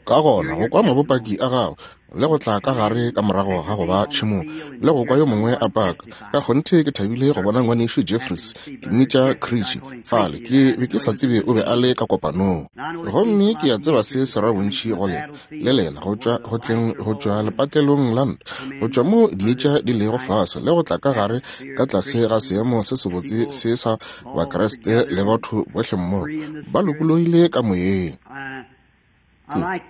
Ka gona go kwa mabopaki a gago le go tla ka gare ka morago ga go ba tšhemong le go kwa yo mongwe a paka. Ka kgonthe ke thabile go bona Ngwanešu Jeffries, ke mmitša Creechy fale, ke be ke sa tsebe o be a le ka kopanong. Gomme ke a tseba se se ra bontši go lena, le lena, go tšwa go tleng go tšwa lepatlelong la ntwa, go tšwa mo dietša di lego fase, le go tla ka gare ka tlase ga seemo se sebotse se sa Bakriste le batho bohle mmogo, ba lokologile ka moyeng.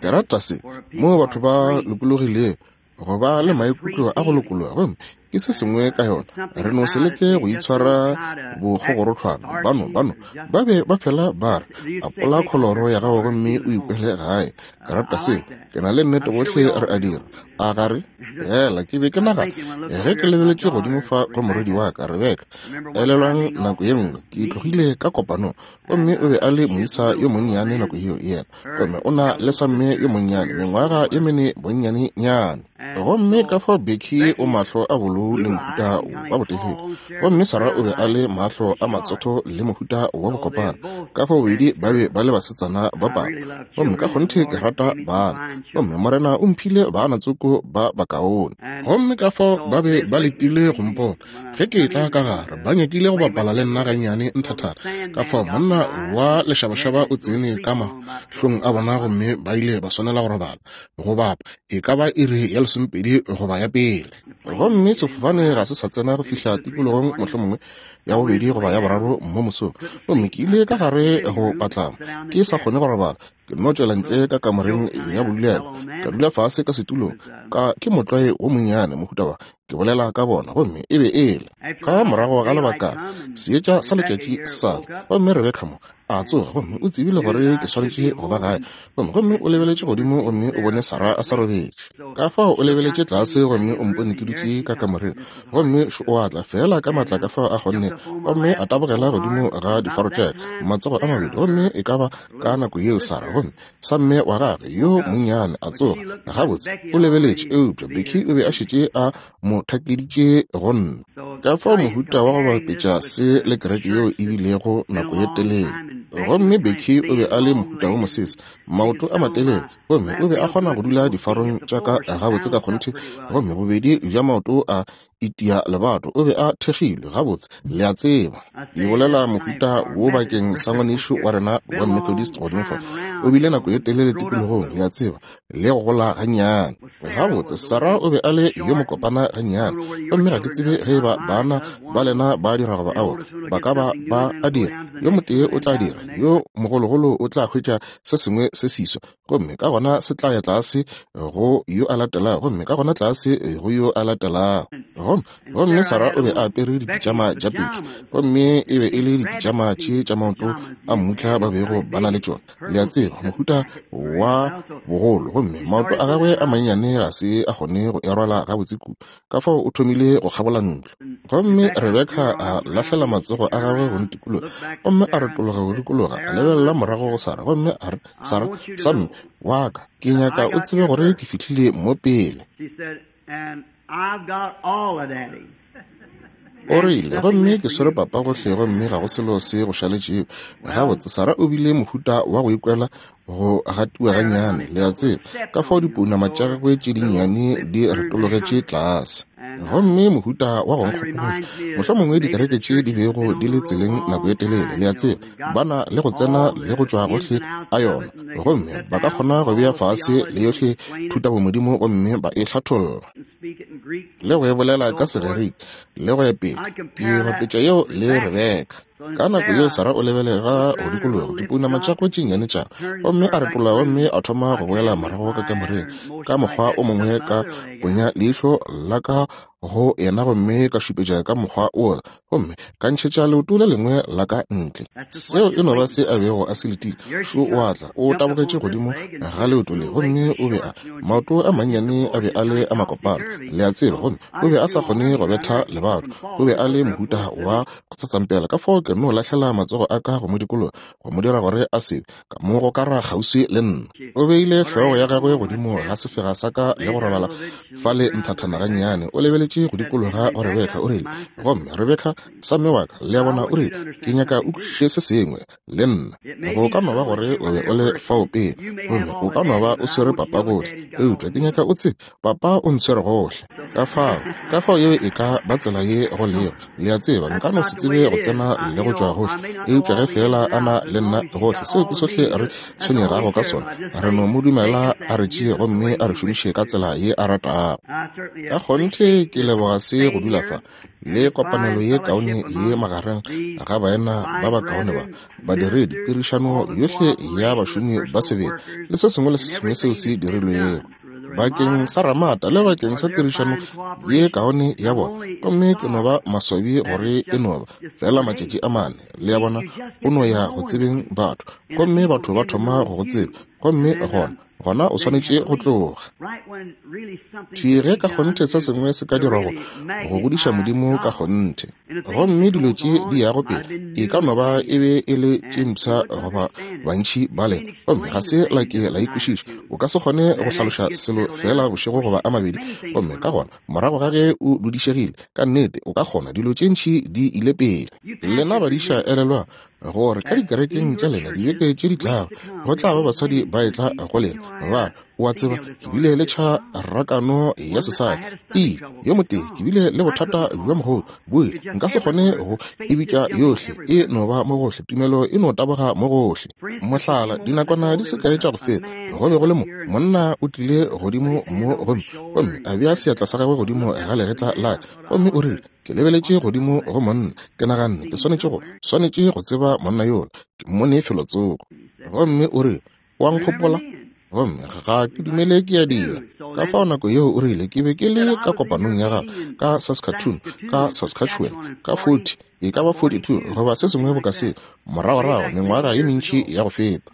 Ke rata se, moo batho ba lokologilego go ba le maikutlo a go lokologa, gomme ke se sengwe ka yona. Re no se leke go itshwara bokgogorothwana. Bano, bano ba be ba fela ba re, Apola kholoro ya gago gomme o ikwele gae. Ke rata seo. Ke na le nnete gohle re a dira. A ga re? Fela ke be ke nagana, ge ke lebeletše godimo fa go morwedi wa ka, Rebeka, elelwang nako ye nngwe ke tlogile ka kopanong, Gomme o be a le moisa yo monnyane nako yeo, yena. Gomme o na le samme yo monnyane, mengwaga ye mene bonnyanenyane. Gomme ka fao Becky o mahlo a bolou le mohuta wa botelele. Gomme Sarah o be a le mahlo a matsotho le mohuta wa bokopana. Ka fao bobedi ba be ba le basetsana ba papa. Gomme ka kgonthe ke rata bana. Gomme Morena o mphile bana tsoko ba bakaone. Gomme ka fao ba be ba letile go mpona. Ge ke etla ka gare, ba nyakile go bapala le nna gannyane nthathana. Ka fao monna wa lešabašaba o tsene ka mahlong a bona gomme ba ile ba swanela go robala go bapa e ka ba iri ya lesomepedi goba ya pele. Gomme sefofane ga se sa tsena go fihla tikologong mohlomongwe ya bobedi goba ya boraro mo mosong. Gomme ke ile ka gare go patlama, ke sa kgone go robala. Ke nno tšwela ntle ka kamoreng ya bodulelo, ka dula fase ka setulong, ka ke motlwae wo monnyane mohuta wa ke bolela ka bona, gomme e be e le ka morago ga lebakana seetša sa letšatši sa tla, gomme Rebeka mo a tsoga, gomme o tsebile gore ke swanetše go ba gae, gomme gomme o lebeletše godimo gomme o bone Sara a sa robetše. Ka fao o lebeletše tlase gomme o mpone ke dutše ka kamoreng, gomme šo o a tla feela ka maatla ka fao a kgonne, gomme a tabogela godimo ga difaro tša ka, matsogo a mabedi, gomme e ka ba ka nako yeo Sara, gomme samme wa gagwe yo monnyane a tsoga. Gabotse, o lebeletše, eupša Becky o be a šetše a mo thakeditše go nna. Ka fao mohuta wa go bapetša se le kereke yeo e bilego nako ye telele. Gomme Becky o be a le mohuta wo mosese, maoto a matelele, gomme o be a kgona go dula difarong tša ka gabotse ka kgonthe, gomme bobedi bja maoto a itia lebato, o be a thekgilwe gabotse, le a tseba. Ke bolela mohuta wo bakeng sa ngwanešu wa rena wa Methodist godimo fa. O bile nako ye telele tikologong, le a tseba, le go gola gannyane. Gabotse, Sarah o be a le yo mokopana gannyane. Gomme ga ke tsebe ge eba bana ba lena ba dira goba aowa. Ba ka ba ba a dira. Yo motee o tla dira, yo mogologolo o tla hwetša se sengwe se seswa, gomme ka gona se tla ya tlase go yo a latelago, gomme ka gona tlase go yo a latelago. Gomme, gomme Sarah o be a apere dipitšama tša peki, gomme e be e le dipitšama tše tša maoto a mmutla ba bego ba na le tšona, le a tseba, mohuta wa bogolo, gomme maoto a gagwe a mannyane ga se a kgone go e rwala gabotse kudu, ka fao o thomile go kgabola ntlo. Gomme Rebeka a lahlela matsogo a gagwe go ntikologa, gomme a retologa go dikologa, a lebelela morago go Sara, gomme a re, Sara, samme wa ka, ke nyaka o tsebe gore ke fihlile mo pele. O rile, Gomme ke swere papa gohle, gomme ga go selo se go šaletšego. Gabotse, Sara o bile mohuta wa go ikwela go gatiwa gannyane, le a tseba, ka fao dipounama tša gagwe tše dinnyane di retologetše tlase. Gomme mohuta wa go nkgopotša, mohlomongwe dikereke tše di bego di le tseleng nako ye telele, le a tseba, ba na le go tsena le go tšwa gohle a yona, gomme ba ka kgona go bea fase le yohle thutabomodimo gomme ba e hlatholla le go e bolela ka Segerike le go ya pele. Ke bapetša yeo le Rebeka. Ka nako yeo Sara o lebelega go dikologa dipounama tša gagwe tše nnyane tša, gomme a retologa gomme a thoma go boela morago ka kamoreng. Ka mokgwa o mongwe ka ponya leihlo la ka go yena gomme ka šupetša ka mokgwa wola, gomme ka ntšhetša leoto le lengwe la ka ntle. Seo e no ba se a bego a se letile. Šo o a tla, o tabogetše godimo ga leoto le, gomme o be a, maoto a mannyane a be a le a makopana, le a tseba, gomme o be a sa kgone go betha lebato. O be a le mohuta wa go tsatsampela, ka fao ke no lahlela matsogo a ka go mo dikologa, go mo dira gore a se ka mo gokara kgauswi le nna. O beile hlogo ya gagwe godimo ga sefega sa ka le go robala fale nthathana gannyane. O lebeletše. lebeletše go dikologa go Rebeka, o rile, Gomme Rebeka, samme wa ka, le a bona, o rile, ke nyaka o kwešiše se sengwe, le nna. Go ka no ba gore o be o le fao pele, gomme o ka no ba o swere papa gohle, eupša ke nyaka o tsebe, papa o ntshwere gohle. Ka fao, ka fao yeo e ka ba tsela ye go lego. Le a tseba, nka no se tsebe go tsena le go tšwa gohle, eupša ge feela a na le nna gohle, seo ke sohle re tshwenyegago ka sona. Re no mo dumela a re tšee gomme a re šomiše ka tsela ye a ratago. Ka kgonthe ke leboga se go dula fa le kopanelo ye kaone ye magareng ga baena ba bakaone ba badiredi, tirišano yohle ya bašomi ba sebele le se sengwe le se sengwe seo se dirilwego bakeng sa Ramata le bakeng sa tirišano ye kaone ya bona. Gomme ke no ba maswabi gore e no ba fela matšatši a mane, le a bona, o no ya go tsebeng batho, gomme batho ba thoma go go tseba, gomme gona gona o swanetše go tloga. Thwi ge ka kgonthe se sengwe se ka dirwa go go godiša Modimo ka kgonthe, gomme dilo tše di yago pele e ka no ba e be e le tše mpsha goba bantši ba lena, gomme ga se la ke la ikwešiša. O ka se kgone go hlaloša selo feela bošego goba a mabedi, gomme ka gona morago ga ge o dudišegile, ka nnete o ka kgona, dilo tše ntši di ile pele. Lena badiša, elelwang gore ka dikerekeng tša lena dibeke tše di tlago go tla ba basadi ba etla go lena ba re, O a tseba, ke bile le tšharakano ya sesadi pele yo motee, ke bile le bothata bja mogodu boe, nka se kgone go e bitša yohle, e no ba mo gohle, tumelo e no taboga mo gohle. Mohlala, dinakwana di se kae tša go feta, go be go le mo monna o tlile godimo mo gomme, gomme a bea seatla sa gagwe godimo ga legetla la ka, gomme o rile, Ke lebeletše godimo go monna, ke naganne ke swanetše go, swanetše go tseba monna yola, ke mmone felotsoko. Gomme o rile, O a nkgopola? Gomme ga ke dumele ke a dira. Ka fao nako yeo o rile, ke be ke le ka kopanong ya gago ka Saskatoon, ka Saskatchewan, ka 40, e ka ba 42 goba se sengwe boka seo, moragorago mengwaga ye mentši ya go feta.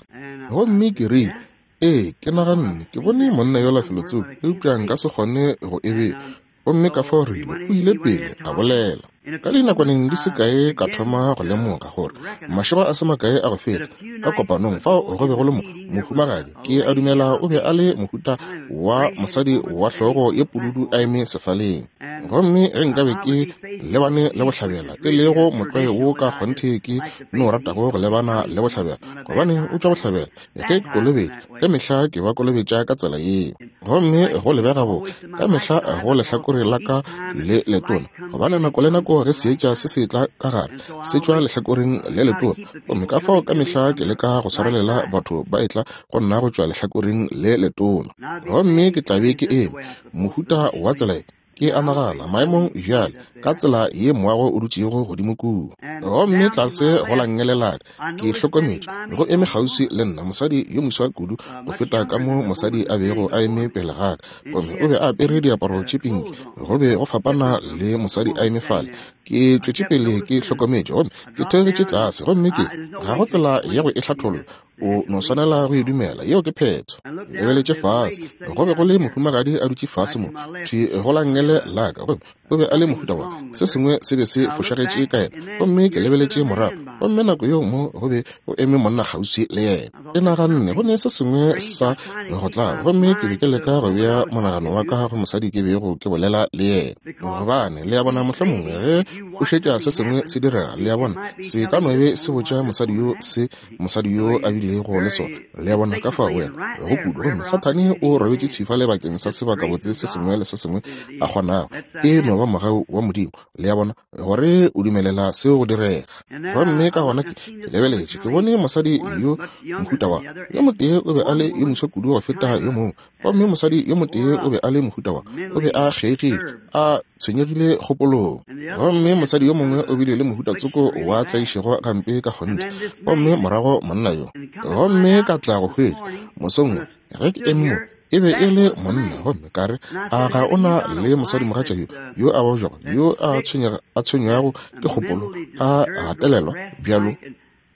Gomme ke rile, Ee, ke naganne ke bone monna yola felotsoko, eupša nka se kgone go e bea. Gomme ka fao rile, o ile pele a bolela. Ka dinakwaneng di se kae ka thoma go lemoga gore mašego a se makae a go feta, ka kopanong fao go be go le mo, mohumagadi, ke a dumela o be a le mohuta wa mosadi wa hlogo ye pududu a eme sefaleng. Gomme ge nkabe ke lebane le bohlabela, e lego motlwae wo ka kgonthe ke no ratago go lebana le bohlabela, gobane o tšwa bohlabela, Ge ke kolobetša, ka mehla ke ba kolobetša ka tsela yeo. Gomme go lebega bo ka mehla go lehlakore la ka le letona, gobane nako le nako ge seetša se se tla ka gare, se tšwa lehlakoreng le letona. Gomme ka fao ka mehla ke leka go swarelela batho ba etla go nna go tšwa lehlakoreng le letona. Gomme ke tla be ke eme mohuta wa tsela ye. Ke a nagana, maemong bjale, ka tsela ye moago o dutšego godimo kua. Gomme tlase go la nngele la ka, ke hlokometše, go eme kgauswi le nna, mosadi yo moswa kudu go feta ka mo mosadi a bego a eme pele ga ka. Gomme o be a apere diaparo tše pinki, go be go fapana le mosadi a eme fale. Ke tšwetše pele ke hlokometše, gomme ke theogetše tlase, gomme ke, ga go tsela ya go e hlatholla. O no swanela go e dumela, yeo ke phetho. Lebeletše fase, go be go le mohumagadi a dutše fase mo, thwi go la nngele la ka, gomme o be a le mohuta wa, se sengwe se be se fošagetše ka yena. Gomme ke lebeletše morago, gomme nako yeo mo go be go eme monna kgauswi le yena. Ke naganne go ne se sengwe sa go tlaba, gomme ke be ke leka go bea monagano wa ka go mosadi ke bego ke bolela le yena. Gobane, le a bona, mohlomongwe ge o šetša se sengwe se direga, le a bona, se ka no be se botša mosadi yo se mosadi yo a bilego le sona. Le a bona, ka fao wena go kudu. Gomme Sathane o robetše thwi fale bakeng sa sebakabotse se sengwe le se sengwe a kgonago. E no ba mogau wa Modimo, le a bona, gore o dumelela seo go direga. Gomme ka gona ke, ke lebeletše, ke bone mosadi yo mohuta wa, yo motee o be a le yo moswa kudu go feta yo mongwe. Gomme mosadi yo motee o be a le mohuta wa, o be a kgeigile, a tshwenyegile kgopolong. Gomme mosadi yo mongwe o bile le mohuta tsoko wa tlaišego gampe ka kgonthe. Gomme morago monna yo. Gomme ka tla go hwetša, mosong wo, ge ke eme mo, e be e le monna. Gomme ka re, A ga o na le mosadimogatša yo, yo a babjago, yo a tshwenyega, a tshwenywago ke kgopolo, a gatelelwa bjalo?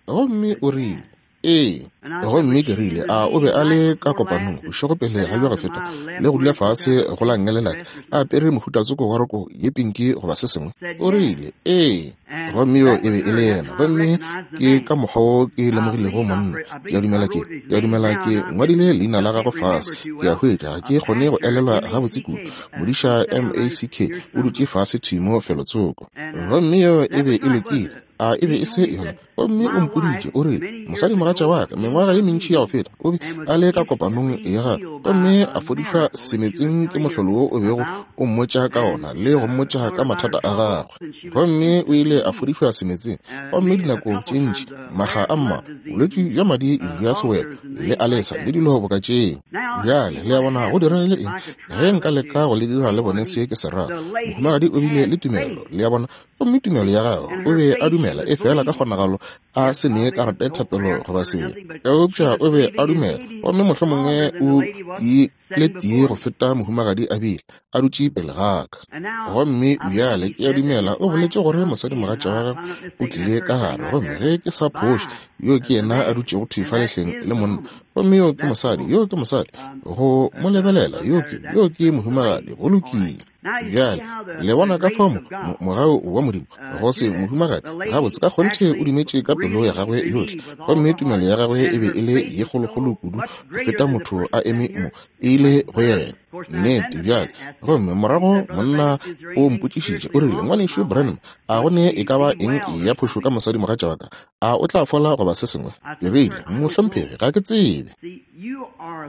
Gomme o rile. Ee. Gomme ke rile, A o be a le ka kopanong bošego pele ga bjo go feta, le go dula fase go la nngele la ka, a apere mohuta tsoko wa roko ye pinki goba se sengwe? O rile, Ee. Gomme yo e be e le yena. Gomme ke ka mokgwa wo ke lemogilego monna. Ke a dumela ke, ke a dumela ke ngwadile leina la gagwe fase. Ke a hwetša, ga ke kgone go elelwa gabotse kudu. Modiša M-A-C-K o dutše fase thwi mo felotsoko. Gomme yo e be e lokile. A e be e se yona? Gomme o mpoditše, o rile, Mosadimogatša wa ka, mengwaga ye mentši ya go feta, o be a le ka kopanong ya gagwe, gomme a fodišwa semetseng ke mohlolo wo o bego o mmotša ka ona, le go mmotša ka mathata a gagwe. Gomme o ile a fodišwa semetseng, gomme dinako tše ntši, makga a mmalwa, bolwetši bja madi bja sewelo, le alesa, le dilo boka tšeo. Bjale, le a bona, go diregile eng? Ge nka leka go le dira le bone se ke se rago. Mohumagadi o bile le tumelo, le a bona, gomme tumelo ya gagwe o be a dumela e fela ka kgonagalo a se nee karata ya thapelo goba selo, eupša o be a dumela, gomme mohlomongwe o tiile tie go feta mohumagadi a bile a dutše pele ga ka. Gomme bjale ke a dumela o boletše gore mosadimogatša wa gagwe o tlile ka gare, gomme ge ke sa phoše, yo ke yena a dutšego thwi fa lehleng le monna, gomme yo ke mosadi, yo ke mosadi, go mo lebelela, yo ke, yo ke mohumagadi, go lokile. Bjale, le bona ka fao mo, mo, mogau wa Modimo, go se mohumagadi, gabotse ka kgonthe o dumetše ka pelo ya gagwe yohle, gomme tumelo ya gagwe e be e le ye kgolokgolo kudu go feta motho a eme mo, e ile go yena. Nnete, bjale. Gomme morago monna o mpotšišitše, o rile, Ngwanešu Branham, a go ne e ka ba eng ya phošo ka mosadimogatša wa ka? A o tla fola goba se sengwe? Ke rile, Mohlomphegi, ga ke tsebe.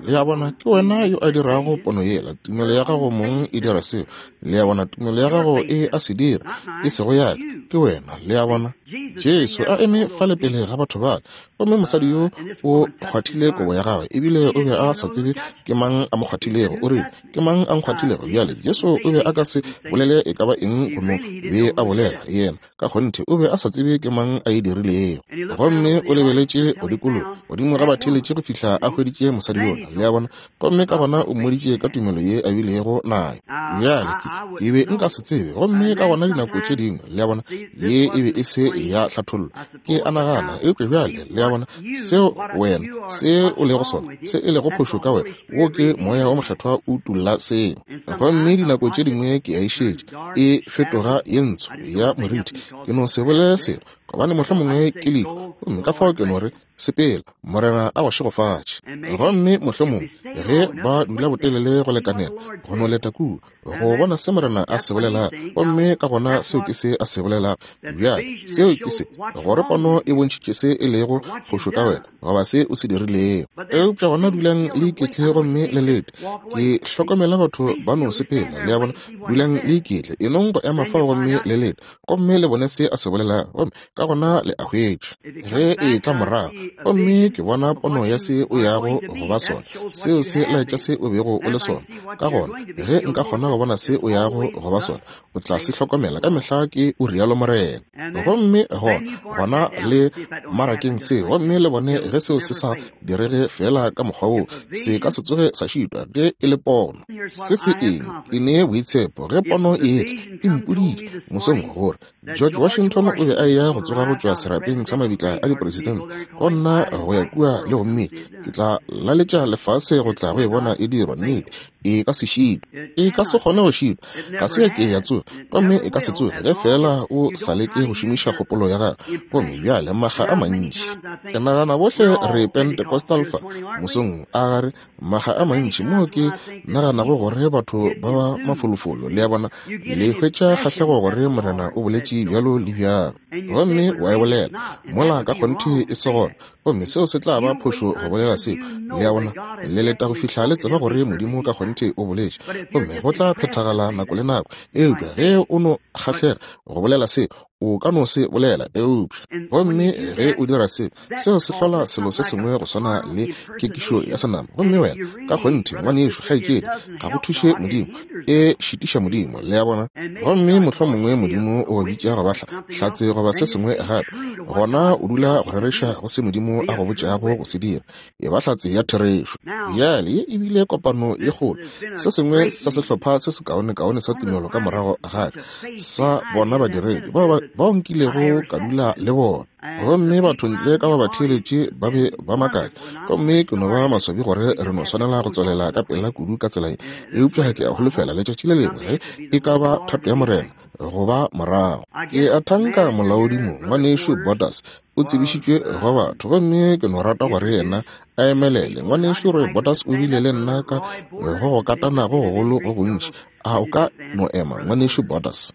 Le a bona, ke wena yo a dirago pono yela. Tumelo ya gago mong e dira seo. Le a bona, tumelo ya gago e a se dira, e sego ya ka. Ke wena, le a bona. Jesu a eme fale pele ga batho bale, gomme mosadi yo o kgwathile kobo ya gagwe, ebile o be a sa tsebe ke mang a mo kgwathilego. O rile, Ke mang a nkgwathilego? Bjale, Jesu o be a ka se bolele e ka ba eng go no be a bolela. Yena, Ka kgonthe, o be a sa tsebe ke mang a e dirilego. Gomme o lebeletše go dikologa, godimo ga batheeletši go fihla a hweditše mosadi yola, le a bona, gomme ka gona o mmoditše ka tumelo ye a bilego nayo. Bjale, ke, ke be nka se tsebe. Gomme ka gona dinako tše dingwe, le a bona, ye e be e se ya hlathollo, ke a nagana. Eupša bjale, le a bona, seo wena, se o lego sona, se e lego phošo ka wena, wo ke Moya wo Mokgethwa o utolla seo. Gomme dinako tše dingwe ke a e šetša, e fetoga ye ntsho ya moriti. Ke no se bolele selo, gobane mohlomongwe ke lehu, gomme ka fao ke no re, Sepela, Morena a go šegofatše. Gomme mohlomongwe ge ba dula botelele go lekanela, go no leta kua, go bona se Morena a se bolelago, gomme ka gona seo ke se a se bolelago. Bjale, seo ke se, gore pono e bontšhitše se e lego phošo ka wena, goba se o se dirilego. Eupša gona dulang le iketle gomme le lete. Ke hlokomela batho ba no sepela, le a bona. Dulang le iketle, e nong go ema fao gomme le lete, gomme le bone se a se bolelago, gomme ka gona le a hwetša. Ge e etla morago, gomme ke bona pono ya se o yago go ba sona, seo se laetša se o bego o le sona. Ka gona, ge nka kgona go bona se o yago go ba sona, o tla se hlokomela ka mehla ke o rialo Morena. Gomme gona, gona le marakeng seo, gomme le bone ge seo se sa direge feela ka mokgwa woo, se ka se tsoge sa šitwa ge e le pono. Se se eng? E ne boitshepo ge pono e etla, e mpoditše mosong gore George Washington o be a eya go tsoga go tšwa serapeng sa mabitla a dipresidente go nna go ya kua le go mmitša. Ke tla laletša lefase go tla go e bona e dirwa. Nnete, e ka se šitwe. E ka se kgone go šitwa. Ga se ya ke ya tsoga, gomme e ka se tsoge ge feela o sa leke go šomiša kgopolo ya gago. Gomme bjale makga a mantši, ke nagana bohle re Pentecostal fa mosong, a ga re? Makga a mantši moo ke naganago gore batho ba ba mafolofolo, le a bona, le hwetša kgahlego gore Morena o boletše bjalo le bjalo, gomme wa e bolela, mola ka kgonthe e se gona. Gomme seo se tla ba phošo go bolela seo, le a bona. Le leta go fihla le tseba gore Modimo ka kgonthe o boletše, gomme go tla phethagala nako le nako. Eupša ge o no kgahlega go bolela seo, o ka no se bolela. Eupša, gomme ge o dira seo, seo se hlola selo se sengwe go swana le kekišo ya senama. Gomme wena, ka kgonthe, ngwanešu, kgaetšedi, ga go thuše Modimo, e šitiša Modimo, le a bona. Gomme mohlomongwe Modimo o go bitša go ba hlatse goba se sengwe gape, gona o dula go rereša go se Modimo a go botšago go se dira. E ba hlatse ya therešo. Bjale, ye e bile kopano ye kgolo, se sengwe sa sehlopha se sekaonekaone sa tumelo ka morago ga ka, sa bona badiredi bao, bao nkilego ka dula le bona. Gomme batho ntle ka ba batheeletše ba be ba makatša. Gomme ke no ba maswabi gore re no swanela go tswelela ka pela kudu ka tsela ye. Eupša ke a holofela letšatši le lengwe ge e ka ba thato ya Morena, go ba morago. Ke a thanka molaodi mo, Ngwanešu Borders, o tsebišitšwe go batho, gomme ke no rata gore yena a emelele. Ngwanešu Roy Borders o bile le nna ka go go katana go gogolo go gontši. A o ka no ema, Ngwanešu Borders?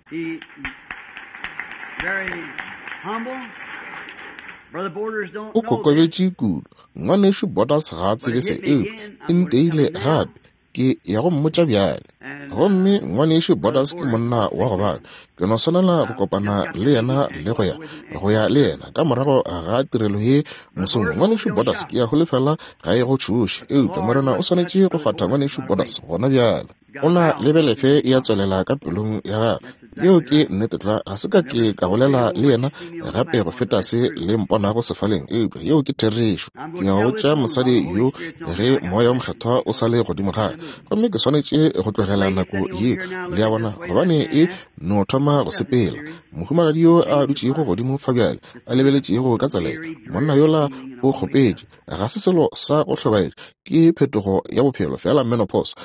O kokobetše kudu. Ngwanešu Borders ga a tsebe se, eupša e nteile gape. Ke ya go mmotša bjale. Gomme Ngwanešu Borders ke monna wa go baka. Ke no swanela go kopana le yena le go ya, go ya le yena ka morago ga tirelo ye mosong. Ngwanešu Borders, ke ya holofela ga e go tšhoše, eupša Morena o swanetše go kgwatha Ngwanešu Borders gona bjale. O na le belefe ya tswelela ka pelong ya gagwe. Yeo ke nnete tlwa. Ga se ka ke ka bolela le yena gape go feta se le mponago sefaleng, eupša yeo ke therešo. Ke ya go botša mosadi yo ge Moya wo Mokgethwa o sa le godimo ga ka, gomme ke swanetše go tlogela nako yeo, le a bona, gobane e no thoma go sepela. Mohumagadi yo a dutšego godimo fa bjale, a lebeletšego ka tsela ye, monna yola o kgopetše. Ga se selo sa go hlobaetša, ke phetogo ya bophelo, feela menopause.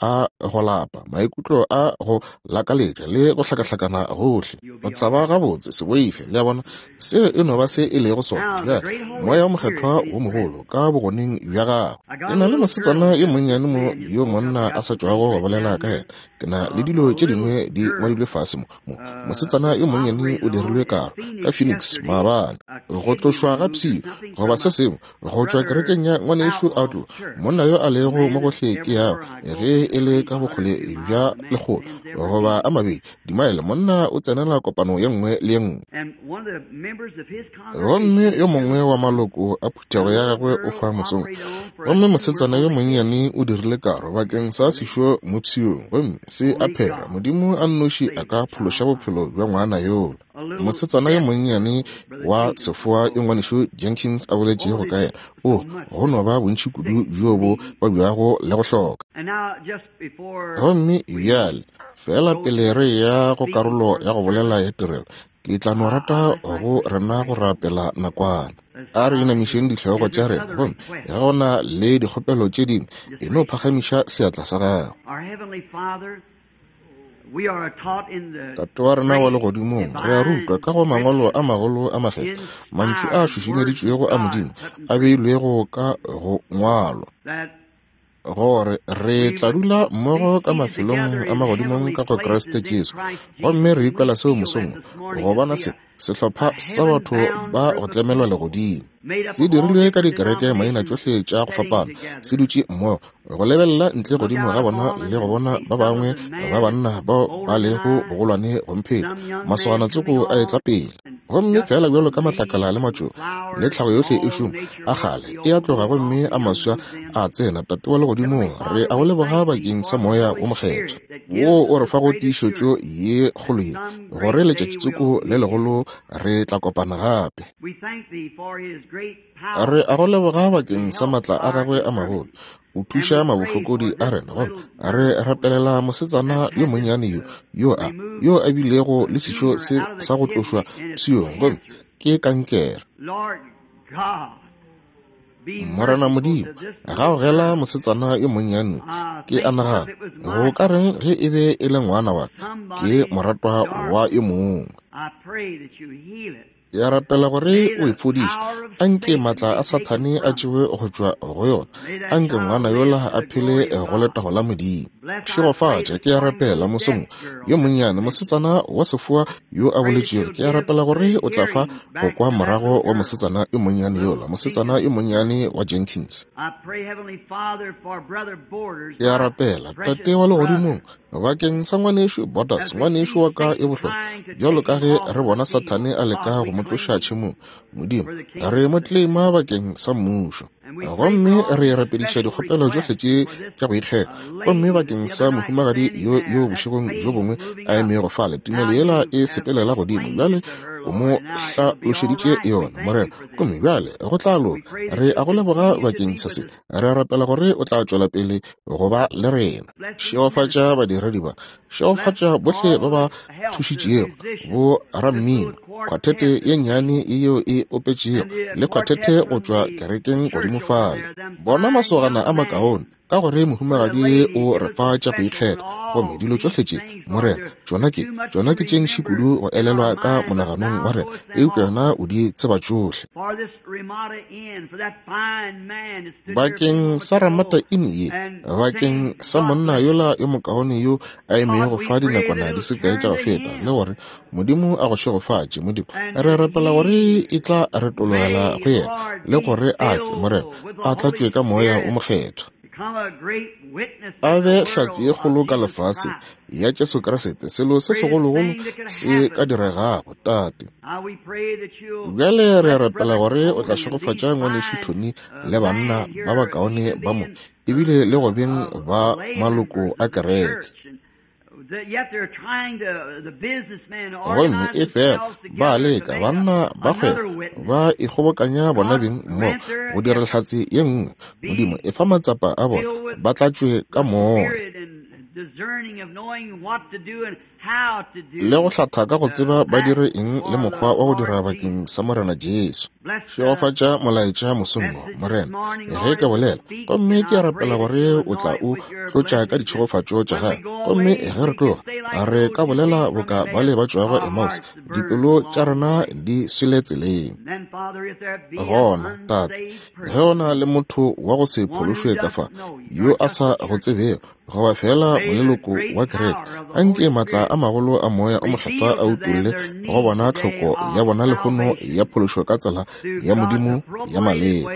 A go lapa, maikutlo a go lakaletša le go hlakahlakana gohle. O tla ba gabotse, se boife. Le a bona? Seo e no ba se e lego sona. Bjale, Moya wo Mokgethwa wo mogolo ka bogoneng bja gago. Ke na le mosetsana yo monnyane mo yo monna a sa tšwago go bolela ka yena. Ke na le dilo tše dingwe di ngwadilwe fase mo. Mo, mosetsana yo monnyane o dirilwe karo ka Phoenix maabane. Go tlošwa ga pshio goba se sengwe go tšwa kerekeng ya ngwanešu Outlaw, monna yo a lego mo gohle ke yago, ge e le ka bokgole bja lekgolo goba a mabedi dimaele, monna o tsenela kopano ye nngwe le ye nngwe. Gomme yo mongwe wa maloko a phuthego ya gagwe o fa mosong, gomme mosetsana yo monnyane o dirile karo bakeng sa sešo mo pshiong, gomme se a phera. Modimo a nnoši a ka phološa bophelo bja ngwana yola. Mosetsana yo monnyane wa sefoa yo Ngwanešu Jenkins a boletšego ka yena, o, go no ba bontši kudu bjo bo babjago le go hloka. Gomme bjale, feela pele re eya go karolo ya go bolela ya tirelo, ke tla no rata go rena go rapela nakwana. A re inamišeng dihlogo tša rena, gomme ge go na le dikgopelo tše dingwe, e no phagamiša seatla sa gago. Tate wa rena wa Legodimong, re a rutwa ka go Mangwalo a magolo a makgethwa, mantšu a šušumeditšwego a Modimo a beilwego ka go ngwalwa, gore re tla dula mmogo ka mafelong a magodimong ka go Kriste Jesu. Gomme re ikwela seo mosong wo, go bona se, sehlopha sa batho ba go tlemelwa legodimo se dirilwe ka dikereke maina tšohle tša go fapana se dutše mmogo go lebelela ntle godimo ga bona le go bona ba bangwe ba banna bao ba lego bogolwane go mpheta masogana tsoko a etla pele gomme fela bjalo ka matlakala le matšo le tlhago yohle e šoma a kgale e a tloga gomme a maswa a tsena. Tate wa legodimong, re a go leboga bakeng sa Moya wo Mokgethwa wo o re fago tiišetšo ye kgolo ye gore letšatšitsoko le legolo re tla kopana gape. Re a go leboga bakeng sa matla a gagwe a magolo o thuša mabofokodi a rena, gomme re rapelela mosetsana yo monnyane yo yo a yo a bilego le sešo se sa go tlošwa pshiong, gomme ke kankere. Morena Modimo, gaogela mosetsana yo monnyane. Ke a nagana, go ka reng ge e be e le ngwana wa ka? Ke moratwa wa yo mongwe. Ke a rapela gore o e fodiše. Anke maatla a Sathane a tšewe go tšwa go yona. Anke ngwana yola a phele go letago la Modimo. Šegofatša, ke a rapela, mosong yo monnyane, mosetsana wa sefoa yo a boletšego. Ke a rapela gore o tla fa go kwa morago wa mosetsana yo monnyane yola, mosetsana yo monnyane wa Jenkins. Ke a rapela, Tate wa Legodimong, bakeng sa ngwanešu Borders, ngwanešu wa ka yo bohlokwa, bjalo ka ge re bona Sathane a leka go mo tloša tšhemong, Modimo, re mo tlema bakeng sa Mmušo. Gomme re rapediša dikgopelo tšohle tše tša go ikgetha. Gomme bakeng sa mohumagadi yo, yo bošegong bjo bongwe a emego fale, tumelo yela e sepelela godimo bjale. O mo hlalošeditše yona, Morena. Gomme bjale go tla loka. Re a go leboga bakeng sa se. Re a rapela gore o tla tšwela pele go ba le rena. Šegofatša badiredi ba. Šegofatša bohle ba ba thušitšego, bo rammino, khwathete ye nnyane yeo e opetšego, le khwathete go tšwa kerekeng godimo fale. Bona masogana a makaone, ka gore mohumagadi o re fa tša go ikgetha. Gomme dilo tšohle tše, Morena, tšona ke, tšona ke tše ntši kudu go elelwa ka monaganong wa rena, eupša wena o di tseba tšohle. Bakeng sa Ramata Inn ye, bakeng sa monna yola yo mokaone yo a emego fa dinakwana di se kae tša go feta, le gore Modimo a go šegofatše, Modimo. Re rapela gore e tla retologela go yena, le gore a ke, Morena, a tlatšwe ka Moya o Mokgethwa, a be hlatse ye kgolo ka lefaseng ya Jesu Kriste, selo se segologolo se ka diregago, Tate. Bjale re rapela gore o tla šegofatša Ngwanešu Tony le banna ba bakaone ba mo, ebile le go beng ba maloko a kereke. Gomme efela ba leka, banna ba kgwebo ba ikgobokanya bona beng mmogo go dira hlatse ye nngwe. Modimo, efa matsapa a bona, ba tlatšwe ka Moya le go hlatha ka go tseba ba dire eng le mokgwa wa go dira bakeng sa Morena Jesu. Šegofatša molaetša mosong wo, Morena, ge ke bolela. Gomme ke a rapela gore o tla o tlotša ka ditšhegofatšo tša gago. Gomme ge re tloga, re ka bolela boka bale ba tšwago Emmaus, dipelo tša rena di swele tseleng. Gona, Tate, ge go na le motho wa go se phološwe ka fa, yo a sa go tsebego, goba feela moleloko wa kereke, anke maatla a magolo a Moya o Mokgethwa a utolle go bona tlhoko ya bona lehono ya phološo ka tsela ya Modimo ya maleba.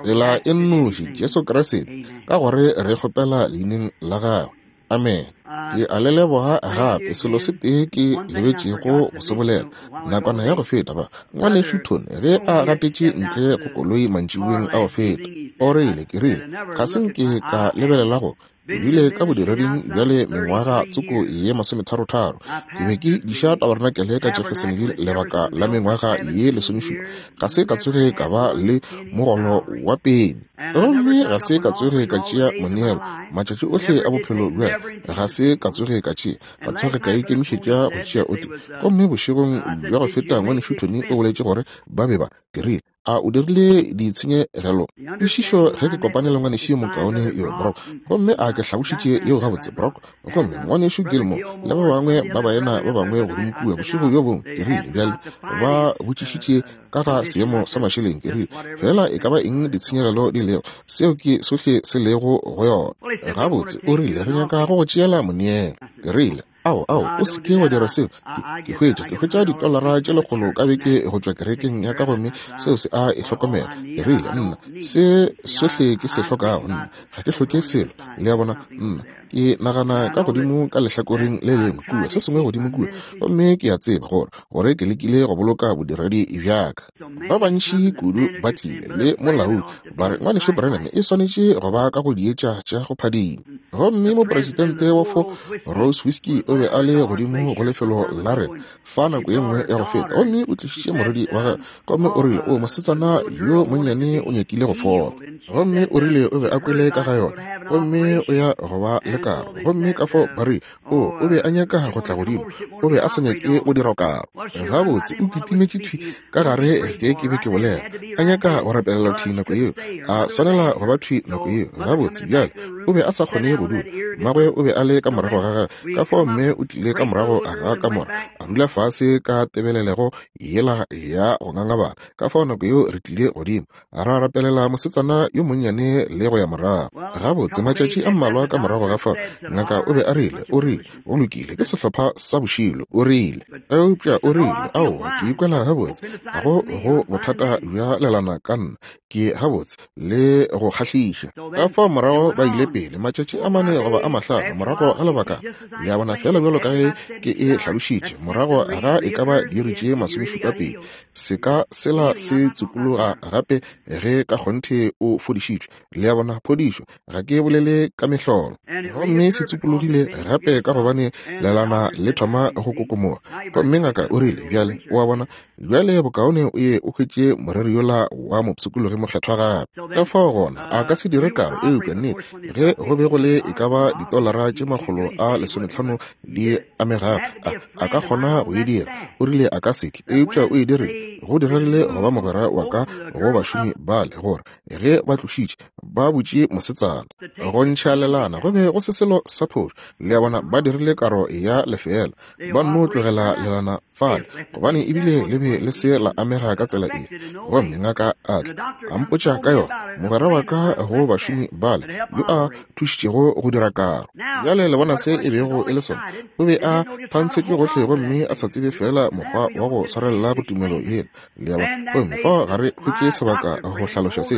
Tsela e nnoši, Jesu Kriste, ka gore re kgopela leineng la gagwe. Amen. Ke a le leboga gape. Selo se tee ke lebetšego go se bolela nakwana ya go feta, ba ngwanešu Tony ge a gatetše ntle go koloi mantšiboeng a go feta, o rile, ke rile, ga se nke ka lebelela go ke bile ka bodireding bjale mengwaga tsoko ye masometharotharo. Ke be ke diša tabarenakele ka Jeffersonville lebaka la mengwaga ye lesomešupa. Ga se ka tsoge ka ba le mogolo wa peni. Gomme ga se ka tsoge ka tšea moneelo matšatši ohle a bophelo bja ga se ka tsoge ka tšea, ka tsoge ka ikemišetša go tšea o tee. Gomme bošegong bja go feta ngwanešu Tony o boletše gore ba be ba, ke rile, a o dirile ditshenyegelo? Kwešišo ge ke kopane le ngwanešu yo mokaone yo, Brock. Gomme a ke hlabošitše yeo gabotse, Brock? Gomme ngwanešu Gilmore le ba bangwe ba baena ba bangwe godimo kua bošego bjo bongwe, ke rile, bjale ba botšišitše ka ga seemo sa mašeleng, ke rile, feela e ka ba eng ditshenyegelo di lego, seo ke sohle se lego go yona. Gabotse, o rile, re nyaka go go tšeela moneelo. Ke rile, Ao, ao, o se ke wa dira seo. Ke, ke hwetša, ke hwetša ditolara tše lekgolo ka beke go tšwa kerekeng ya ka gomme seo se a e hlokomela. Ke rile, Nna, se sohle ke se hlokago, nna, ga ke hloke selo. Le a bona? Nna, ke nagana ka godimo ka lehlakoreng le lengwe kua, se sengwe godimo kua, gomme ke a tseba gore, gore ke lekile go boloka bodiredi bja ka. Ba bantši kudu ba tlile le molaodi, ba re, Ngwanešu Branham, e swanetše go ba ka go dietša tša go phadima. Gomme mopresidente wa Four Rose Whiskey o be a le godimo go lefelo la rena fa nako ye nngwe ya go feta, gomme o tlišitše morwedi wa gagwe, gomme o rile, O mosetsana yo monnyane o nyakile go fola. Gomme o rile o be a kwele ka ga yona, gomme o ya go ba le karo. Gomme ka fao ba rile, O, o be a nyaka go tla godimo, o be a sa nyake go dira karo. Gabotse, o kitimetše thwi ka gare ge ke be ke bolela, a nyaka go rapelela thwi nako yeo, a swanela go ba thwi nako yeo. Gabotse, bjale, o be a sa kgone go dula. Mmagwe o be a le ka morago ga gagwe, ka fao mme o tlile ka morago ga kamora, a dula fase ka tebelelego yela ya go ngangabala. Ka fao nako yeo re tlile godimo, ra rapelela mosetsana yo monnyane le go ya morago. Gabotse, matšatši a mmalwa ka morago ga fao, ngaka o be a rile, o rile, Go lokile, ke sehlopha sa bošilo, o rile. Eupša o rile, Aowa, ke ikwela gabotse. Ga go, go bothata bja lelana ka nna. Ke gabotse le go kgahliša. Ka fao morago ba ile pele. pele, matšatši a mane goba a mahlano morago ga lebakana, le a bona, feela bjalo ka ge ke e hlalošitše, morago ga e ka ba diiri tše masomešupa pedi, seka sela se tsupologa gape ge ka kgonthe o fodišitšwe. Le a bona, phodišo, ga ke bolele ka mehlolo. Gomme se tsupologile gape ka gobane lelana le thoma go kokomoga. Gomme ngaka o rile, Bjale, o a bona, bjale bokaone o ye o hwetše moreri yola wa mopshikologi mokgethwa gape. Ka fao gona, a ka se dire karo, eupša nnete, ge go be go le e ka ba ditolara tše 150 di amegago, a, a ka kgona go e dira. O rile a ka se ke, eupša o e dirile. Go diregile go ba mogwera wa ka go bašomi bale, gore ge ba tlošitše, ba butše mosetsana go ntšha lelana, go be go se selo sa phošo. Le a bona, ba dirile karo ya lefeela, ba nno tlogela lelana fale, gobane ebile le be le se la amega ka tsela efe. Gomme ngaka a tla a mpotša ka yona, mogwera wa ka go bašomi bale yo a thušitšego go dira karo. Bjale le bona se e bego e le sona. O be a thantshetšwe gohle gomme a sa tsebe feela mokgwa wa go swarelela go tumelo yela. Le a bona? Gomme fao ga re hwetše sebaka go hlaloša se.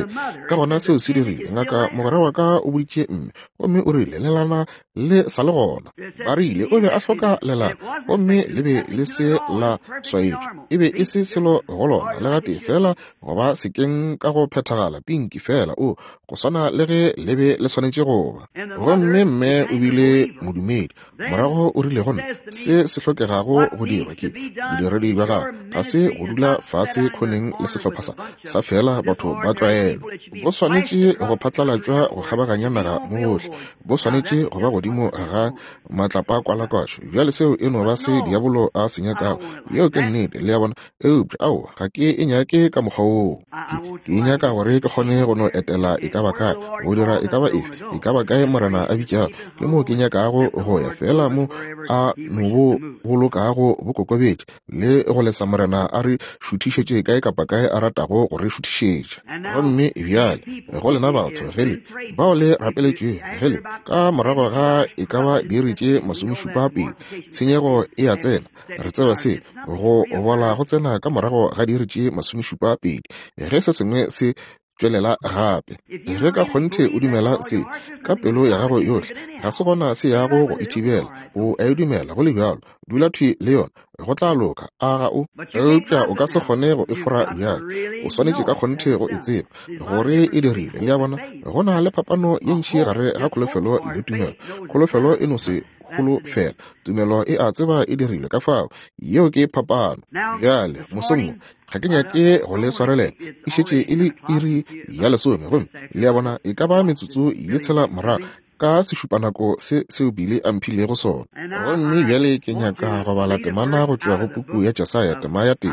Ka gona seo se dirile, ngaka mogwera wa ka o boditše mme, gomme o rile, Lelana le sa le gona. Ba rile o be a hloka lelana, gomme le be le se la swaetšwa. E be e se selo go lona le gatee, feela go ba sekeng ka go phethagala, pinki feela, o, go swana le ge le be le swanetše go ba. Gomme mme o bile modumedi. Morago o rile go nna, Se se hlokegago go dirwa ke bodiredi bja gago ga se go dula fase khoneng le sehlopha sa, sa feela batho ba tlwaelo. Bo swanetše go phatlalatšwa go kgabaganya naga mo gohle. Bo swanetše go ba godimo ga matlapakwalakwatšo. Bjale seo e no ba se diabolo a se nyakago. Yeo ke nnete, le a bona. Eupša, aowa, ga ke e nyake ka mokgwa woo. Ke, ke e nyaka gore ke kgone go no etela e ka ba kae, go dira e ka ba efe, e ka ba kae Morena a bitšago. Ke moo ke nyakago go ya, feela mo A no bo bolokago bo kokobetše, le go lesa Morena a re šuthišetše kae kapa kae A ratago go re šuthišetša. Gomme bjale, go lena batho, ge le, bao le rapeletšwego, ge le, ka morago ga e ka ba diiri tše masomešupa pedi, tshenyego e a tsena. Re tseba se, go bola go tsena ka morago ga diiri tše 70, ge se sengwe se tšwelela gape. Ge ka kgonthe o dumela se ka pelo ya gago yohle, ga se gona se yago go e thibela. O a e dumela go le bjalo. Dula thwi le yona, go tla loka. A ga o? Eupša o ka se kgone go e fora bjale. O swanetše ka kgonthe go e tseba, gore e dirilwe. Le a bona? Go na le phapano ye ntši gare ga kholofelo le tumelo. Kholofelo e no se holofela, tumelo e a tseba e dirilwe. Ka fao, yeo ke phapano. Bjale, mosong wo, ga ke nyake go le swarelela, e šetše e le iri ya lesome, gomme le a bona e ka ba metsotso ye tshela morago ka sešupanako se seo Billy a mphilego sona. Gomme bjale ke nyaka go bala temana go tšwa go puku ya Jesaya, tema ya tee,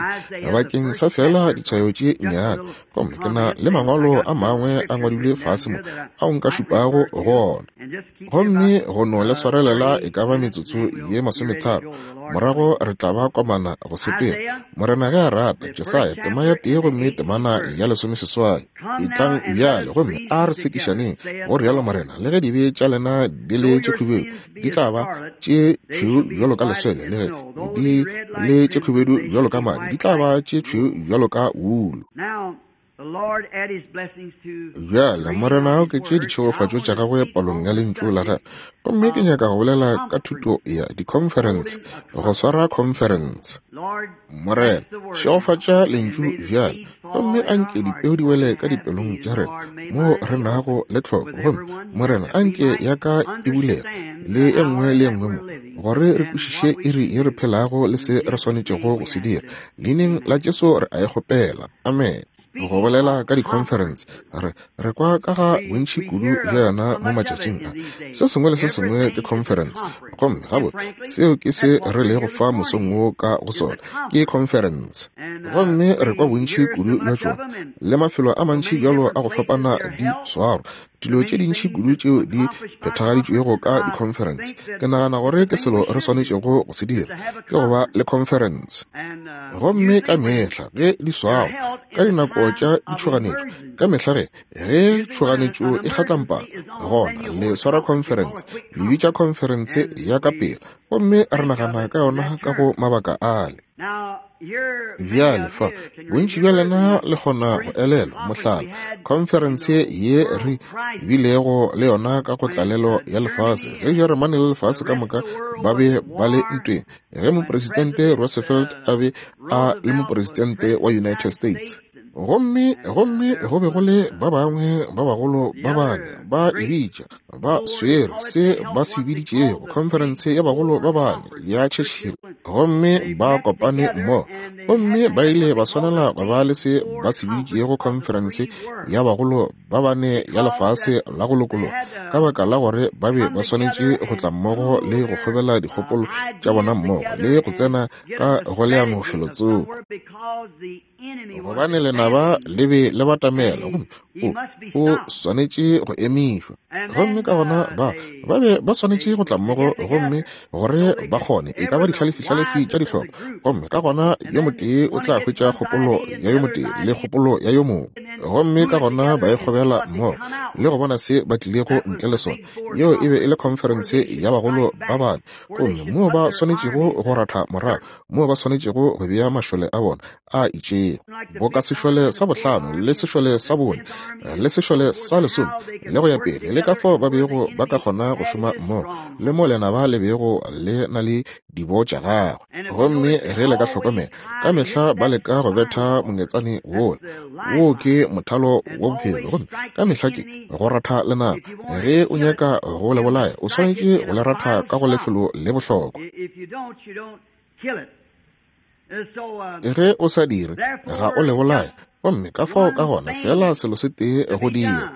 bakeng sa feela ditshwayo tše nnyane. Gomme ke na le mangwalo a mangwe a ngwadilwe fase mo ao nka šupago go ona. Gomme go no le swarelela e ka ba metsotso ye masometharo, morago re tla ba komana go sepela, Morena ge a rata. Jesaya, tema ya tee gomme temana ya lesomeseswai. Etlang bjale gomme a re sekišaneng, go rialo Morena, le ge dibe tša lena di le tše khubedu, di tla ba tše tšhweu bjalo ka leswele, le ge di le tše khubedu bjalo ka madi, di tla ba tše tšhweu bjalo ka wulu. Bjale, Morena a oketše ditšhegofatšo tša gagwe palong ya Lentšu la gagwe. Gomme ke nyaka go bolela ka thuto ya dikhonferense, go swara khonferense. Morena, šegofatša Lentšu bjale, gomme a nke dipeo di wele ka dipelong tša rena moo re nago le tlhoko. Gomme, Morena, a nke ya ka e bulege, le e nngwe le e nngwe mo, gore re kwešiše iri ye re phelago le se re swanetšego go se dira. Leineng la Jesu re a e kgopela. Amen. Go bolela ka di-conference, re, re kwa ka ga bontši kudu bja yona mo matšatšing a. Se sengwe le se sengwe ke conference. Gomme gabotse, seo ke se re lego fa mosong wo ka go sona, ke conference. Gomme re kwa bontši kudu bja tšona, le mafelo a mantši bjalo a go fapana di swarwa, dilo tše dintši kudu tšeo di phethagaditšwego ka di-conference. Ke nagana gore ke selo re swanetšego go se dira, ke go ba le conference. Gomme ka mehla ge di swarwa ka dinako tša ditšhoganetšo, ka mehla ge ge tšhoganetšo e kgatlampana, gona le swara conference, le bitša conference ya ka pela, gomme re nagana ka yona ka go mabaka ale. Bjale fa, bontši bja lena le kgona go elelwa, mohlala, khonferense ye re bilego le yona ka go tlalelo ya lefase, ge Jeremane le lefase ka moka ba be ba le ntweng, ge Mopresidente Roosevelt a be a le Mopresidente wa United States. Gomme, gomme go be go le ba bangwe ba bagolo ba bane ba e bitša, ba swere se ba se biditšego Khonferense ya Bagolo ba Bane ya Churchill, gomme ba kopane mmogo, gomme ba ile ba swanela go ba le se ba se biditšego Khonferense ya Bagolo ba Bane ya Lefase la go Lokologa, ka baka la gore ba be ba swanetše go tla mmogo le go kgobela dikgopolo tša bona mmogo le go tsena ka go leano felotsoko. Gobane lenaba le be le batamela, gomme o, o swanetše go emišwa. Gomme ka gona ba, ba be ba swanetše go tla mmogo, gomme gore ba kgone, e ka ba dihlalefihlalefi tša dihlopha. Gomme ka gona yo motee o tla hwetša kgopolo ya yo motee le kgopolo ya yo mongwe. Gomme ka gona ba e kgobela mmogo, le go bona se ba tlilego ntle le sona. Yeo e be e le khonferense ya bagolo ba bane, gomme moo ba swanetšego go ratha morago, moo ba swanetšego go bea mašole a bona a itšego, boka sešole sa bohlano le sešole sa bone le sešole sa lesome le go ya pele, le ka fao ba bego ba ka kgona go šoma mmogo, le mo lenaba le bego le na le dibo tša gagwe. Gomme ge le ka hlokomela, ka mehla ba leka go betha mongetsane wola. Woo ke mothalo wa bophelo, gomme ka mehla ke go ratha lenaba. Ge o nyaka go le bolaya, o swanetše go le ratha ka go lefelo le bohlokwa. Ge o sa dire, ga o le bolaye. Gomme ka fao ka gona feela selo se tee go dira,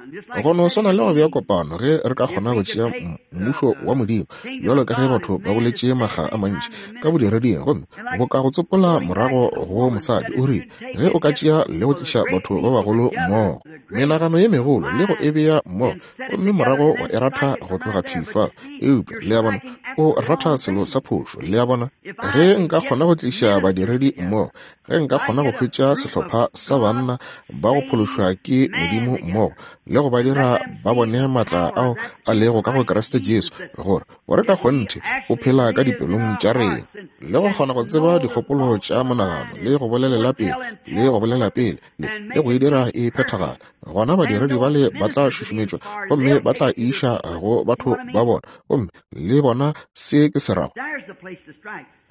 go no swana le go bea kopano, ge re ka kgona go tšea mmušo wa Modimo, bjalo ka ge batho ba boletše makga a mantši ka bodireding, gomme bo ka go tsopola morago go mosadi, o rile, ge o ka tšea le go tliša batho ba bagolo mmogo, menagano ye megolo, le go e bea mmogo, gomme morago wa e ratha go tloga thwi fa. Eupša, le a bona, o ratha selo sa phošo. Le a bona? Ge nka kgona go tliša badiredi mmogo, ge nka kgona go hwetša sehlopha sa banna ba go phološwa ke Modimo mmogo, le go ba dira ba bone maatla ao a lego ka go Kriste Jesu, gore, gore ka kgonthe o phela ka dipelong tša rena, le go kgona go tseba dikgopolo tša monagano, le go bolelela pele, le go bolela pele, le, le go e dira e phethagala, gona badiredi bale ba tla šušumetšwa gomme ba tla iša go batho ba bona, gomme le bona se ke se rago.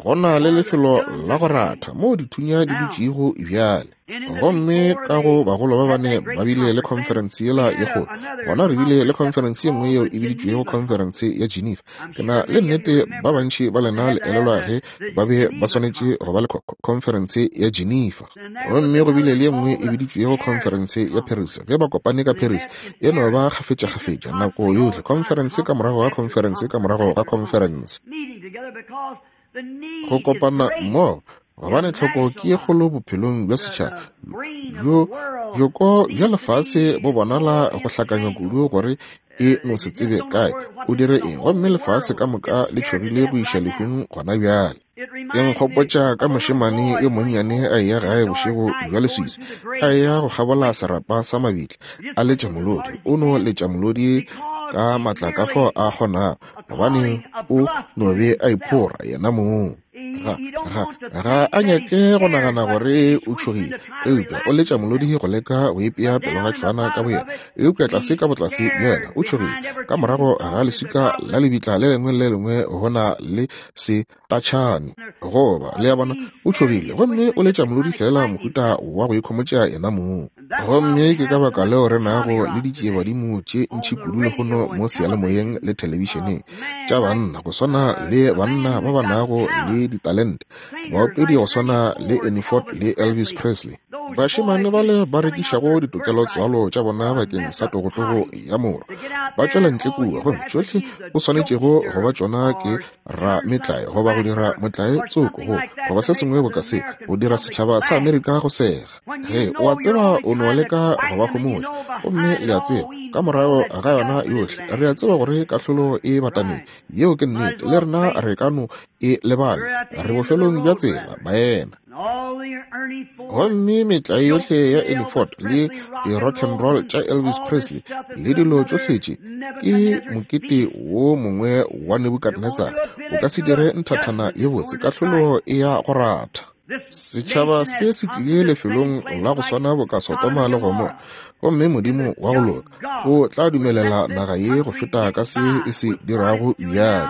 Go na le lefelo la go ratha moo dithunya di dutšego bjale. Gomme ka go bagolo ba bane ba bile le khonferense yela ye kgolo. Gona re bile le khonferense ye nngwe yeo e biditšwego khonferense ya Geneva. Ke na le nnete ba bantši ba lena le elelwa ge ba be ba swanetše go ba le khonferense ya Geneva. Gomme go bile le ye nngwe e biditšwego khonferense ya Paris, ge ba kopane ka Paris. E no ba kgafetšakgafetša nako yohle, khonferense ka morago ga khonferense ka morago ga khonferense. Go kopana mmogo, gobane tlhoko ke ye kgolo bophelong bja setšhaba. Bjo, bjoko bja lefase bo bonala go hlakanywa kudu gore e no se tsebe kae o dire eng, gomme lefase ka moka le tšhogile go iša lehung gona bjale. E nkgopotša ka mošemane yo monnyane a eya gae bošego bja leswiswi, a eya go kgabola serapa sa mabitla, a letša molodi. O no letša molodi ka maatla ka fao a kgonago, gobane o no be a iphora yena mong. Ga, ga, ga a nyake go nagana gore o tšhogile, eupša o letša molodi go leka go ipea pelogatšhwana ka boyena. Eupša tlase ka botlase bja yena o tšhogile. Ka morago ga leswika la lebitla le lengwe le lengwe go na le se tatšhane, goba, le a bona, o tšhogile, gomme o letša molodi feela mohuta wa go ikhomotša yena mong. Gomme ke ka baka leo re nago le ditšiebadimo tše ntši kudu lehono mo seyalemoyeng le thelebišeneng, tša banna go swana le banna ba ba nago le ditalente, baopedi go swana le Ernie Ford le Elvis Presley, bašemane bale ba rekišago ditokelo tswalo tša bona bakeng sa togotogo ya moro, ba tšwela ntle kua, gomme tšohle o swanetšego go ba tšona ke ra metlae goba go dira motlae tsoko go goba se sengwe boka se, go dira setšhaba sa Amerika go sega. Ge o a tseba o no leka go ba homotša, gomme le a tseba ka morago ga yona yohle re a tseba gore kahlolo e batamile. Yeo ke nnete, le rena re ka no e lebala. Re bofelong bja tsela, baena. Gomme metlae yohle ya Ernie Ford le di-rock and roll tša Elvis Presley le dilo tšohle tše ke mokete wo mongwe wa Nebukadnezar. O ka se dire nthathana ye botse, kahlolo e ya go ratha. Setšhaba se se tlile lefelong la go swana boka Sodoma le Gomora, gomme Modimo wa go loka o tla dumelela naga ye go feta ka se e se dirago bjale.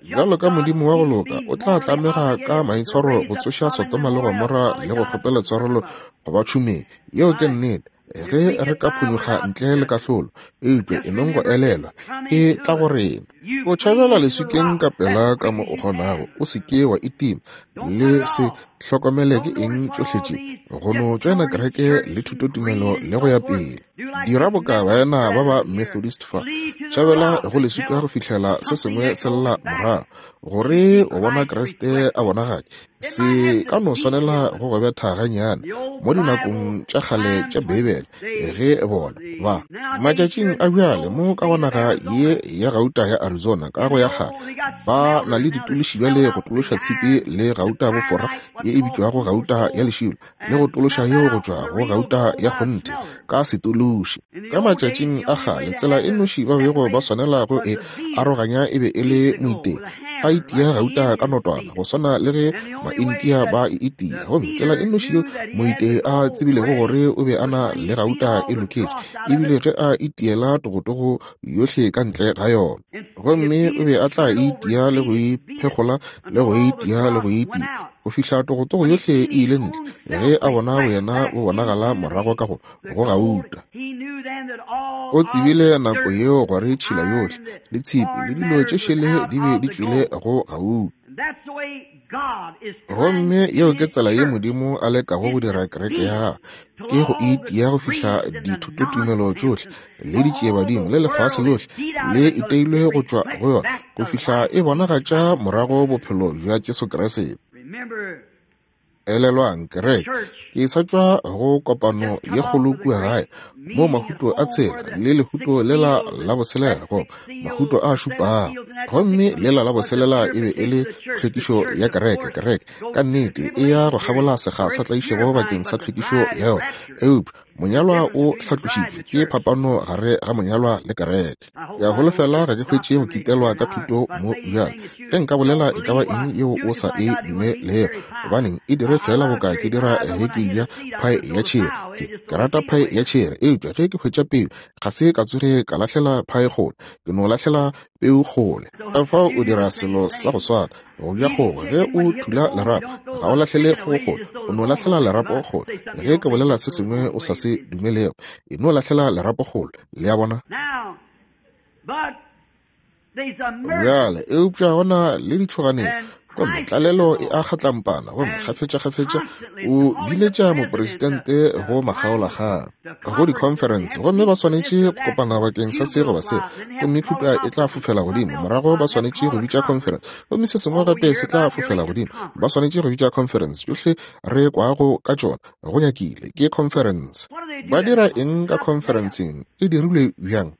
Bjalo ka Modimo wa go loka, o tla tlamega ka maitshwaro go tsoša Sodoma le Gomora le go kgopela tshwarelo go ba tšhumeng. Yeo ke nnete. Ge re ka phonyokga ntle le kahlolo, eupša e nong go elelwa, e tla go rena. O tšhabela leswikeng ka pela ka mo o kgonago, o se ke wa itima, le se hlokomele ke eng tšohle tše, go no tšoena kereke le thutotumelo le go ya pele. Dira boka baena ba ba Methodist fa, tšhabela go leswika go fihlela se sengwe se lla morago, gore o bona Kriste a bonagatše. Se ka no swanela go go betha gannyane mo dinakong tša kgale tša Beibele, ge bona ba matšatšing a bjale mo ka go naga ye ya gauta ya Arizona ka go ya kgale ba na le ditološi bjale go tološa tshipi le gauta bofora ye e bitšwago gauta ya lešilo le go tološa yeo go tšwa go gauta ya kgonthe ka setološi. Ka matšatšing a kgale tsela e nnoši ba bego ba swanela go e aroganya e be e le moitei a itia gauta ka notwana go swana le ge Maindia ba e itia, gomme tsela e nnoši yo moitei a tsebilego gore o be a na le gauta e loketše e bile ge a itiela togotogo yohle ka ntle ga yona, gomme o be a tla e itia le go e phekgola le go e itia le go e itia go fihla togotogo yohle e ile ntle, ge a bona boyena bo bonagala morago ka go go gauta. O tsebile nako yeo gore tšhila yohle le tshipi le dilo tše šele di be di tšwile go gauta. Gomme yeo ke tsela ye Modimo a lekago go dira kereke ya gagwe, ke go itia go fihla dithutotumelo tšohle le ditšiebadimo le lefase lohle le iteilwe go tšwa go yona, go fihla e bonagatša morago bophelo bja Jesu Kriste. Elelwang, kereke, ke sa tšwa go kopano ye kgolo kua gae, moo mahuto a tshela le lehuto lela la boselela, goba mahuto a šupago, gomme lela la boselela e be e le tlhwekišo ya kereke. Kereke ka nnete e ya go kgabola sekga sa tlaišego bakeng sa tlhwekišo ya yona, eupša monyalwa o hlatlošitšwe. Ke phapano gare ga monyalwa le kereke. Ke a holofela ga ke hwetše go kitelwa ka thuto mo bjale. Ge nka bolela e ka ba eng yeo o sa e dumelego, gobaneng, e dire feela boka ke dira ge ke ja phae ya tšhere. Ke, ke rata phae ya tšhere, eupša ge ke hwetša peu, ga se ka tsoge ka lahlela phae kgole, ke no lahlela peu kgole. Ka fao o dira selo sa go swana, go ja kgogo. Ge o thula lerapo, ga o lahlele kgogo kgole, o no lahlela lerapo kgole. Ge ke bolela se sengwe o sa se dumelego, e no lahlela lerapo kgole. Le a bona? Bjale, eupša go na le ditšhoganetšo, gomme tlalelo e a kgatlampana, gomme kgafetšakgafetša o biletša mopresidente go makgaolakgang go dikhonferense, gomme ba swanetše go kopana bakeng sa se goba se, gomme khupa e tla fofela godimo, morago ba swanetše go bitša khonferense, gomme se sengwe gape se tla fofela godimo, ba swanetše go bitša khonferense. Tšohle re kwago ka tšona go nyakile ke khonferense. Ba dira eng ka khonferenseng? E dirilwe bjang?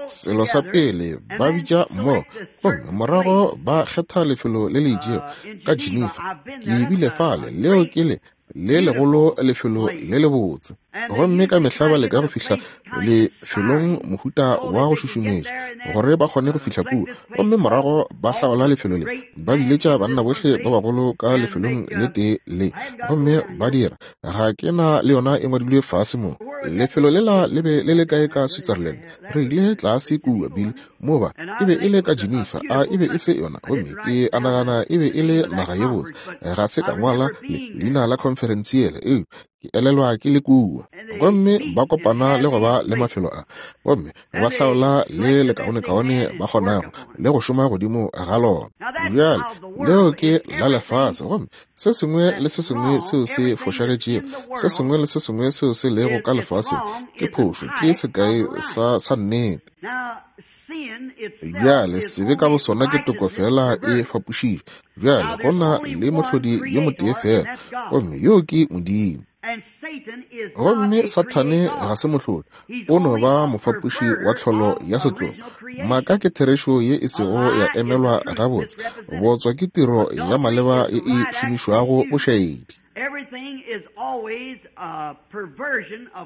Selo sa pele, ba bitša mmogo, gomme morago ba kgetha lefelo le le itšego ka Geneva. Ke bile fale, leo ke le le legolo lefelo le lebotse. Gomme ka mehla ba leka go fihla lefelong mohuta wa go šušumetša gore ba kgone go fihla kua, gomme morago ba hlaola lefelo le, ba biletša banna bohle ba bagolo ka lefelong le tee le, gomme ba dira. Ga ke na le yona e ngwadilwe fase mo. Lefelo lela le be le le kae ka Switzerland? Re ile tlase kua, Bill, mo ba, e be e le ka Geneva, a e be e se yona? Gomme ke a nagana e be e le naga ye botse. Ga se ka ngwala le, leina la khonferense yela, eupša ke elelwa ke le kua. Gomme ba kopana le go ba le mafelo a, gomme ba hlaola le lekaonekaone ba kgonago le go šoma godimo ga lona. Bjale, leo ke la lefase, gomme se sengwe le se sengwe seo se fošagetšego, se sengwe le se sengwe seo se lego ka lefaseng ke phošo, ke sekai sa, sa nnete. Bjale, sebe ka bosona ke toko feela e fapošitšwe. Bjale, go na le Mohlodi yo motee feela, gomme yoo ke Modimo. Gomme Sathane ga se mohlodi, o no ba mofapoši wa tlholo ya setlogo. Maaka ke therešo ye e sego ya emelwa gabotse, bootswa ke tiro ya maleba ye e šomišwago bošaedi.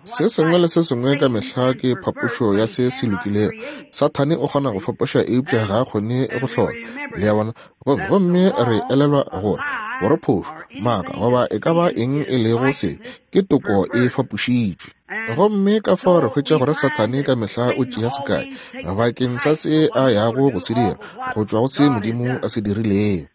Se sengwe le se sengwe ka mehla ke phapošo ya se se lokilego. Sathane o kgona go fapoša eupša ga a kgone go hlola. Le a bona? Gomme, gomme re elelwa gore, gore phošo, maaka, goba e ka ba eng e lego sebe, ke toko e fapošitšwe. Gomme ka fao re hwetša gore Sathane ka mehla o tšea sekai bakeng sa se a yago go se dira, go tšwa go se Modimo a se dirilego.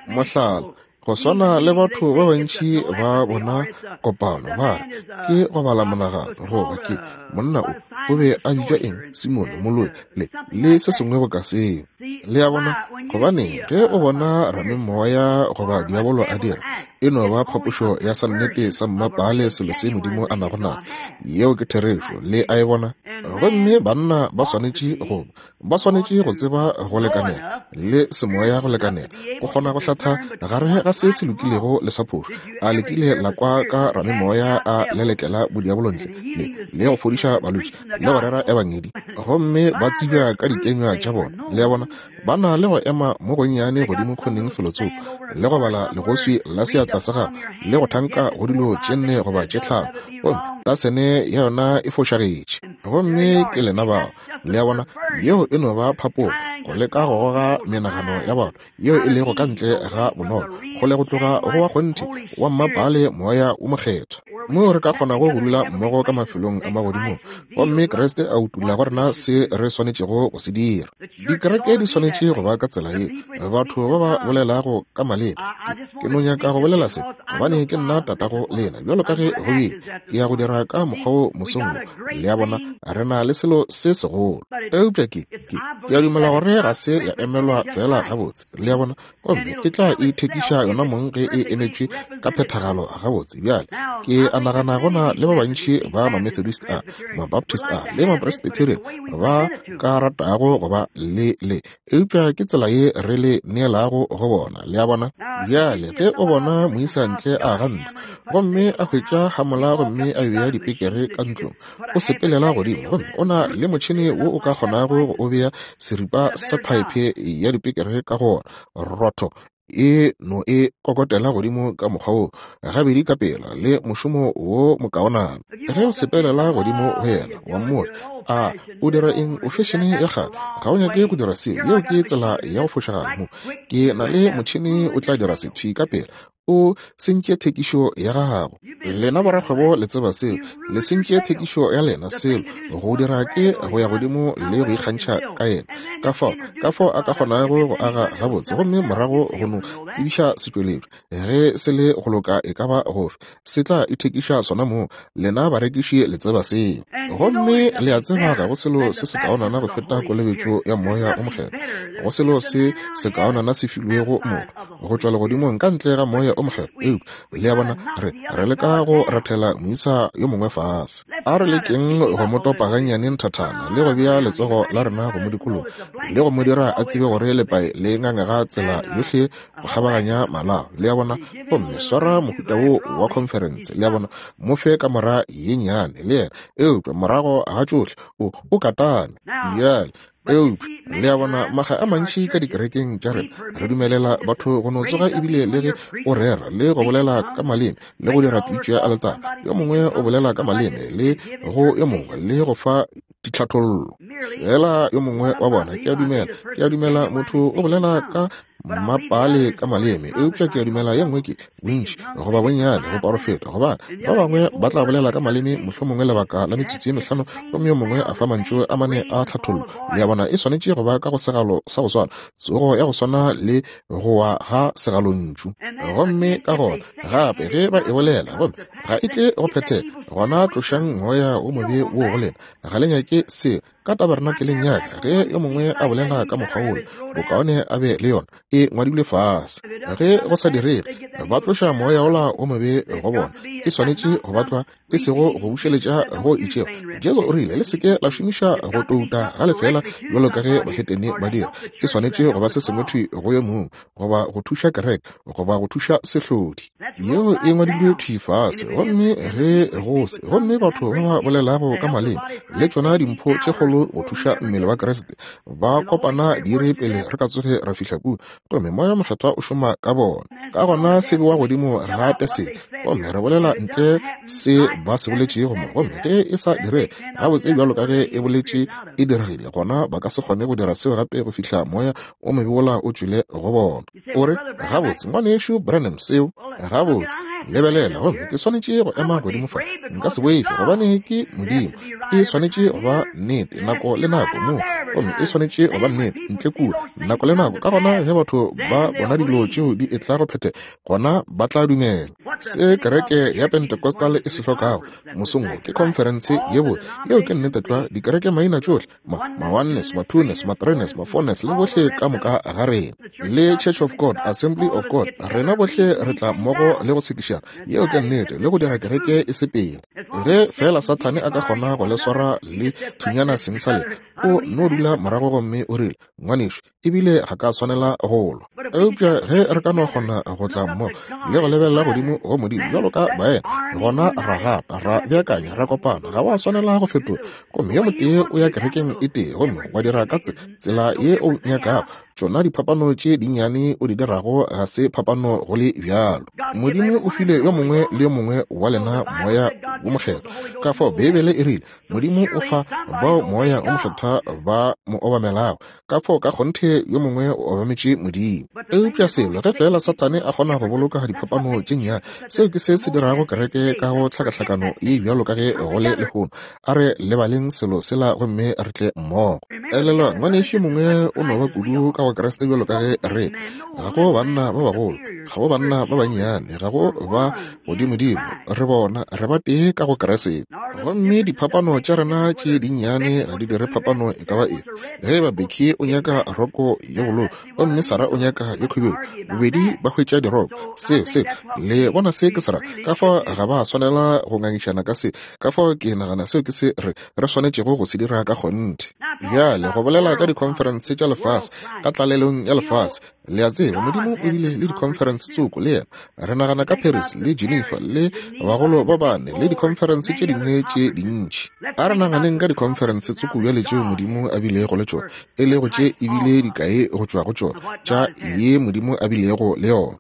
Mohlala, Go swana le batho ba bantši ba bona kopano, ba re, Ke go bala monagano, goba ke, monna o, o be a bitšwa eng, Simone, moloi, le, le se sengwe boka seo. Le a bona? Gobaneng, ge o bona ramemoya goba diabolo a dira, e no ba phapošo ya sa nnete sa mmapaale selo se Modimo a nago naso. Yeo ke therešo. Le a e bona? Gomme banna ba swanetše go Ba swanetše go tseba go lekanela le semoya go lekanela go kgona go hlatha gare ga se se lokilego le sa phošo. A le kile la kwa ka ramemoya a lelekela bodiabolo ntle le, le go fodiša balwetši le go rera ebangedi, gomme ba tsebja ka dikenywa tša bona? Le a bona, ba na le go ema mo gonnyane godimo khoneng felotsoko le go bala legoswi la seatla sa gagwe le go thanka go dilo tše nne goba tše tlhano, gomme tasene ya yona e fošagetše. Gomme ke lena bao. Le a bona, yeo e no ba phapogo, go leka go goga menagano ya batho yeo e lego ka ntle ga bonolo, kgole go tloga go wa kgonthe wa mmapaale Moya wo Mokgethwa, moo re ka kgonago go dula mmogo ka mafelong a magodimong, gomme Kriste a utolla go rena se re swanetšego go se dira. Dikereke di swanetše go ba ka tsela ye. Batho ba ba bolelago ka maleme, ke, ke no nyaka go bolela se, gobane ke nna tatago lena, bjalo ka ge go bile, ke ya go dira ka mokgwa wo mosong wo. Le a bona, re na le selo se segolo. Eupša ke, ke, ke a dumela gore ga se ya emelwa feela gabotse. Le a bona? Gomme e tla ithekiša yona mong ge e emetšwe ka phethagalo gabotse. Bjale, ke a nagana go na le ba bantši ba Mamethodist a, Mabaptist a, le Mapresbyterian ba ka ratago go ba le le, eupša ke tsela ye re le neelago go bona. Le a bona? Bjale, ge o bona moisa ntle a aga ntlo, gomme a hwetša hamola gomme a bea dipekere ka ntlong, o sepelela godimo gomme o na le motšhene wo o ka kgonago go o bea seripa sa phaephe ya dipekere ka go ona, rotho e no e kokotela godimo ka mokgwa wo gabedi ka pela le mošomo wo mokaonana. Ge o sepelela godimo go yena wa mmotša, a o dira eng, o fešene ya kgale, ga o nyake go dira seo, yeo ke tsela ya go fošagala mo. Ke na le motšhene o tla dira se thwi ka pela, o sentše thekišo ya gago. Lena borakgwebo le tseba seo, le sentše thekišo ya lena. Selo go dira ke go ya godimo le go ikgantšha ka yena, ka fao, ka fao a ka kgonago go aga gabotse, gomme morago go no tsebiša setšweletšwa ge se le go loka e ka ba gofe, se tla ithekiša sona mong. Lena barekiši le tseba seo. Gomme le a tseba ga go selo se sekaonana go feta kolobetšo ya Moya wo Mokgethwa, go selo se sekaonana se filwego motho go tšwa legodimong ka ntle ga Moya o Mokgethwa. Eupša, le a bona, re, re leka go rathela moisa yo mongwe fase. A re lekeng go mo topa gannyane nthathana le go bea letsogo la rena go mo dikologa le go mo dira a tsebe gore lepae le ngangega tsela yohle go kgabaganya malao. Le a bona? Gomme swara mohuta wo wa khonferense, le a bona, mo fe kamora ye nnyane le yena. Eupša morago ga tšohle, o, o katane. Bjale, Eupša, le a bona, makga a mantši ka dikerekeng tša rena, re dumelela batho go no tsoga ebile le ge o rera le go bolela ka maleme le go dira pitšo ya aletara, yo mongwe o bolela ka maleme le go yo mongwe le go fa ditlhathollo. Fela yo mongwe wa bona, ke a dumela, ke a dumela motho o bolela ka mmapaale ka maleme, eupša ke a dumela ye nngwe ke bontši goba bonnyane go porofeta, gobane ba bangwe ba tla bolela ka maleme mohlomongwe lebaka la metsotso ye mehlano gomme yo mongwe a fa mantšu a mane a tlhathollo. Le a bona, e swanetše go ba ka go segalo sa go swana, tsogo ya go swana le go wa ga segalontšu. Gomme ka gona gape ge ba e bolela gomme ga e tle go phethega, gona tlošang moya wo mobe woo go lena. Ga le nyake seo ka tabernakeleng ya ka. Ge yo mongwe a bolela ka mokgwa wola, bokaone a be le yona e ngwadilwe fase. Ge go sa direge, ba tloša moya wola wo mobe go bona. E swanetše go batlwa. E sego go bušeletša go itšego. Jesu o rile, Le se ke la šomiša go touta ga lefeela bjalo ka ge bahetene ba dira. E swanetše go ba se sengwe thwi go yo mongwe, goba go thuša kereke, goba go thuša sehlodi. Yeo e ngwadilwe thwi fase. Gomme ge go se, gomme batho ba ba bolelago ka maleme, le tšona dimpho tše kgolo go thuša mmele wa Kriste, ba kopana diiri pele re ka tsoge ra fihla kua, gomme Moya Mokgethwa o šoma ka bona. Ka gona se bewa godimo ga tesele, gomme re bolela ntle se ba se boletšego mo, gomme ge e sa dire gabotse bjalo ka ge e boletše e diregile, gona ba ka se kgone go dira seo gape go fihla moya o mobe wola o tšwele go bona. O re, Gabotse, Ngwanešu Branham, seo, gabotse, lebelela, gomme ke swanetše go ema godimo fa. Nka se boife, gobane ke Modimo. E swanetše go ba nnete nako le nako mo, gomme e swanetše go ba nnete ntle kua nako le nako. Ka gona ge batho ba bona dilo tšeo di etla go phethega, gona ba tla dumela. Se kereke ya Pentecostal e se hlokago mosong wo ke khonferense ye botse. Yeo ke nnete tlwa, dikereke maina tšohle, ma, ma oneness, ma twoness, ma threeness, ma fourness, le bohle ka moka ga rena, le Church of God, Assembly of God, rena bohle re tla mmogo le go tshekišana. Yeo ke nnete, le go dira kereke e sepele. Ge feela Sathane a ka kgona go le swara le thunyana seng sa lena, o no dula morago gomme o rile, Ngwanešu, ebile ga ka swanela go lwa. Eupša ge re ka no kgona go tla mmogo le go lebelela godimo go Modimo bjalo ka baena, gona ra gata, ra beakanya, ra kopana. Ga wa swanela go fetoga. Gomme yo motee o ya kerekeng e tee gomme wa dira ka tsela ye o nyakago. Tšona diphapano tše dinnyane o di dirago ga se phapano go le bjalo. Modimo o file yo mongwe le yo mongwe wa lena Moya wo Mokgethwa. Ka fao Beibele e rile, Modimo o fa bao Moya wo Mokgethwa ba mo obamelago. Ka fao ka kgonthe yo mongwe o obametše Modimo. Eupša selo, ge feela Sathane a kgona go boloka diphapano tše nnyane, seo ke se se dirago kereke ka go tlhakahlakano ye bjalo ka ge go le lehono. A re lebaleng selo sela gomme re tle mmogo. Elelwa, ngwanešu yo mongwe o no ba kudu ka go Kriste bjalo ka ge re. Ga go banna ba bagolo, ga go banna ba bannyane, ga go ba godimodimo. Re bona, re ba tee ka go Kriste. Gomme diphapano tša rena tše dinnyane ga di dire phapano e ka ba efe. Ge eba Becky o nyaka roko ye bolou gomme Sarah o nyaka ye khubedu, bobedi ba hwetša diroko. Seo, seo, le bona se ke se ra? Ka fao ga ba swanela go ngangišana ka se. Ka fao ke nagana seo ke se re, re swanetšego go se dira ka kgonthe. Bjale, go bolela ka dikhonferense tša lefase, ka tlalelong ya lefase, le a tseba, Modimo o bile le dikhonferense tsoko le yena. Re nagana ka Paris le Geneva le bagolo ba bane le dikhonferense tše dingwe tše dintši. A re naganeng ka dikhonferense tsoko bjale tšeo Modimo a bilego le tšona, e lego tše e bile dikae go tšwa go tšona tša ye Modimo a bilego le yona.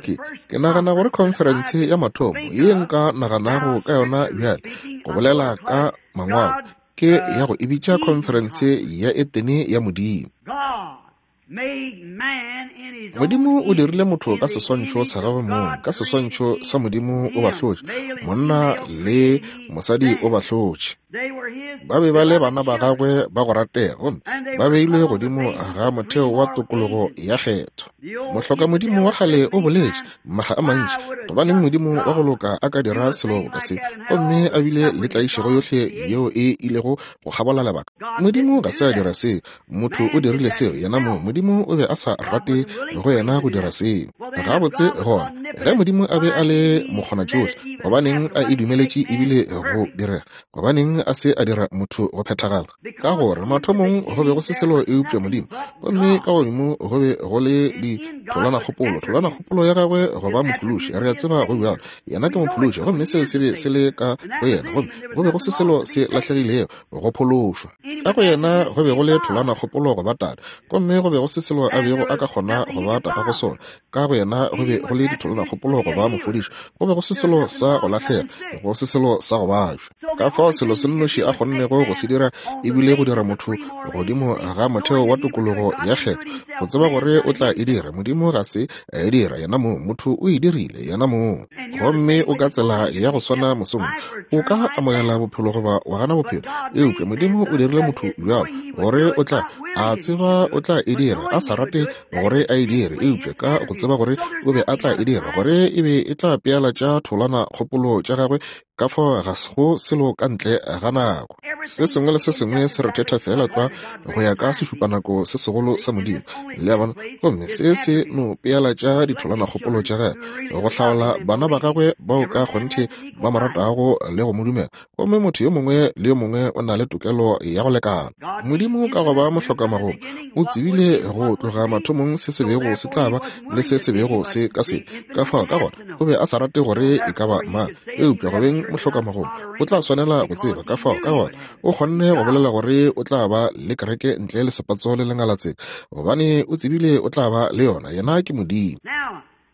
Ke, ke nagana gore khonferense ya mathomo ye nka naganago ka yona bjale, go bolela ka Mangwalo, ke ya go e bitša khonferense ya Etene ya Modimo. Modimo o dirile motho ka seswantšho sa gagwe mong, ka seswantšho sa Modimo o ba hlotše, monna le mosadi o ba hlotše. Ba be ba le bana ba gagwe ba go ratega, gomme ba beilwe godimo ga motheo wa tokologo ya kgetho. Mohlokamodimo wa kgale o boletše maga a mantši, gobaneng Modimo wa go loka a ka dira selo boka se, gomme a bile le tlaišego yohle yeo e ilego go kgabola lebaka? Modimo ga se a dira seo. Motho o dirile seo yena mong. Modimo o be a sa rate go yena go dira seo. Gabotse gona, ge Modimo a be a le mokgonatšohle, gobaneng a e dumeletše ebile go direga? Gobaneng a se a dira motho go phethagala? Ka gore mathomong go be go se selo eupša Modimo, gomme ka godimo go be go le ditholanakgopolo, tholanakgopolo ya gagwe go ba mophološi. Re a tseba go bjalo. Yena ke mophološi, gomme seo se be se le ka go yena, gomme go be go se selo se lahlegilego go phološwa. Ka go yena go be go le tholanakgopolo go ba tate, gomme go be go se selo a bego a ka kgona go ba tata go sona. Ka go yena go be go le ditholanakgopolo go ba mofodiši, go be go se selo sa go lahlega, go se selo sa go bajwa. Ka fao selo se nnoši a kgonnego go se dira e bile go dira motho godimo ga motheo wa tokologo ya kgetho, go tseba gore o tla e dira. Modimo ga se a e dira yena mong, motho o e dirile yena mong. Gomme o ka tsela ya go swana mosong, o ka amogela bophelo goba wa gana bophelo. Eupša Modimo o dirile motho bjalo gore o tla a tseba o tla e dira, a sa rate gore a e dire, eupša ka go tseba gore o be a tla e dira, gore e be e tla pealatša tholwana kgopolo tša gagwe. Ka fao ga go selo ka ntle ga nako. Se sengwe le se sengwe se rethetha feela tlwa go ya ka sešupanako se segolo sa Modimo. Le a bona? Gomme se se no pealatša ditholanakgopolo tša gagwe, go hlaola bana ba gagwe bao ka kgonthe ba mo ratago le go mo dumela. Gomme motho yo mongwe le yo mongwe o na le tokelo ya go lekana. Modimo ka go ba mohlokamagomo o tsebile go tloga mathomong se se bego se tla ba le se se bego se ka se. Ka fao ka gona o be a sa rate gore e ka ba mang, eupša go beng mohlokamagomo o tla swanela go tseba. Ka fao ka gona o kgonne go bolela gore o tla ba le kereke ntle le sepatso le lengalatsela, gobane o tsebile o tla ba le yona. Yena ke Modimo.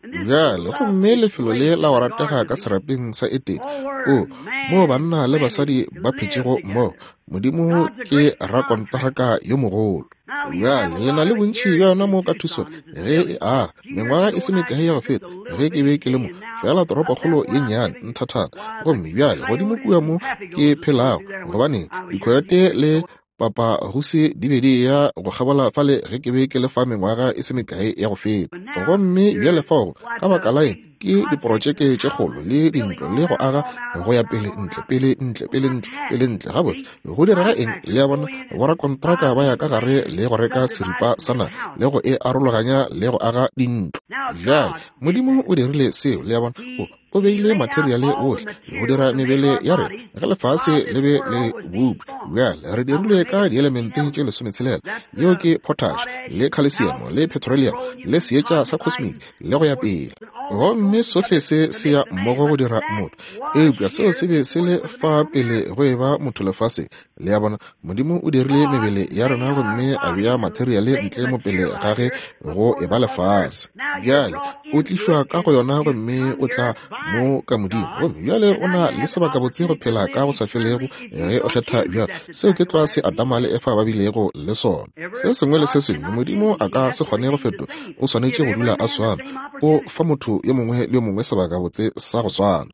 Bjale, gomme lefelo le la go ratega ka serapeng sa Etene, o, moo banna le basadi ba phetšego mmogo, Modimo ke rakontraka yo mogolo. Bjale, le na le bontši bja yona mo ka Tucson, ge e aga, mengwaga e se mekae ya go feta, ge ke be ke le mo, feela toropokgolo ye nnyane nthathana. Gomme bjale, godimo kua mo ke phelago, gobaneng, dikhoyote le Papaguse di be di eya go kgabola fale ge ke be ke le fa mengwaga e se mekae ya go feta. Gomme bjale fao, ka baka la eng, ke diprotšeke tše kgolo le dintlo le go aga go ya pele ntle, pele ntle, pele ntle, pele ntle. Gabotse, go direga eng? Le a bona, borakontraka ba ya ka gare le go reka seripa sa naga le go e arologanya le go aga dintlo. Bjale, Modimo o dirile seo, le a bona. O, O beile materiale wohle go dira mebele ya rena ge lefase le be le bopša. Bjale re dirilwe ka dielemente tše lesometshela, yeo ke potash le calcium le petroleum le seetša sa cosmic le go ya pele. Gomme sohle se se ya mmogo go dira motho. Eupša seo se be se le fa pele go eba motho lefaseng. Le a bona, Modimo o dirile mebele ya rena gomme a bea materiale ntle mo pele ga ge go eba lefase. Bjale o tlišwa ka go yona gomme o tla mo ka Modimo, gomme bjale o na le sebakabotse go phela ka go sa felego ge o kgetha bjalo. Seo ke tlwa se Adama le Efa ba bilego le sona. Se sengwe le se sengwe, Modimo a ka se kgone go fetoga, o swanetše go dula a swana. O fa motho yo mongwe le yo mongwe sebakabotse sa go swana.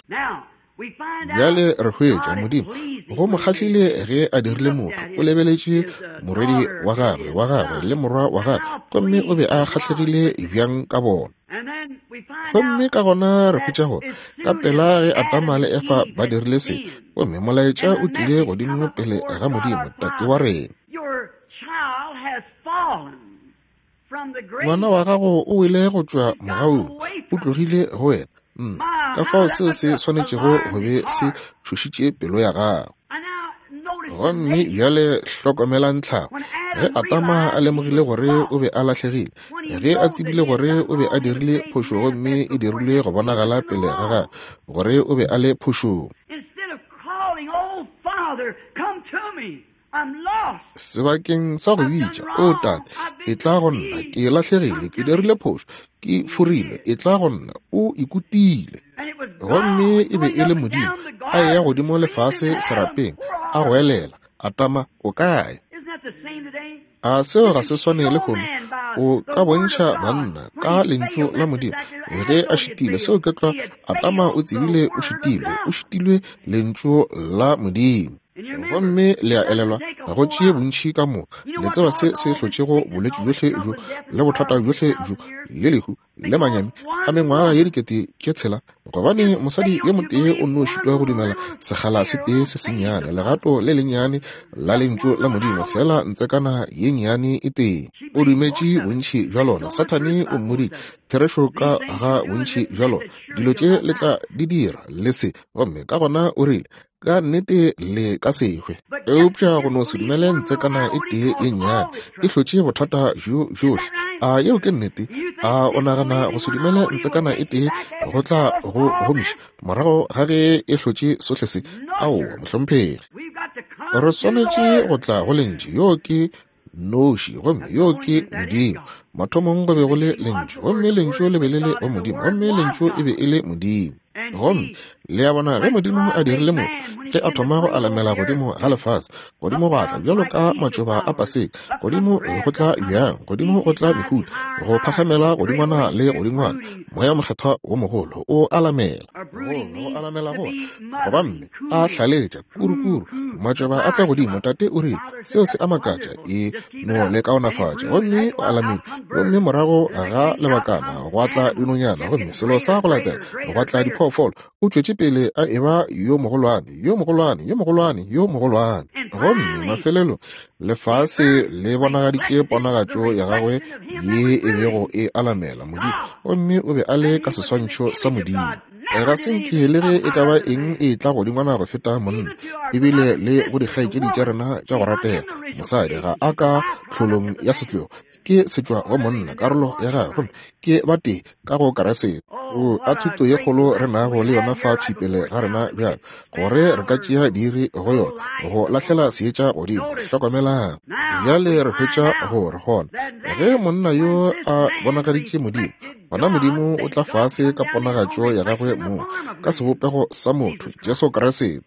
Bjale re hwetša, Modimo, go mo kgahlile ge a dirile motho. O lebeletše morwedi wa gagwe, wa gagwe le morwa wa gagwe, gomme o be a kgahlegile bjang ka bona. Gomme ka gona re hwetša gore ka pela ge Adama le Efa ba dirile se, gomme molaetša o tlile godimo pele ga Modimo, Tate wa rena. Ngwana wa gago o wele go tšwa mogaung, o tlogile go wena. Nna, ka fao seo se swanetšego go be se tšhošitše pelo ya gago. Gomme bjale hlokomelang tlhago. Ge Adama a lemogile gore o be a lahlegile, ge a tsebile gore o be a dirile phošo gomme e dirilwe go bonagala pele ga gagwe gore o be a le phošong. Sebakeng sa go bitša, O Tate, etla go nna, ke lahlegile, ke dirile phošo, ke forilwe, etla go nna. O ikutile. Gomme e be e le Modimo a eya godimo le fase serapeng, a goelela, Atama, o kae? A seo ga se swane lehono? O ka bontšha banna ka Lentšu la Modimo ge a šitile. Seo ke tlwa. Adama o tsebile o šitilwe, o šitilwe Lentšu la Modimo. Gomme le a elelwa, go tšee bontši ka moka. Le tseba se se hlotšego bolwetši bjohle bjo le bothata bjohle bjo le lehu le manyami a mengwaga ye 6000, gobane mosadi yo motee o nno šitwa go dumela sekgala se tee se sennyane, legato le lennyane la Lentšu la Modimo, feela ntsekana ye nnyane e tee. O dumetše bontši bja lona. Sathane o mmoditše therešo ka ga bontši bja lona. Dilo tše le tla di dira, le se. Gomme ka gona o rile, Ka nnete le ka se hwe. Eupša go no se dumele ntsekana e tee ye nnyane e hlotše bothata bjo bjohle. A yeo ke nnete? A o nagana go se dumele ntsekana e tee go tla go gomiša morago ga ge e hlotše sohle se? Aowa, mohlomphegi. Re swanetše go tla go Lentšu. Yoo ke noši, gomme yoo ke Modimo. Mathomong go be go le Lentšu, gomme Lentšu le be le le go Modimo, gomme Lentšu e be e le Modimo. Gomme le a bona, ge Modimo a dirile motho, ge a thoma go alamela godimo ga lefase, godimo gwa tla bjalo ka matšoba a paseka, godimo go tla bjang, godimo go tla mehuta, go phagamela godingwana le godingwana, Moya Mokgethwa wo mogolo o alamela, go alamela go goba mme a hlaletša kurukuru. Matšoba a tla godimo. Tate o rile, Seo se a makatša. E no le kaonafatša. Gomme o alamile. Gomme morago ga lebakana gwa tla dinonyana, gomme selo sa go latela gwa tla diphoofolo. O tšwetše pele a eba yo mogolwane, yo mogolwane, yo mogolwane, yo mogolwane. Gomme mafelelong lefase le bonagaditše ponagatšo ya gagwe ye e bego e alamela Modimo, gomme o be a le ka seswantšho sa Modimo. Ga se nke le ge e ka ba eng e tla godingwana go feta monna, ebile le go dikgaetšedi tša rena tša go ratega. Mosadi ga a ka tlholong ya setlogo, ke setšwa go monna, karolo ya gagwe, gomme ke batee ka go Keresete. O a thuto ye kgolo re nago le yona fa thwi pele ga rena bjalo, gore re ka tšea diiri go yona, go lahlela seetša godimo. Hlokomelang. Bjale re hwetša gore gona ge monna yo a bonagaditše Modimo, gona Modimo o tla fase ka ponagatšo ya gagwe mong, ka sebopego sa motho, Jesu Kriste.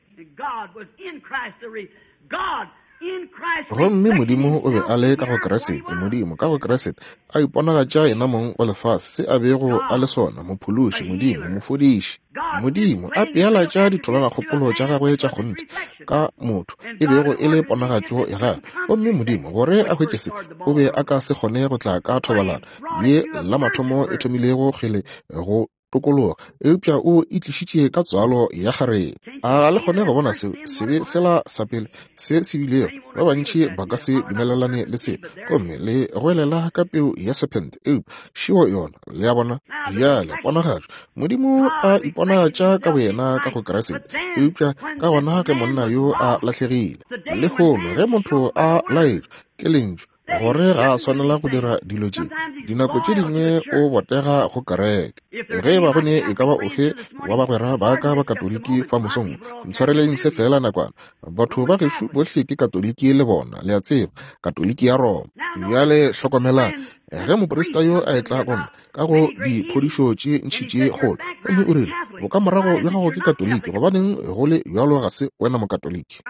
Gomme Modimo o be a le ka go Kriste, Modimo ka go Kriste, a iponagatša Yenamong go lefase, se a bego a le sona, Mophološi, Modimo, Mofodiši. Modimo a pealatša ditholanakgopolo tša gagwe tša kgonthe ka motho, e bego e le ponagatšo ya gagwe. Gomme Modimo, gore a hwetše se, o be a ka se kgone go tla ka thobalano ye la mathomo e thomilego kgele go tokologa, eupša o itlišitše ka tswalo ya kgarebe. A ga le kgone go bona seo sebe sela sa pele se se bilego? Ba bantši ba ka se dumelelane le seo, gomme le goelela ka peu ya sephente, eupša šeo yona. Le a bona? Bjale, ponagatšo. Modimo a iponagatša ka boyena ka go Kriste, eupša ka gona ge monna yo a lahlegile. Lehono ge motho a laetšwa ke Lentšu gore ga a swanela go dira dilo tše, dinako tše dingwe o botega go kereke. Ge e ba go ne e ka ba ofe wa bagwera ba ka ba Katoliki fa mosong, ntshwareleng se feela nakwana. Batho ba gešo bohle ke Katoliki le bona, le a tseba, Katoliki ya Roma. Bjale hlokomelang, ge moprista yo a etla go nna ka go diphodišo tše ntši tše kgolo, gomme o rile, Bokamorago bja gago ke Katoliki, gobaneng go le bjalo ga se wena Mokatoliki?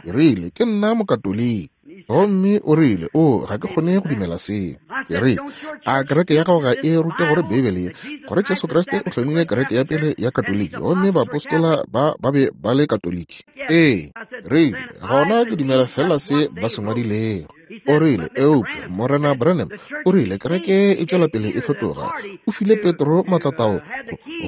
Ke rile, Ke nna Mokatoliki. Gomme o rile, O, ga ke kgone go dumela seo. Ke rile, A kereke ya gago ga e rute gore Beibele ye, gore Jesu Kriste o hlomile kereke ya pele ya Katoliki, gomme baapostola ba ba be ba le Katoliki? Ee. Rile, Gona ke dumela feela se ba se ngwadilego. O rile, Eupša, Morena Branham, o rile, kereke e tšwela pele e fetoga. O file Petro matlatao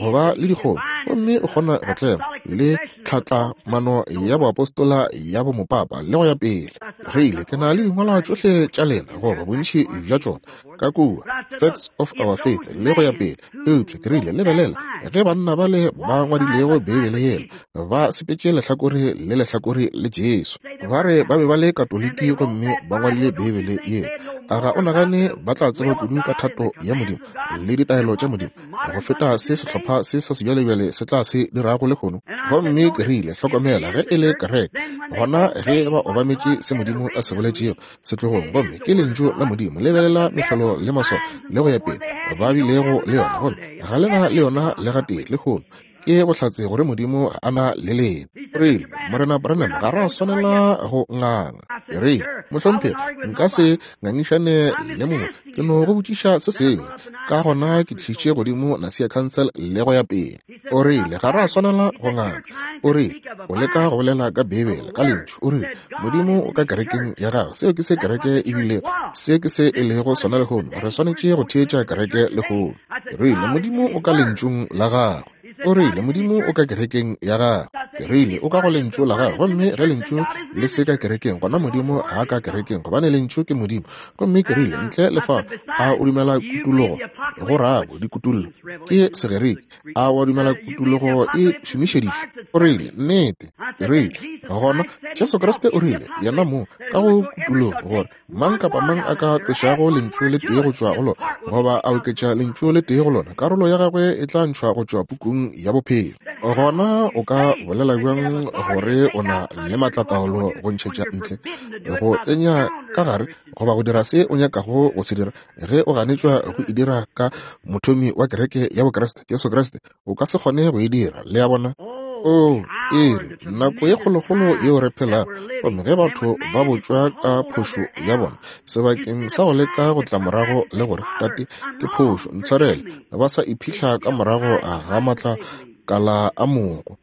go ba le dikgomo, gomme o kgona go tlema le tlhatlamano ya boapostola ya bomopapa le go ya pele. Rile, ke na le dingwalwa tšohle tša lena, goba bontši bja tšona, ka kua, Facts of Our Faith le go ya pele. Eupša ke rile, lebelela, ge banna bale ba ngwadilego Beibele yela ba sepetše lehlakore le lehlakore le Jesu, ba re ba be ba le Katoliki gomme ba ngwadile Beibele yela, a ga o nagane ba tla tseba kudu ka thato ya Modimo le ditaelo tša Modimo go feta se sehlopha se sa sebjalebjale se tla se dirago lehono? Gomme ke rile, hlokomela, ge e le kereke, gona ge ba obametše se Modimo a se boletšego setlogong, gomme ke Lentšu la Modimo, lebelela mehlolo le maswao le go ya pele ba bilego le yona, gomme ga le na le yona le gatee lehono, ke bohlatse gore Modimo ga a na le lena. Rile, Morena Branham, ga ra swanela go nganga. Ke rile, Mohlomphegi, nka se ngangišane le mongwe, ke no go botšiša se sengwe. Ka gona ke tlišitše godimo Nasia Council le go ya pele. O rile, Ga ra swanela go nganga. O rile, O leka go bolela ka Beibele, ka Lentšu. O rile, Modimo o ka kerekeng ya gago. Seo ke se kereke e bilego. Se ke se e lego sona lehono. Re swanetše go theetša kereke lehono. Rile, Modimo o ka Lentšung la gago. O rile, Modimo o ka kerekeng ya gago. Ke rile, O ka go Lentšu la gago. Gomme ge Lentšu le se ka kerekeng, gona Modimo ga a ka kerekeng, gobane Lentšu ke Modimo. Gomme ke rile, Ntle le fao, a o dumela kutologo? Go rago, dikutollo ke Segerike. A wa dumela kutologo e šomišeditšwe? O rile, Nnete. Ke rile, Gona Jesu Kriste o rile, Yena mo, ka go kutologo, gore Mang kapa mang a ka tlošago lentšu le tee go tšwa go lona, goba a oketša lentšu le tee go lona, karolo ya gagwe e tla ntšhwa go tšwa pukung ya bophelo. Gona o ka bolela bjang gore o na le maatlataolo go ntšhetša ntle, go tsenya ka gare, goba go dira se o nyakago go se dira, ge o ganetšwa go e dira ka Mothomi wa Kereke ya Bokriste, Jesu Kriste? O ka se kgone go e dira. Le a bona? Oo, iri, nako ye kgolokgolo yeo re phelago, gomme ge batho ba botšwa ka phošo ya bona, sebakeng sa go leka go tla morago le gore, Tate, ke phošo, ntshwarele, ba sa iphihla ka morago ga maatla Matlakala a mogo.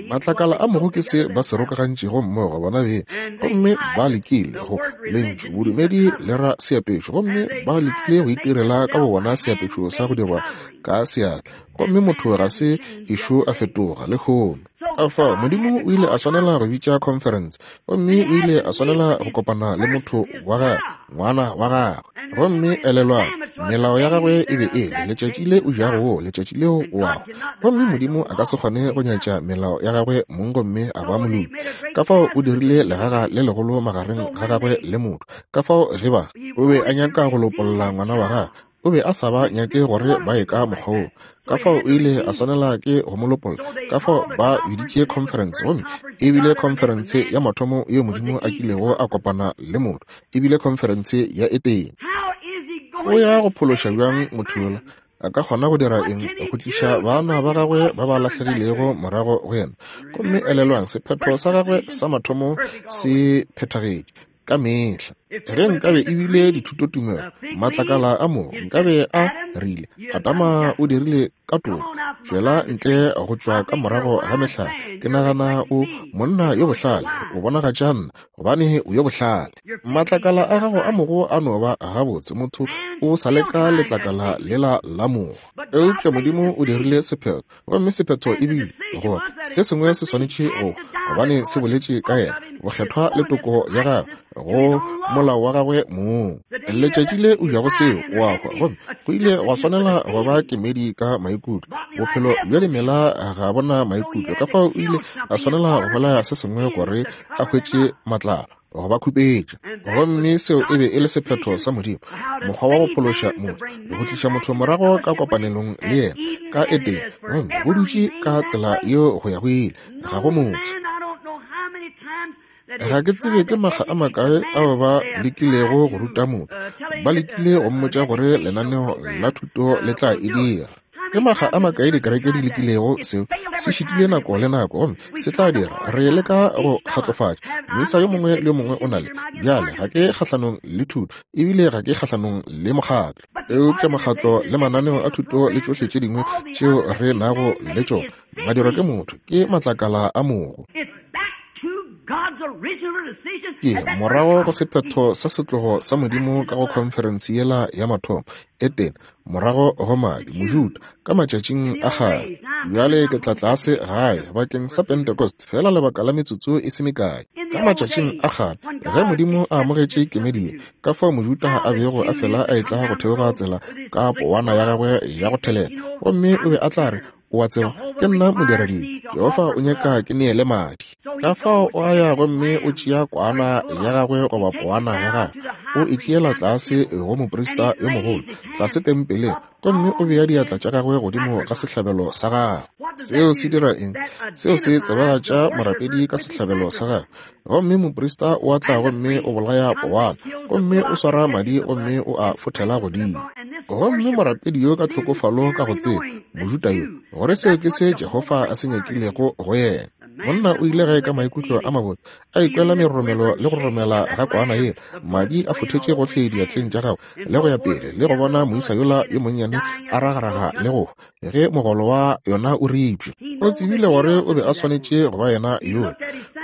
Matlakala a mogo ke se ba se rokagantšego mmogo bona beng. Gomme ba lekile go, lentšu bodumedi le ra seapešo, gomme ba lekile go itirela ka bobona seapešo sa go dirwa ka seatla. Gomme motho ga se ešo a fetoga lehono. Kafao Modimo o ile a swanela go bitša conference, gomme o ile a swanela go kopana le motho wa gagwe, ngwana wa gagwe. Gomme elelwang, melao ya gagwe e be e le, letšatši le o jago wo, letšatši leo o ago. Gomme Modimo a ka se kgone go nyatša melao ya gagwe mong gomme a ba moloki. Kafao o dirile legaga le legolo magareng ga gagwe le motho. Kafao ge ba, o be a nyaka go lopolla ngwana wa gagwe, O be a sa ba nyake gore ba ye ka mokgwa woo, ka fao o ile a swanela ke go mo lopolla. Ka fao ba biditše khonferense, gomme e bile khonferense ya mathomo yeo Modimo a kilego a kopana le motho, e bile khonferense ya Etene. O ya go phološa bjang motho yola? A ka kgona go dira eng go tliša bana ba gagwe ba ba lahlegilego morago go yena? Gomme elelwang, sephetho sa gagwe sa mathomo se phethagetše. Ka mehla. Ge nkabe e bile dithutotumelo, matlakala a mo nkabe a rile, Adama o dirile ka toka, tšwela ntle go tšwa ka morago ga mehlare. Ke nagana o monna yo bohlale, o bonagatša nna, gobane o yo bohlale. Matlakala a gago a mogo a no ba gabotse, motho o sa leka letlakala lela la mogo. Eupša Modimo o dirile sephetho, Gomme sephetho e bile gore se sengwe se swanetše go, gobane se boletše ka yena, bokgethwa le toko ya gagwe go molao wa gagwe mong. Letšatši le o jago seo, o a hwa. Gomme go ile gwa swanela go ba kemedi ka maikutlo. Bophelo bja dimela ga bo na maikutlo, ka fao o ile a swanela go bolaya se sengwe gore a hwetše matlalo. Go ba khupetša. Gomme seo e be e le sephetho sa Modimo, mokgwa wa go phološa motho, go tliša motho morago ka kopanelong le yena, ka Edene, gomme go dutše ka tsela yeo go ya go ile. Ga go motho. Ga ke tsebe ke makga a makae ao ba lekilego go ruta motho, ba lekile go mmotša gore lenaneo la thuto le tla e dira. Ke makga a makae dikereke di lekilego seo, se šitile nako le nako, gomme se tla dira. Re leka go kgatlofatša moisa yo mongwe le yo mongwe o na le. Bjale, ga ke kgahlanong le thuto, ebile ga ke kgahlanong le mokgatlo. Eupša mokgatlo le mananeo a thuto le tšohle tše dingwe tšeo re nago le tšona, madirwa ke motho, ke matlakala a mogo. Ke morago go sephetho sa setlogo sa Modimo ka go khonferense yela ya mathomo, Edene, morago go madi, Mojuda, ka matšatšing a kgale. Bjale ke tla tlase gae bakeng sa Pentecost, feela lebaka la metsotso e se mekae. Ka matšatšing a kgale, ge Modimo a amogetše kemedi ye, ka fao Mojuda a bego a fela a etla go theoga tsela ka powana ya gagwe ya go thelela, gomme o be a tla re, O a tseba, ke nna modiradibe. Jehofa o nyaka ke neele madi. Ka fao o a ya gomme o tšea kwana ya gagwe goba powana ya gagwe, o e tšeela tlase go moprista yo mogolo, tlase tempeleng, gomme o bea diatla tša gagwe godimo ga sehlabelo sa gagwe. Seo se dira eng? Seo se tsebagatša morapedi ka sehlabelo sa gagwe. Gomme moprista o a tla gomme o bolaya powana, gomme o swara madi gomme o a fothela godimo. Gomme morapedi yo ka tlhokofalo ka go tseba, Mojuda yo, gore seo ke se Jehofa a se nyakilego go yena. Monna o ile gae ka maikutlo a mabotse, a ikwela meroromelo le go roromela ga kwana yela, madi a fothetše gohle diatleng tša gagwe, le go ya pele, le go bona moisa yola yo monnyane a ragaraga le go hwa. Ge mogolo wa yona o ripša, o tsebile gore o be a swanetše go ba yena yola.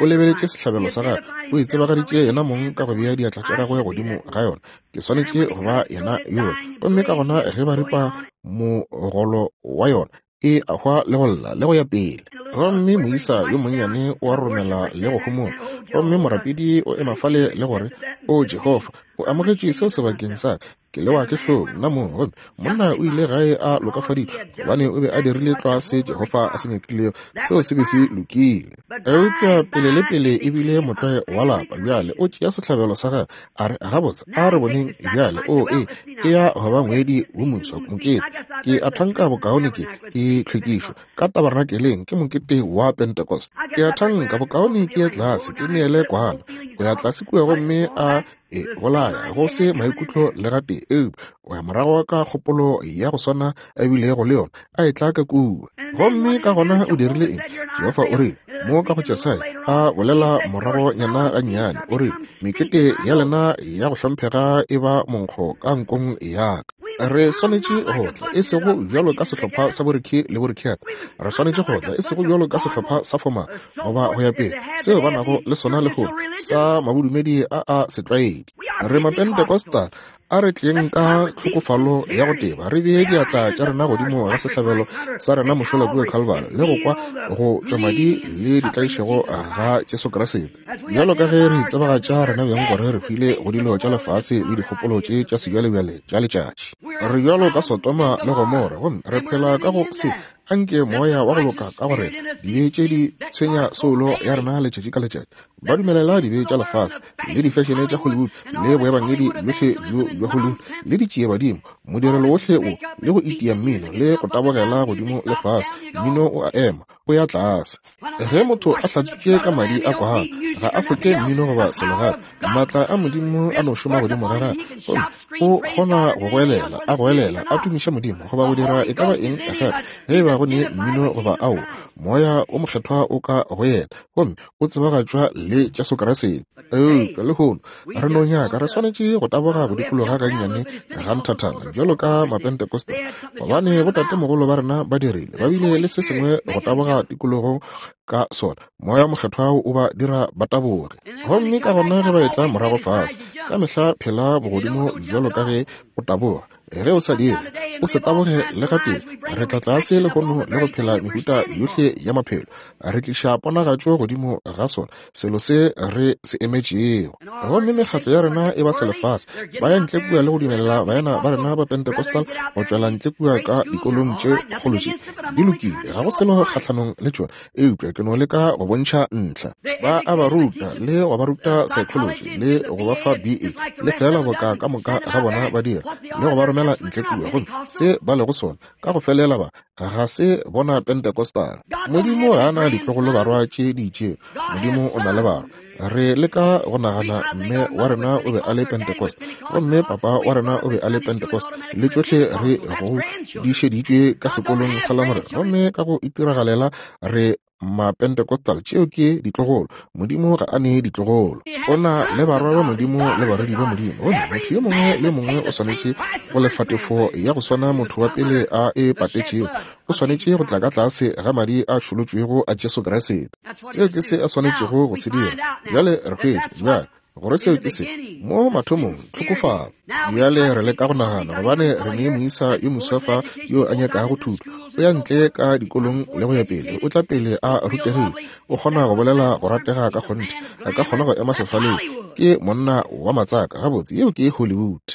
O lebeletše sehlabelo sa gagwe, o itsebagaditše yena mong ka go bea diatla tša gagwe godimo ga yona. Ke swanetše go ba yena yola. Gomme ka gona ge ba ripa mogolo wa yona, e a hwa le go lla le go ya pele. Gomme moisa yo monnyane o a romela le go homola. Gomme morapedi o ema fale le gore, O Jehofa, o amogetše seo sebakeng sa ka. Ke lewa ke hlong nna mong. Gomme monna o ile gae a lokafaditšwe, gobane o be a dirile tlwa se Jehofa a se nyakilego. Seo se be se lokile. Eupša pele le pele e bile motlwae wa lapa. Bjale o tšea sehlabelo sa gagwe, a re, Gabotse, a re boneng bjale. O, e, e ya go ba ngwedi wo moswa, mokete. Ke a thanka bokaone ke, ke tlhwekišo ka tabernakeleng, ke mokete wa Pentecost. Ke a thanka bokaone ke ye tlase, ke neele kwana. O ya tlase kua gomme a e bolaya go se maikutlo le gatee, eupša o ya morago ka kgopolo ya go swana a bilego le yona a etla ka kua. Gomme ka gona o dirile eng? Jehofa o rile mo ka go Jesaya a bolela morago nyana gannyane, o rile, Mekete ya lena ya go hlomphega e ba monkgo ka nkong ya ka. Re swanetše go tla, e sego bjalo ka sehlopha sa boRicky le boRickiana. Re swanetše go tla, e sego bjalo ka sehlopha sa fomale, goba go ya pele, seo ba nago le sona lehono, sa mabodumedi a a setlwaedi. Re Mapentecostal. A re tleng ka tlhokofalo ya go teba, re bee diatla tša rena godimo ga sehlabelo sa rena mošola kua Calvary, le go kwa go tšwa madi le ditlaišego ga Jesu Kriste. Bjalo ka ge re itsebagatša rena beng gore re hwile go dilo tša lefase le dikgopolo tše tša sebjalebjale tša letšatši. Re bjalo ka Sodoma le Gomora, gomme re phela ka go se. Anke moya wa go loka ka go rena, dibe tše di tshwenya soulo ya rena letšatši ka letšatši. Ba dumelela dibe tša lefase le difešene tša Hollywood le boebangedi bjohle bjo bja Hollywood le ditšiebadimo, modirelo wohle wo, le go itia mmino le go tabogela godimo le fase, mmino o a ema, o ya tlase. Ge motho a hlatswitše ka madi a kwana, ga a hloke mmino goba selo gape. Maatla a Modimo a no šoma godimo ga gagwe, gomme o kgona go goelela, a goelela, a tumiša Modimo, goba go dira e ka ba eng gape, ge e ba go ne mmino goba ao. Moya o Mokgethwa o ka go yena, gomme o tsebagatšwa le Jesu Kriste. Eupša lehono re no nyaka, re swanetše go taboga go dikologa gannyane ga nthathana bjalo ka Mapentekoste, gobane botatemogolo ba rena ba dirile, ba bile le se sengwe go taboga tikologong ka sona. Moya Mokgethwa o ba dira ba taboge. Gomme ka gona ge ba etla morago fase, ka mehla phela bogodimo bjalo ka ge o taboga. Ge o sa dire, o se taboge le gatee. Re tla tlase lehono le go phela mehuta yohle ya maphelo. Re tliša ponagatšo godimo ga sona, selo se re se emetšego. Gomme mekgatlo ya rena e ba selefase. Ba ya ntle kua le go dumelela baena ba rena ba Pentecostal go tšwela ntle kua ka dikolong tše kgolo tše. Di lokile, ga go selo kgahlanong le tšona, eupša ke no leka go bontšha ntlha. Ba a ba ruta le go ba ruta psychology le go ba fa BA, le feela boka ka moka ga bona ba dira, le go ba romela ntle kua. Gomme se ba lego sona, ka go felela ba ga se bona Pentecostal. Modimo ga a na ditlogolo barwa tše di itšego. Modimo o na le barwa. Re leka go nagana mme wa rena o be a le Pentecost, gomme papa wa rena o be a le Pentecost, le tšohle re go di šeditšwe ka sekolong sa Lamorena, gomme ka go itiragalela re Mapentecostal. Tšeo ke ditlogolo. Modimo ga a nee ditlogolo. O na le barwa ba Modimo le barwedi ba Modimo, gomme motho yo mongwe le mongwe o swanetše go lefa tefo ya go swana motho wa pele a e patetšego. O swanetše go tla ka tlase ga madi a tšholotšwego a Jesu Kriste. Seo ke se a swanetšego go se dira. Bjale re hwetša bjale gore seo ke se mo mathomong, tlhokofalo. Bjale re leka go nagana, gobane re ne moisa yo moswa fa yo a nyakago thuto. O ya ntle ka dikolong le go ya pele, o tla pele a rutegile, o kgona go bolela go ratega ka kgonthe, a ka kgona go ema sefaleng, ke monna wa matsaka. Gabotse, yeo ke Hollywood.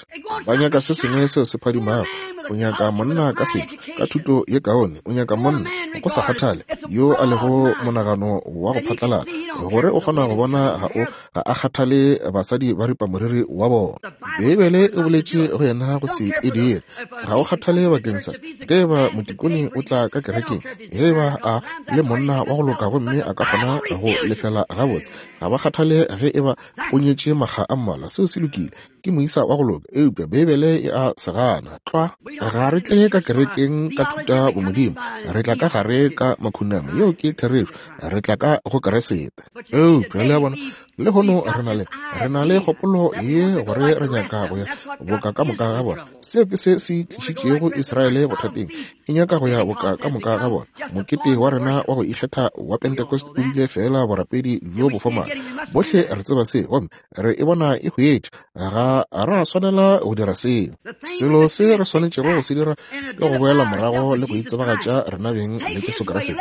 Ba nyaka se sengwe seo se phadimago. O nyaka monna ka setšo, ka thuto ye kaone. O nyaka monna, go sa kgathale yo a lego monagano wa go phatlalala, gore o kgona go bona ga o ga a kgathale basadi ba ripa moriri wa bona. Beibele e boletše go yena go se e dire. Ga o kgathale bakeng sa ge eba motikone o tla ka kerekeng, ge eba a le monna wa go loka gomme a ka kgona go lefela gabotse. Ga ba kgathale ge eba o nyetše makga a mmalwa. Seo se lokile. Ke moisa wa go loka, eupša Beibele e a se gana. Tlwa. Ga re tle ka kerekeng ka thuta bomodimo. Re tla ka gare ka makhunamo. Yeo ke therešo. Re tla ka go Keresete. Eupša le a bona, lehono re na le, re na le kgopolo ye gore re nyaka go ya boka ka moka ga bona. Seo ke se se tlišitšego Israele bothateng. E nyaka go ya boka ka moka ga bona. Mokete wa rena wa go ikgetha wa Pentecost o bile feela borapedi bjo bo fomala. Bohle re tseba se, gomme re e bona e hwetša. Ga ra swanela go dira seo. Selo se re swanetšego go se dira ke go boela morago le go itsebagatša rena beng le Jesu Kriste.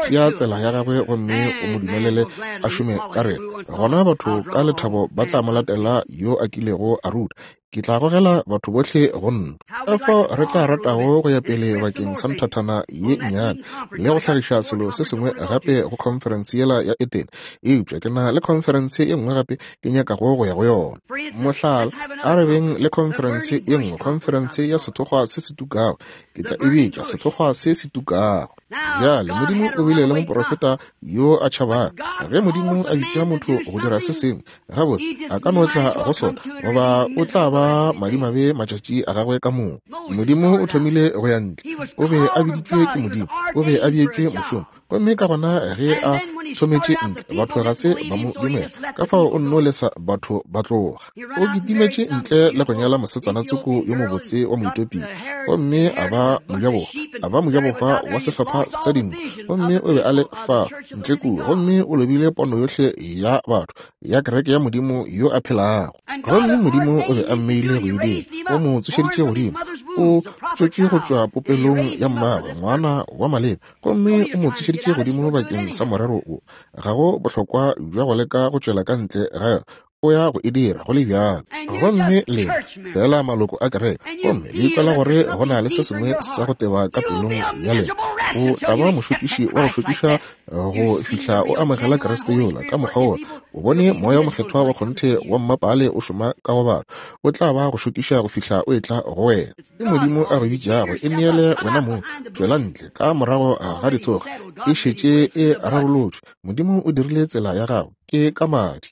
Tšea tsela ya gagwe gomme o mo dumelele a šome ka rena. Gona batho ka lethabo ba tla mo latela yo a kilego a ruta. Ke tla gogela batho bohle go nna. Ka fao re tla ratago go ya pele bakeng sa nthathana ye nnyane le go hlagiša selo se sengwe gape go khonferense yela ya Etene. Eupša ke na le khonferense e nngwe gape ke nyakago go ya go yona. Mohlala, a re beng le khonferense e nngwe, khonferense ya sethokgwa se se tukago. Ke tla e bitša sethokgwa se se tukago. Bjale, Modimo o bile le moprofeta yo a tšhabago. Ge Modimo a bitša motho go dira se sengwe, gabotse a ka no tla go sona, goba o tla ba madimabe matšatši a gagwe ka moka. Modimo o thomile go ya ntle. O be a biditšwe ke Modimo. O be a beetšwe mošomo. Gomme ka gona ge a thometše ntle, batho ga se ba mo dumela, ka fao o nno lesa batho ba tloga. O kitimetše ntle le go nyala mosetsana tsoko yo mobotse wa Moetopia, gomme a ba mojabohwa, a ba mojabohwa wa sehlopha sa dinku, gomme o be a le fa ntle kua, gomme o lobile pono yohle ya batho ya kereke ya Modimo yo a phelago. Gomme Modimo o be a mmeile go e dira, o mo tsošeditše godimo, o tšwetšwe go tšwa popelong ya mmagwe, ngwana wa maleba, gomme o mo tsošeditše godimo bakeng sa morero wo. Ga go bohlokwa bja go leka go tšwela ka ntle ga yona, o ya go e dira go le bjalo. Gomme lena fela maloko a kereke, gomme le ikwela gore go na le se sengwe sa go teba ka pelong ya lena, o tla ba mošokiši wa go šokiša go fihla o amogela Kriste yola ka mokgwa wola. O bone Moya wo Mokgethwa wa kgonthe wa mmapaale o šoma ka go batho, o tla ba go šokiša go fihla o etla go wena. Ke Modimo a go bitšago, e neele wena mong, tšwela ntle ka morago ga dithokga, e šetše e rarolotšwe. Modimo o dirile tsela ya gago, ke ka madi.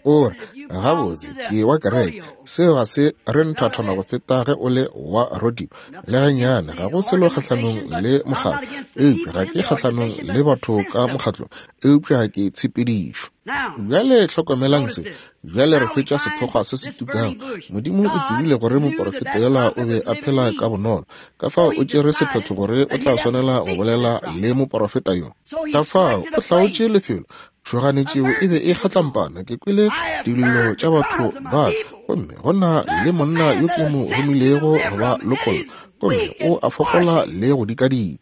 O re, Gabotse, ke wa kereke. Seo ga se re nthathana go feta ge o le wa rodeo. Le gannyane, ga go selo kgahlanong le mokgatlo, eupša ga ke kgahlanong le batho ka mokgatlong, eupša ke tshepedišo. Bjale hlokomelang se. Bjale re hwetša sethokgwa se se tukago. Modimo o tsebile gore moporofeta yola o be a phela ka bonolo, ka fao o tšere sephetho gore o tla swanela go bolela le moporofeta yo. Ka fao o hlaotše lefelo. Tšhoganetšeo e be e kgatlampana. Ke kwele dillo tša batho ba ka, gomme go na le monna yo ke mo romilego go ba lokolla, gomme o a fokola le go dikadika.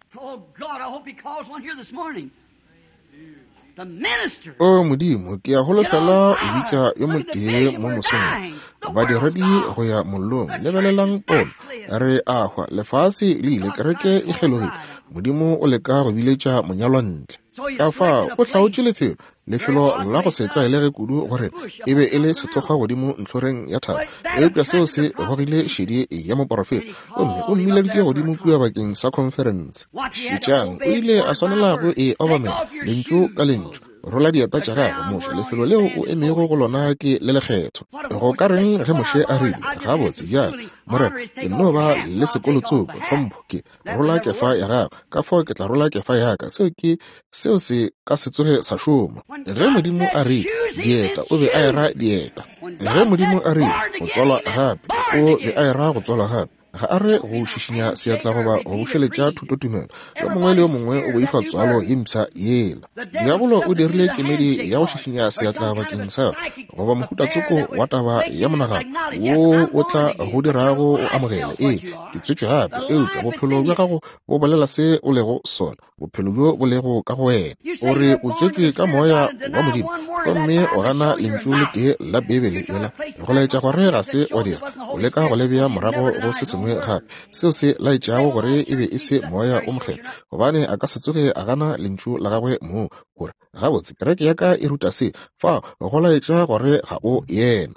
O Modimo, ke a holofela o bitša yo motee mo mosong wo. Badiredi go ya mollong, lebelelang pono. Re a hwa, lefase le ile, kereke e kgelogile. Modimo o leka go biletša monyalwa ntle. Ka fao o hlaotše lefelo, lefelo la go se tlwaelege kudu gore e be e le sethokgwa godimo ntlhoreng ya thaba, eupša seo se gogile šedi ya moporofeta, gomme o mmileditše godimo kua bakeng sa khonferense. Šetšang, o ile a swanela go e obamela, lentšu ka lentšu. Rola dieta tša gago, Moshe, lefelo leo o emego go lona ke le lekgethwa. Go ka reng ge Moshe a rile, Gabotse, bjale, Morena, ke nno ba le sekolo tsoko, tlhompho, ke rola kefa ya gago, ka fao ke tla rola kefa ya ka. Seo ke, seo se ka se tsoge sa šoma. Ge Modimo a rile, dieta, o be a era dieta. Ge Modimo a rile, go tswalwa gape, o be a era go tswalwa gape. Ga a re go šišinya seatla goba go bušeletša thutotumelo. Yo mongwe le yo mongwe o boifa tswalo ye mpsha yela. Diabolo o dirile kemedi ya go šišinya seatla bakeng sa yona, goba mohuta tsoko wa taba ya monagano wo o tla go dirago o amogele. Ee, ke tswetšwe gape, eupša bophelo bja gago bo bolela se o lego sona, bophelo bjo bo lego ka go wena. O re o tswetšwe ka Moya wa Modimo, gomme o gana Lentšu le tee la Beibele yela, go laetša gore ga se wa dira. O leka go le bea morago go se sengwe gape, seo se laetšago gore e be e se Moya wo Mokgethwa, gobane a ka se tsoge a gana Lentšu la Gagwe mong. O re, Gabotse, kereke ya ka e ruta se. Fao go laetša gore ga o yena.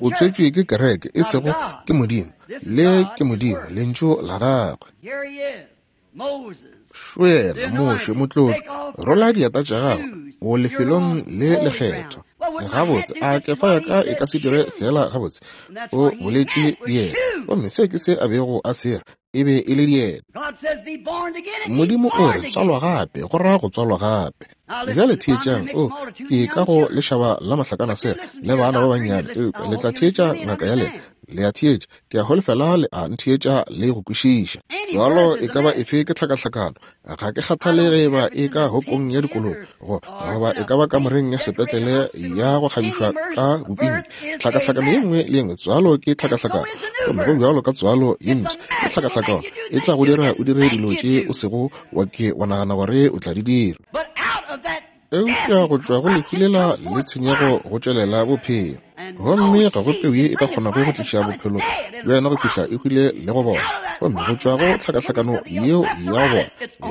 O tswetšwe ke kereke, e sego ke Modimo. Le ke Modimo, Lentšu la Gagwe. Šo yena, Moshe, motlotšwa, rola dieta tša gago, o lefelong le lekgethwa. Gabotse, a kefa ya ka e ka se dire feela gabotse? O boletše dieta, gomme seo ke se a bego a se ra, e be e le dieta. Modimo o re, Tswalwa gape, go ra go tswalwa gape. Bjale theetšang, o, ke ka go lešaba la mahlakanasela le bana ba bannyane, eupša le tla theetša ngaka ya lena. Le a theetša, ke a holofela le a ntheetša le go kwešiša. Tswalo e ka ba efe ke tlhakahlakano. Ga ke kgathale ge eba e ka hokong ya dikoloi go, goba e ka ba kamoreng ya sepetlele ya go kgabišwa ka bopinki. Tlhakahlakano ye nngwe le ye nngwe, tswalo ke tlhakahlakano. Gomme go bjalo ka tswalo ye mpsha, ke tlhakahlakano. E tla go dira o dire dilo tše o sego wa ke wa nagana gore o tla di dira. Eupša go tšwa go lehu lela le tshenyego go tšwelela bophelo. Gomme ga go peu ye e ka kgonago go tliša bophelo bja yona go fihla e hwile le go bola. Gomme go tšwa go tlhakahlakano yeo ya go bola,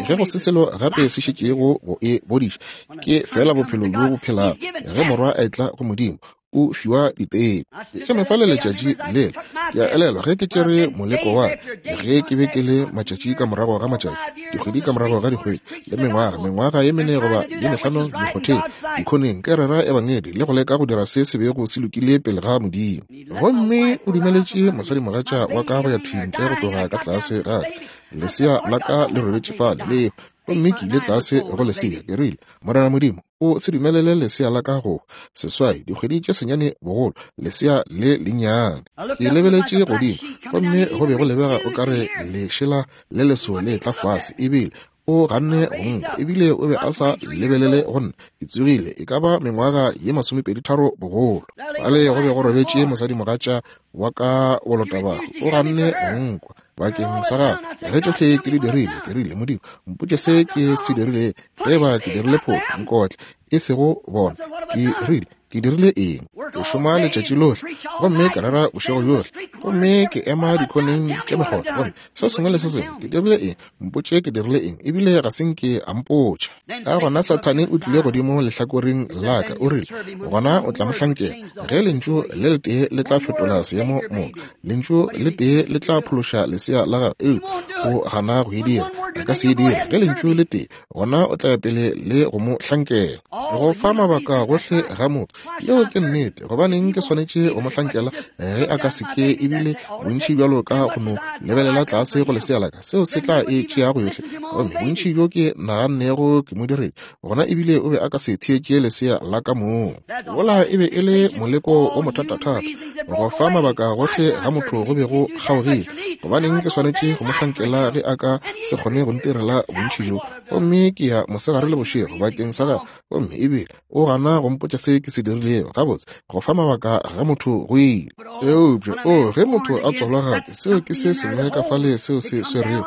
ge go se selo gape se šetšego go e bodiša, ke feela bophelo bjo bo phelago. Ge morwa a etla go Modimo, o fiwa diteko. Ke eme fale letšatši lela, ke a elelwa ge ke tšere moleko wa ge ke be ke le matšatši ka morago ga matšatši, dikgwedi ka morago ga dikgwedi, le mengwaga, mengwaga ye mene goba ye mehlano mekgotheng, dikhoneng, ke rera ebangedi le go leka go dira se se bego se lokile pele ga Modimo. Gomme o dumeletše mosadimogatša wa ka go ya thwi ntle go tloga ka tlase ga ka. Lesea la ka le robetše fale, le. Gomme ke ile tlase go lesea, ke rile, Morena Modimo, o se dumelele lesea la ka go seswai, dikgwedi tše senyane bogolo, lesea le lennyane. Ke lebeletše godimo, gomme go be go lebega o ka re lešela le leso le tla fase, ebile o ganne go nkwa, ebile o be a sa lebelele go nna. Ke tsogile e ka ba mengwaga ye masomepeditharo bogolo. Fale go be go robetše mosadimogatša wa ka bolotabahu, o ganne go nkwa bakeng sa gagwe. Ge tšohle ke di dirile, ke rile, Modimo, mpotše se ke se dirile. Ge e ba ke dirile phošo, nkotle, e sego bona. Ke rile, Ke dirile eng? Ke šoma letšatši lohle, gomme ke rera bošego bjohle, gomme ke ema dikhoneng tša mekgotha, gomme se sengwe le se sengwe. Ke dirile eng? Mpotše ke dirile eng. Ebile ga se nke a mpotša. Ka gona Sathane o tlile godimo lehlakoreng la ka, o rile, Gona o tla mo hlankela. Ge lentšu le letee le tla fetola seemo moka, lentšu le tee le tla phološa lesea la gago, eupša o gana go e dira. A ka se e dire. Ge lentšu le tee, gona o tla ya pele le go mo hlankela. Go fa mabaka gohle ga motho, yeo ke nnete. Gobaneng ke swanetše go mo hlankela ge a ka se ke? Ebile bontši bjalo ka go no lebelela tlase go lesea la ka, seo se tla e tšeago yohle. Gomme bontši bjo ke nagannego ke mo diretše, gona ebile o be a ka se theetše lesea la ka mong. Wola e be e le moleko o mothatathata. Go fa mabaka gohle ga motho go be go kgaogile. Gobaneng ke swanetše go mo hlankela ge a ka se kgone go ntirela bontši bjo? Gomme ke ya mosegare le bošego bakeng sa gagwe, gomme ebile o gana go mpotša se ke se dirilego. Gabotse, go fa mabaka ga motho go ile. Eupša, o, ge motho a tswalwa gape, seo ke se sengwe ka fale seo se swerego.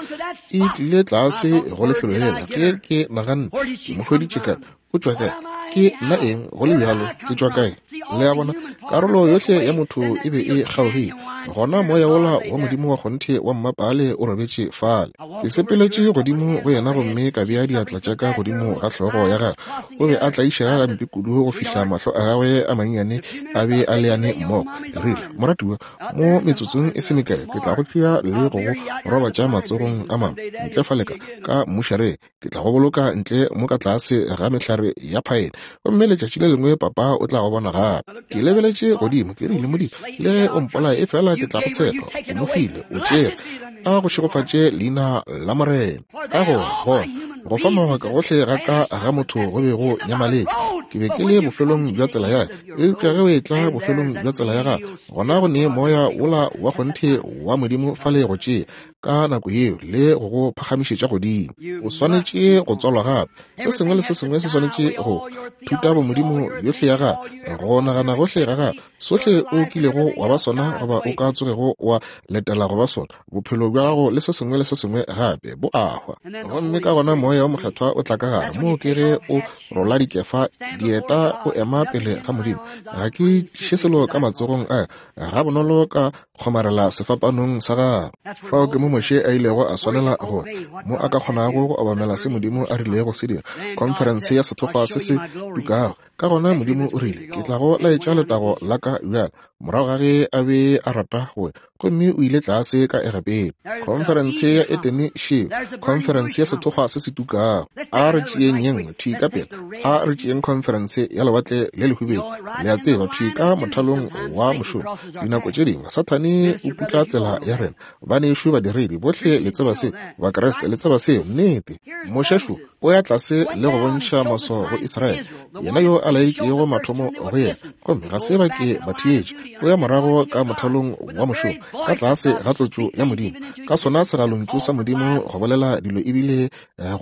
E tlile tlase go lefelo lela ge ke naganne ke mo hweditše kae, o tšwa kae, ke nna eng, go le bjalo ke tšwa kae. Le a bona, karolo yohle ya motho e be e kgaogile. Gona moya wola wa Modimo wa kgonthe wa mmapaale o robetše fale. Ke sepeletše godimo go yena gomme ka bea diatla tša ka godimo ga hlogo ya gagwe. O be a tlaišega gampe kudu go fihla mahlo a gagwe a mannyane a be a leane mmogo. Ke rile, Moratiwa, mo metsotsong e se mekae ke tla go tšea le go go robatša matsogong a mama ntle fale ka, ka mmušareng. Ke tla go boloka ntle mo ka tlase ga mehlare ya phaene, gomme letšatši le lengwe papa o tla go bona gape. Ke lebeletše godimo, ke rile, Modimo, le ge o mpolaya, efela ke tla go tshepa. O mo file, o tšere. A go šegofatše leina la Morena. Ka gore, gona, go fa mabaka gohle ga ka ga motho go be go nyamaletše. Ke be ke le bofelong bja tsela ya ka. Eupša ge o etla bofelong bja tsela ya gago, gona go ne Moya wola wa kgonthe wa Modimo fale go tšea, ka nako yeo le go go phagamišetša godimo. O swanetše go tswalwa gape. Se sengwe le se sengwe se swanetše go thuta bomodimo yohle ya gago, go nagana gohle ga gago, sohle o kilego wa ba sona goba o ka tsogego wa letela go ba sona, bophelo bja gago le se sengwe le se sengwe gape bo a hwa. Gomme ka gona Moya wo Mokgethwa o tla ka gare, moo ke ge o rola dikefa, dieta, o ema pele ga Modimo. Ga ke tliše selo ka matsogong a ka, gabonolo ka kgomarela sefapanong sa gagwe. Fao ke mo Moshe a ilego a swanela go mo a ka kgonago go obamela se Modimo a rilego se dira, khonferense ya sethokgwa se se tukago. Ka gona Modimo o rile, Ke tla go laetša letago la ka bjale, morago ga ge a be a rata go ya, gomme o ile tlase ka Egepeta. Khonferense ya Etene šeo, khonferense ya sethokgwa se se tukago. A re tšeeng ye nngwe thwi ka pela, a re tšeeng khonferense ya Lewatle le Lehubedu. Le a tseba, thwi ka mothalong wa mošomo, dinako tše dingwe Sathane o putla tsela ya rena. Banešu badiredi bohle le tseba seo, Bakriste le tseba seo, nnete. Moshe šo o ya tlase le go bontšha maswao go Israele, yena yo a laetšego mathomo go yena, gomme ga se ba ke ba theetša. O ya morago ka mothalong wa mošomo, ka tlase ga tlotšo ya Modimo, ka sona segalontšu sa Modimo go bolela dilo ebile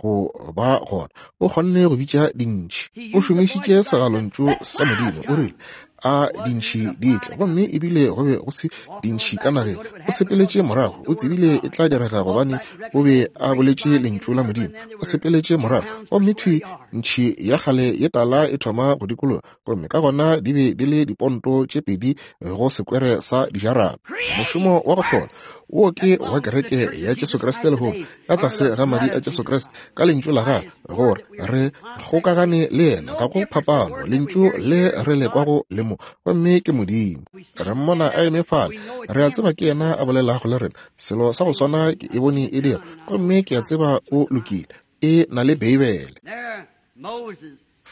go ba gona. O kgonne go bitša dintšhi. O šomišitše segalontšu sa Modimo. O rile, a dintšhi di tle, gomme ebile go be go se dintšhi ka nageng. O sepeletše morago, o tsebile e tla direga gobane o be a boletše lentšu la Modimo. O sepeletše morago, gomme thwi ntšhi ya kgale ye tala e thoma go dikologa, gomme ka gona di be di le diponto tše pedi go sekwere sa dijarata. Mošomo wa go hlola wo ke wa kereke ya Jesu Kriste lehono, ka tlase ga madi a Jesu Kriste, ka lentšu la gagwe, gore re kgokagane le yena. Ga go phapano, lentšu le re le kwago le mo, gomme ke Modimo. Re mmona a eme fale, re a tseba ke yena a bolelago le rena. Selo sa go swana ke e bone e dira, gomme ke a tseba o lokile. E na le Beibele.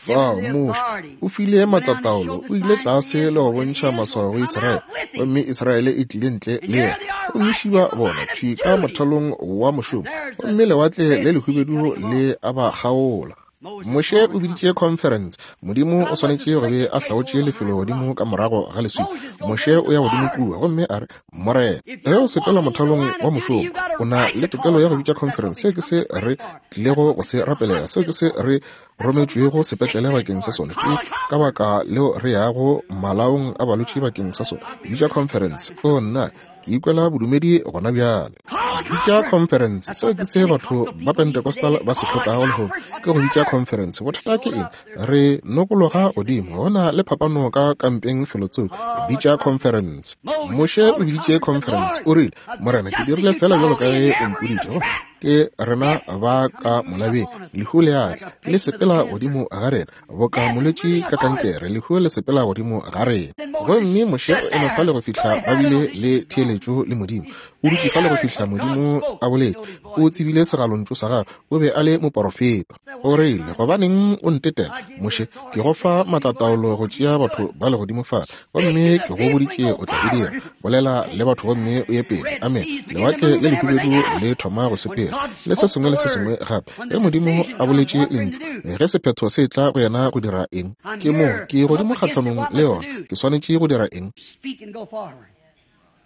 Fao, Moshe o file maatlataolo, o ile tlase le go bontšha maswao go Israele, gomme Israele e tlile ntle le yena. Gomme šiba bona thwi ka mothalong wa mošomo, gomme Lewatle le Lehubedu le a ba kgaola. Moshe o biditše khonferense. Modimo o swanetše go be a hlaotše lefelo godimo ka morago ga leswika. Moshe o ya godimo kua gomme a re, Morena, ge o sepela mothalong wa mošomo, o na le tokelo ya go bitša khonferense. Seo ke se re tlilego go se rapelela. Seo ke se re rometšwego sepetlele bakeng sa sona. Ke ka baka leo re yago malaong a balwetši bakeng sa sona. Bitša khonferense. O nna, ke ikwela bodumedi gona bjale. Bitša khonferense. Seo ke se batho ba Pentecostal ba se hlokago lehono, ke go bitša khonferense. Bothata ke eng? Re nokologa godimo. Go na le phapano ka kampeng felotsoko. Bitša khonferense. Moshe o biditše khonferense. O rile, Morena, ke dirile feela bjalo ka ge o mpoditše. Ke rena ba ka molabeng. Lehu le a tla, le sepela godimo ga rena. Boka molwetši ka kankere, lehu le sepela godimo ga rena. Gomme Moshe o eme fale go fihla ba bile le theeletšo le Modimo. O dutše fale go fihla Modimo a boletše. O tsebile segalontšu sa gagwe. O be a le moporofeta. O rile, Gobaneng o ntetela, Moshe? Ke go fa maatlataolo go tšea batho ba legodimo fale, gomme ke go boditše o tla e dira. Bolela le batho gomme o ye pele. Amene. Lewatle le Lehubedu le thoma go sepela, le se sengwe le se sengwe gape. Ge Modimo a boletše lentšu, ge sephetho se etla go yena go dira eng? Ke mo, ke godimo kgahlanong le yona. Ke swanetše go dira eng?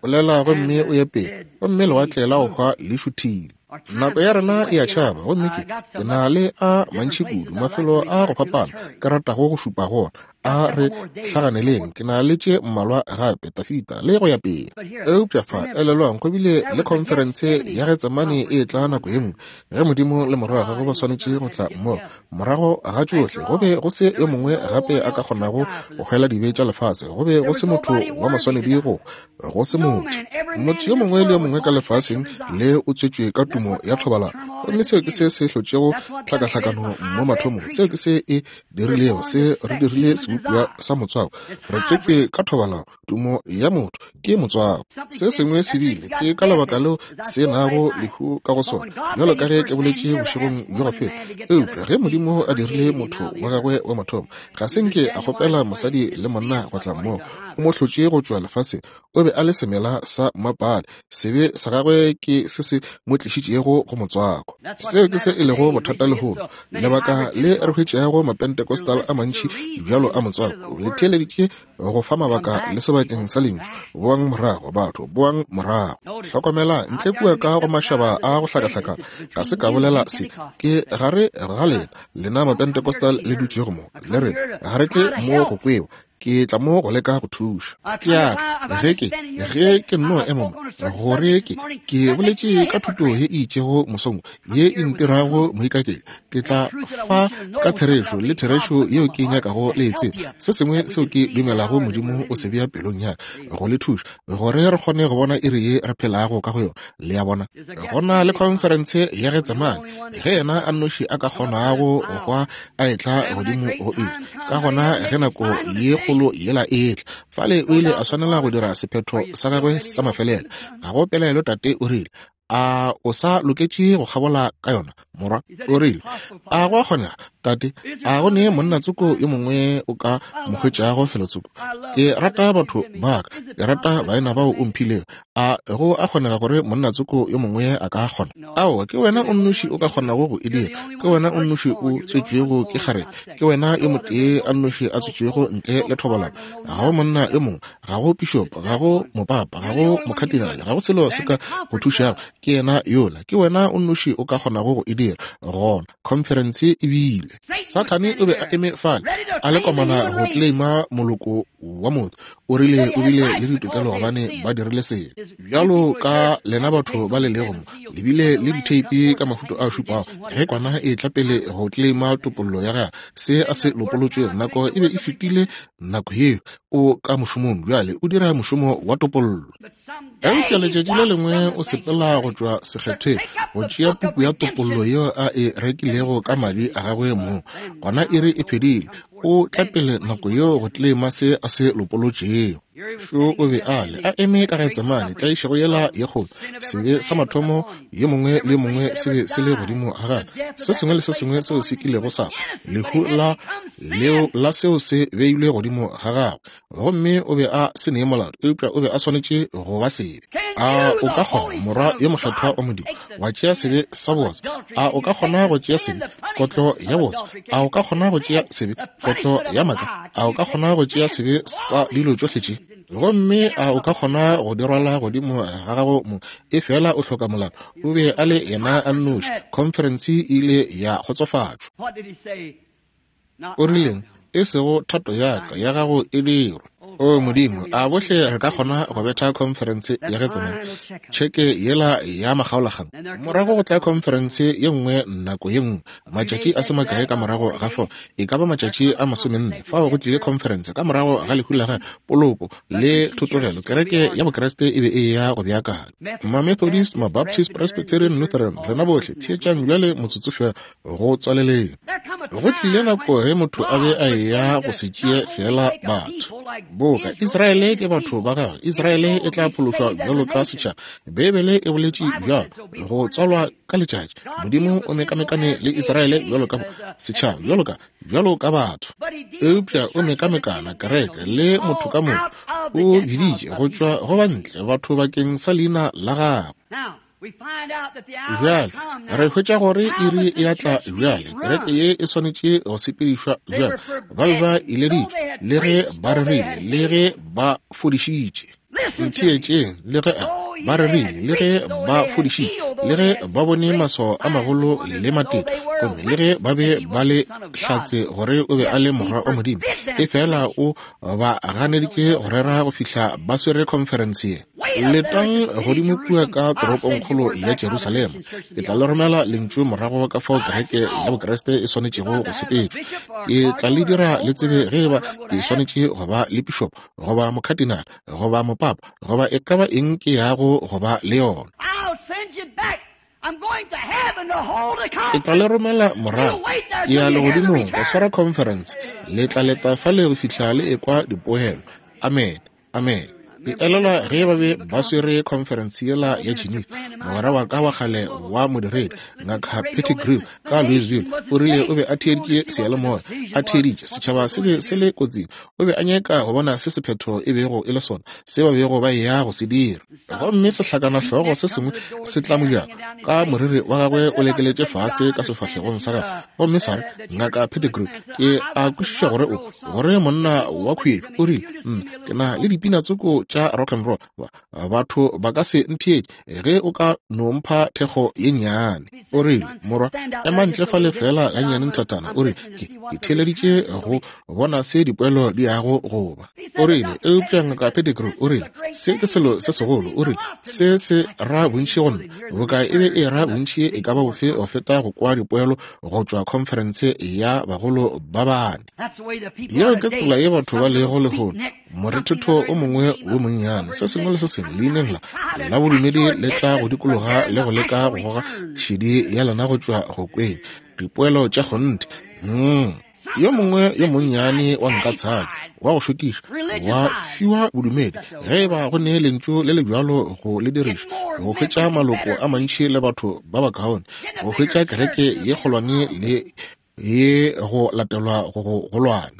Bolela gomme o ye pele, gomme lewatle la go hwa le šuthile. Nako ya rena e a tšhaba, gomme ke, ke na le a mantši kudu, mafelo a go fapana ke ratago go šupa go ona. A re hlaganeleng, ke na le tše mmalwa gape, Tafita, le go ya pele. Eupša fa, elelwang, go bile le khonferense ya Getsemane e etla nako ye nngwe, ge Modimo le Morwa wa Gagwe ba swanetše go tla mmogo. Morago ga tšohle, go be go se yo mongwe gape a ka kgonago go hwela dibe tša lefase. Go be go se motho wa maswanedi go go se motho. Motho yo mongwe le yo mongwe ka lefaseng le o tswetšwe ka tumo ya thobalano. Gomme seo ke se se hlotšego tlhakahlakano mo mathomong. Seo ke se e dirilego, se re dirile sebopiwa sa motswako. Re tswetšwe ka thobalano. Tumo ya motho ke motswako. Se sengwe se bile, ke ka lebaka leo se nago lehu ka go sona, bjalo ka ge ke boletše bošegong bjo go feta. Eupša ge Modimo a dirile motho wa gagwe wa mathomo, ga se nke a kgopela mosadi le monna go tla mmogo. O mo hlotše go tšwa lefaseng. O be a le semela sa mmapale. Sebe sa gagwe ke se se mo tlišitšego go motswako. Seo ke se e lego bothata lehono. Lebaka le re hwetšago Mapentecostal a mantši bjalo a motswako, le theeleditše go fa mabaka le sebakeng sa lentšu. Boang morago, batho, boang morago. Hlokomela, ntle kua ka go mašaba a go hlakahlakana, ga se ka bolela se. Ke gare ga lena, lena Mapentecostal le dutšego mo, le re, Ga re tle mo go kwewa. Ke tla mo go leka go thuša. Ke a tla, ge ke, ge ke nno ema mo, gore ke, ke boletše ka thuto ye e itšego mosong wo, ye e ntirago moikaketši. Ke tla fa ka therešo, le therešo yeo ke nyakago le e tseba, se sengwe seo ke dumelago Modimo o se bea pelong ya ka, go le thuša, gore re kgone go bona iri ye re phelago ka go yona. Le a bona? Go na le khonferense ya Getsemane, ge yena a nnoši a ka kgonago go hwa a etla godimo go iri. Ka gona ge nako ye kgolo yela e etla, fale o ile a swanela go dira sephetho sa gagwe sa mafelelo. Ga go pelaelo Tate o rile, A o sa loketše go kgabola ka yona, morwa? O rile, A go a kgonega, Tate? A go ne monna tsoko yo mongwe o ka mo hwetšago felotsoko? Ke rata batho ba ka. Ke rata baena bao o mphilego. A go a kgonega gore monna tsoko yo mongwe a ka kgona? Aowa, ke wena o nnoši o ka kgonago go e dira. Ke wena o nnoši o tswetšwego ke kgarebe. Ke wena yo motee a nnoši a tswetšwego ntle le thobalano. Ga go monna yo mongwe, ga go pišopo, ga go mopapa, ga go mokhatinale, ga go selo se ka go thušago. Ke yena yola. Ke wena o nnoši o ka kgonago go e dira. Gona, khonferense e bile. Sathane o be a eme fale, a le komana go tleleima moloko wa motho. O rile o bile le ditokelo gobane ba dirile sebe. Bjalo ka lena batho ba le lego mo, le bile le ditheipi ka mahuto a šupago. Ge kwana e tla pele go tleleima topollo ya gagwe, se a se lopolotšwego, nako e be e fetile nako yeo. O ka mošomong bjale, o dira mošomo wa topollo. Eupša letšatši le lengwe o sepela go tšwa sekgethweng go tšea puku ya topollo yeo a e rekilego ka madi a gagwe mong. Gona iri e fedile. O tla pele nako yeo go tleleima se a se lopolotšego. Šo o be a le, a eme ka Getsemane, tlaišego yela ye kgolo, sebe sa mathomo yo mongwe le yo mongwe se be se le godimo ga gagwe. Se sengwe le se sengwe seo se kilego sa lehu la leo la seo se beilwe godimo ga gagwe. Gomme o be a se ne molato, eupša o be a swanetše go ba sebe. A o ka kgona, Morwa yo mokgethwa wa Modimo, wa tšea sebe sa bootswa? A o ka kgona go tšea sebe, kotlo ya bootswa? A o ka kgona go tšea sebe, kotlo ya maaka? A o ka kgona go tšea sebe sa dilo tšohle tše? Gomme a o ka kgona go di rwala godimo ga gago mong? Efela o hloka molato. O be a le yena a nnoši. Khonferense e ile ya kgotsofatšwa. O rileng? E sego thato ya ka, ya gago e dirwe. O Modimo, a bohle re ka kgona go betha khonferense ya Getsemane, tšheke yela ya makgaolakgang? Morago go tla khonferense ye nngwe nako ye nngwe, matšatši a se makae ka morago ga fao, e ka ba matšatši a masomenne, fao go tlile khonferense ka morago ga lehu la gagwe, poloko le thotogelo. Kereke ya Bokriste e be e eya go beakanywa. Mamethodist, Mabaptist, Presbyterian, Lutheran, rena bohle, theetšang bjale motsotso feela go tswaleleng. Go tlile nako ge motho a be a eya go se tšee feela batho. Boka Israele ke batho ba gagwe, Israele e tla phološwa bjalo ka setšhaba. Beibele e boletše bjalo, go tswalwa ka letšatši. Modimo o mekamekane le Israele bjalo ka setšhaba, bjalo ka, bjalo ka batho. Eupša o mekamekana kereke le motho ka moka. O biditše go tšwa go ba ntle batho bakeng sa leina la gagwe. Bjale re hwetša gore iri e a tla bjale. Kereke ye e swanetše go sepedišwa bjale. Ba be ba ileditšwe, le ge ba rerile, le ge ba fodišitše. Ntheetšeng, le ge ba rerile, le ge ba fodišitše, le ge ba bone maswao a magolo le matete, gomme le ge ba be ba le hlatse gore o be a le Morwa wa Modimo, efela o ba ganeditše go rera go fihla ba swere khonferense ye. Letang godimo kua ka toropongkgolo ya Jerusalema. Ke tla le romela lentšu morago ka fao kereke ya Bokriste e swanetšego go sepetšwa. Ke tla le dira le tsebe ge eba ke swanetše go ba le pišopo, goba mokhatinale, goba mopapa, goba e ka ba eng ke yago go ba le yona. Ke tla le romela morago. Ke ya legodimong go swara khonferense. Le tla leta fale go fihla le ekwa dipoelo. Amene. Amene. Ke elelwa ge ba be ba swere khonferense yela ya Geneva, mogwera wa ka wa kgale wa modiredi, Ngaka Pettigrew ka Louisville, o rile o be a theeditše seyalemoya, a theeditše, setšhaba se be se le kotsing. O be a nyaka go bona se sephetho e bego e le sona, se ba bego ba eya go se dira. Gomme sehlakanahlogo se sengwe se tla mojako, ka moriri wa gagwe o lekeletše fase ka sefahlegong sa gagwe, gomme sa re, Ngaka Pettigrew, ke a kwešiša gore o, gore monna wa khuetšo, o rile, nna, ke na le dipina tsoko tša rock and roll, ba, batho ba ka se ntheetše ge o ka no mpha thekgo ye nnyane. O rile, morwa, ema ntle fale feela gannyane nthatana, o rile, ke, ke theeleditše go bona se dipoelo di yago go ba. O rile, eupša Ngaka Pettigrew, o rile, se ke selo se segolo, o rile, se se ra bontši go nna, boka e be e ra bontši e ka ba bofe go feta go kwa dipoelo go tšwa khonferense ya bagolo ba bane. Yeo ke tsela ye batho ba lego lehono, morethetho o mongwe wo monnyane, se sengwe le se sengwe leineng la la bodumedi le tla go dikologa le go leka go goga šedi ya lena go tšwa go kweng dipoelo tša kgonthe. Mm. Yo mongwe yo monnyane wa nka tshadi wa go šokiša wa fiwa bodumedi, ge e ba go ne lentšu le le bjalo go le diriša, go hwetša maloko a mantši le batho ba bakaone, go hwetša kereke ye kgolwane le ye go latelwa go go golwane,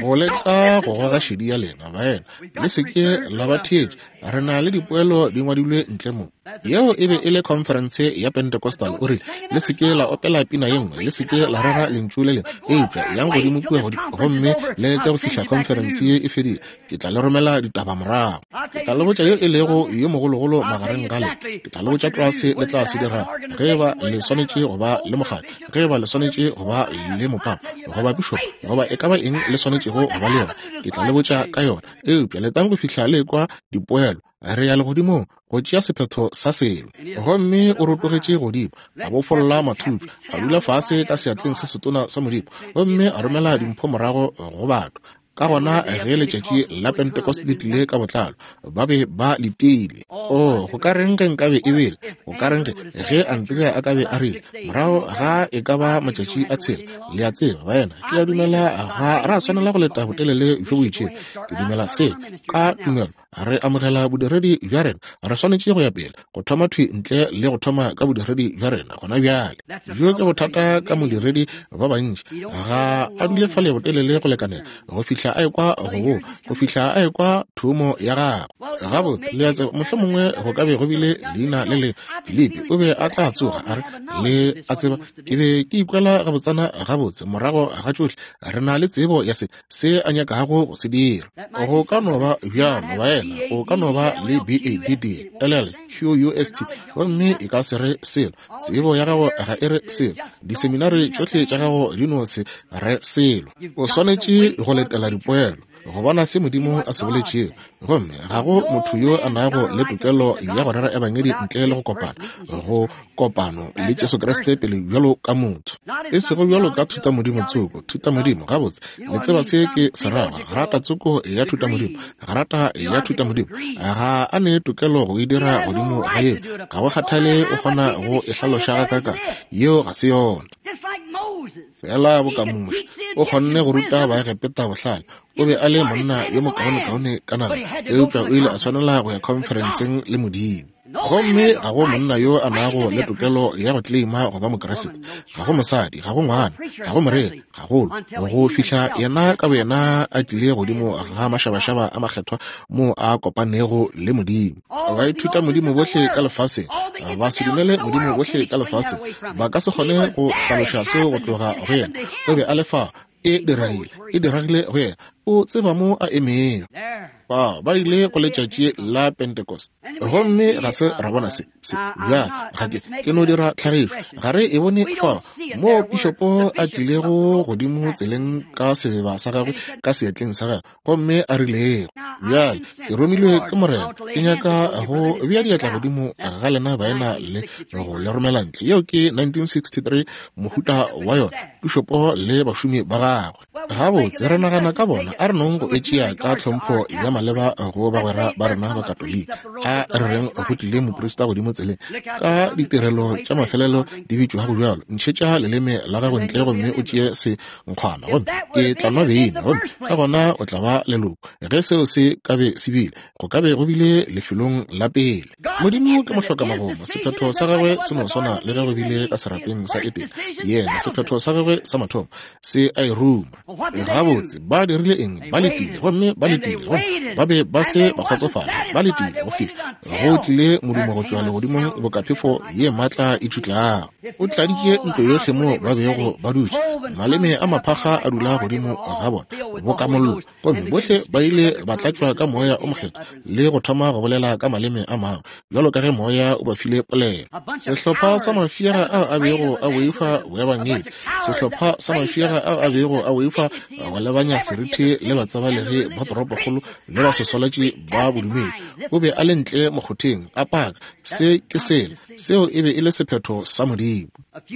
go leka go goga šedi ya lena, baena, le se ke la ba theetša. Re na le dipoelo di ngwadilwe ntle mo. Yeo e be e le khonferense ya Pentecostal. O rile, Le se ke la opela pina ye nngwe, le se ke la rera lentšu le lengwe, eupša yang godimo kua godimo gomme le lete go fihla khonferense ye e fedile. Ke tla le romela ditaba morago. Ke tla le botša yo e lego yo mogologolo magareng ga lena. Ke tla le botša tlwa se le tla se dirago, ge e ba le swanetše go ba le mokgatlo, ge e ba le swanetše go ba le mopapa, goba pišopo, goba e ka ba eng le swanetšego go ba le yona. Ke tla le botša ka yona. Eupša letang go fihla le ekwa dipoelo. Re ya legodimong go tšea sephetho sa selo. Gomme o rotogetše godimo, a bofolla mathuthu, a dula fase ka seatleng se setona sa Modimo, gomme a romela dimpho morago go batho. Ka gona ge letšatši la Pentecost le tlile ka botlalo, ba be ba letile. Oo, go ka reng ge nkabe e bile? Go ka reng ge, ge Andrea a ka be a rile, morago ga e ka ba matšatši a tshela, le a tseba, baena, ke a dumela ga ra swanela go leta botelele bjo bo itšego. Ke dumela se, ka tumelo, re amogela bodiredi bja rena. Re swanetše go ya pele, go thoma thwi ntle le go thoma ka bodiredi bja rena gona bjale. Bjo ke bothata ka modiredi ba bantši, ga a dule fale botelele go lekanela go fihla a ekwa go go fihla a ekwa thumo ya gagwe. Gabotse, le a tseba, mohlomongwe go ka be go bile leina le le Filipi o be a tla tsoga a re, le a tseba, ke be ke ikwela gabotsana gabotse morago ga tšohle, re na le tsebo ya se se a nyakago go se dira. Go ka no ba bjalo, baena, o ka no ba le B A D D L L Q U S T, gomme e ka se re selo. Tsebo ya gago ga e re selo. Diseminari tšohle tša gago di no se re selo. O swanetše go letela dipoelo, go bona se Modimo a se boletšego. Gomme ga go motho yo a nago le tokelo ya go rera ebangedi ntle le go kopana, go kopano le Jesu Kriste pele bjalo ka motho, e sego bjalo ka thutamodimo tsoko. Thutamodimo, gabotse, le tseba se ke se rago, grata tsoko ya thutamodimo, grata ya thutamodimo, ga a ne tokelo go e dira godimo ga yeo, ga go kgathale o kgona go e hlaloša gakakang, yeo ga se yona. Feela boka Moshe, o kgonne go ruta Baegepeta bohlale, o be a le monna yo mokaonekaone ka naga, eupša o ile a swanela go ya khonferenseng le Modimo. Gomme ga go monna yo a nago le tokelo ya go kleima go ba Mokriste, ga go mosadi, ga go ngwana, ga go moreri, gagolo, go fihla yena ka boyena a tlile godimo ga mašabašaba a makgethwa moo a kopanego le Modimo. Baithutamodimo bohle ka lefaseng, ba se dumele Modimo bohle ka lefaseng, ba ka se kgone go hlaloša seo go tloga go yena. O be a le fa, e diragile, e diragile go yena. O tseba mo a emego. Ba ba ile go letšatši la Pentecost, gomme ga se ra bona se, se. Bjale, ga ke, ke no dira tlhagišo. Ga re e bone fa moo pišopo a tlilego godimo tseleng ka sebeba sa gagwe ka seatleng sa gagwe, gomme a rilego, Bjale, ke romilwe ke Morena, ke nyaka go bea diatla godimo ga lena baena le go le romela ntle. Yeo ke 1963, mohuta wa yona, pišopo le bašomi ba gagwe. Gabotse, re nagana ka bona, a re nong go e tšea ka tlhompho ya maleba go bagwera ba rena ba Katolika. A re reng go tlile moprista godimo tseleng ka ditirelo tša mafelelo di bitšwago bjalo, ntšhetša leleme la gago ntle gomme o tšee senkgwana, gomme ke tla nwa beine, gomme ka gona o tla ba leloko. Ge seo se ka be se bile, go ka be go bile lefelong la pele. Modimo ke mohlokamagomo, sephetho sa gagwe se no swana le ge go bile ka serapeng sa Edene. Yena, sephetho sa gagwe sa mathomo se a e ruma. Gabotse, ba dirile eng? Ba letile, gomme ba letile, gomme ba be ba se ba kgotsofala. Ba letile go fihla go tlile modumo go tšwa legodimong boka phefo ye maatla e tšutlago. O tladitše ntlo yohle moo ba bego ba dutše. Maleme a maphakga a dula godimo ga bona boka mollo. Gomme bohle ba ile ba tlatšwa ka Moya o Mokgethwa le go thoma go bolela ka maleme a mangwe, bjalo ka ge Moya o ba file polelo. Sehlopha sa mafiega ao a bego a boifa boebangedi, sehlopha sa mafiega ao a bego a boifa go lebanya seriti le batsebalegi ba toropokgolo le basoswalatši ba bodumedi, o be a le ntle mokgotheng a paka, Se ke sela, seo e be e le sephetho sa Modimo.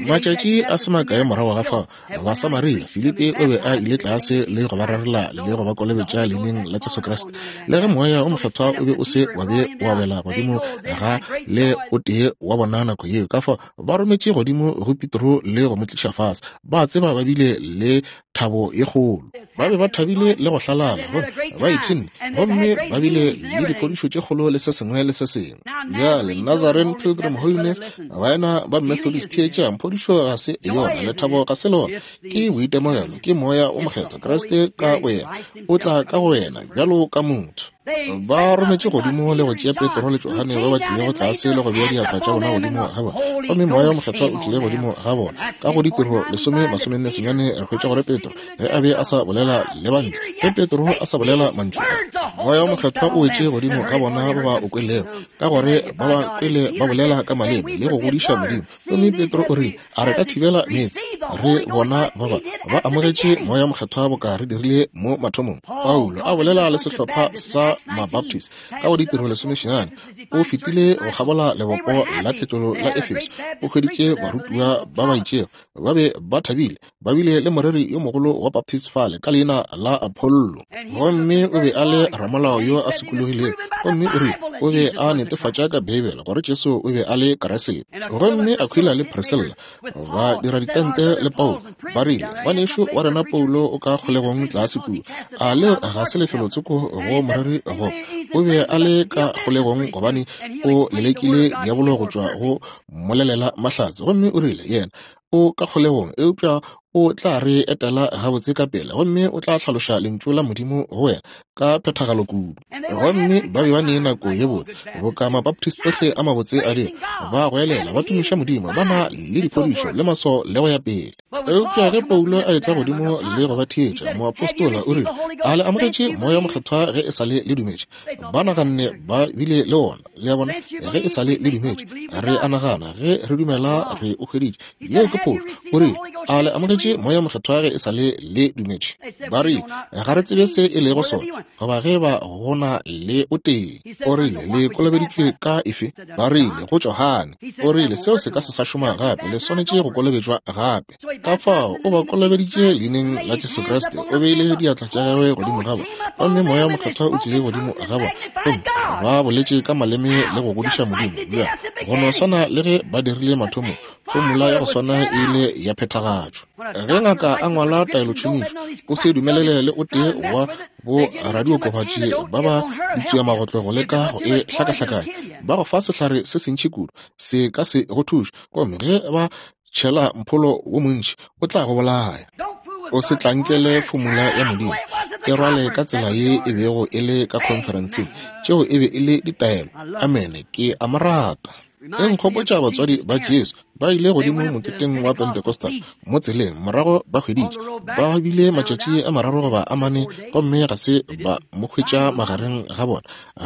Matšatši a se makae morago ga fao, Basamaria, Filipi o be a ile tlase le go ba rerela le go ba kolobetša leineng la Jesu Kriste. Le ge Moya o Mokgethwa o be o se wa be wa wela godimo ga le o tee wa bona nako yeo, ka fao ba rometše godimo go Petro le go mo tliša fase. Ba tseba ba bile le thabo ye kgolo. Ba be ba thabile le go hlalala, gomme ba ipshinne, gomme ba bile le diphodišo tše kgolo le se sengwe le se sengwe. Bjale, Nazarene Pilgrim Holiness, baena ba Methodist, theetšang, phodišo ga se yona, lethabo ga se lona, ke boitemogelo, ke Moya o Mokgethwa, Kriste ka boyena o tla ka go wena bjalo ka motho. Ba rometše godimo le go tšea Petro le Johane ba ba tlilego tlase le go bea diatla tša bona godimo ga bona, gomme Moya wo Mokgethwa o tlile godimo ga bona. Ka go Ditiro lesome masomenne senyane re hwetša gore Petro, ge a be a sa bolela le bantle, ge Petro a sa bolela mantšu a, Moya wo Mokgethwa o wetše godimo ga bona ba ba o kwelego, ka gore ba ba kwele ba bolela ka maleme le go godiša Modimo. Gomme Petro o rile, A re ka thibela meetse? Re bona ba ba ba amogetše Moya Mokgethwa boka re dirile mo mathomong. Paulo a bolela le sehlopha sa Mabaptist ka go Ditiro lesomesenyane, o fetile go kgabola lebopo la tletlolo la Efeso, o hweditše barutiwa ba ba itšego ba be ba thabile, ba bile le moreri yo mogolo wa Baptist fale ka leina la Apollo, gomme o be a le ramolao yo a sokologilego, gomme o rile o be a netefatša ka Beibele gore Jesu o be a le Kriste. Gomme Aquila le Priscilla ba dira ditente le Paulo, ba rile, Ngwanešu wa rena Paulo o ka kgolegong tlase kua. A leo ga se lefelotsoko go moreri go? O be a le ka kgolegong gobane o lelekile diabolo go tšwa go mmolelela mahlatse. Gomme o rile, yena o ka kgolegong, eupša o tla re etela gabotse ka pela gomme o tla hlaloša lentšu la Modimo go wena ka phethagalo kudu. Gomme ba be ba ne nako ye botse, boka Mabaptist ohle a mabotse a dira, ba goelela, ba tumiša Modimo, ba na le diphodišo le maswao le go ya pele. Eupša ge Paulo a etla godimo le go ba theetša, moapostola o rile, A le amogetše Moya Mokgethwa ge e sa le le dumetše? Ba naganne ba bile le wona, le a bona, ge e sa le le dumetše. Re a nagana, ge re dumela re o hweditše. Yeo ke phošo. O rile, A le amogetše Moya Mokgethwa ge e sa le le dumetše? Ba rile, Ga re tsebe se e lego sona, goba ge ba go na le o tee. O rile, Le kolobeditšwe ka efe? Ba rile, Go Johane. O rile, Seo se ka se sa šoma gape, le swanetše go kolobetšwa gape. Ka fao o ba kolobeditše leineng la Jesu Kriste, o beile diatla tša gagwe godimo ga bona, gomme Moya Mokgethwa o tlile godimo ga bona, gomme ba boletše ka maleme le go godiša Modimo. Bjale, go no swana le ge ba dirile mathomong, fomula ya go swana e ile ya phethagatšwa. Ge ngaka a ngwala taelotšhomišo, o se dumelele le o tee wa bo radiokobatši ba ba ditsuamagotlo go leka go e hlakahlakanya. Ba go fa sehlare se sentši kudu, se ka se go thuše, gomme ge ba tšhela mpholo wo montši o tla go bolaya. O se tlankele fomula ya Modimo, e rwale ka tsela ye e bego e le ka khonferenseng. Tšeo e be e le ditaelo. Amene. Ke a mo rata. E nkgopotša batswadi ba Jesu ba ile godimo moketeng wa Pentecostal mo tseleng, morago ba hweditše ba bile matšatši a mararo goba a mane gomme ga se ba mo hwetša magareng ga bona,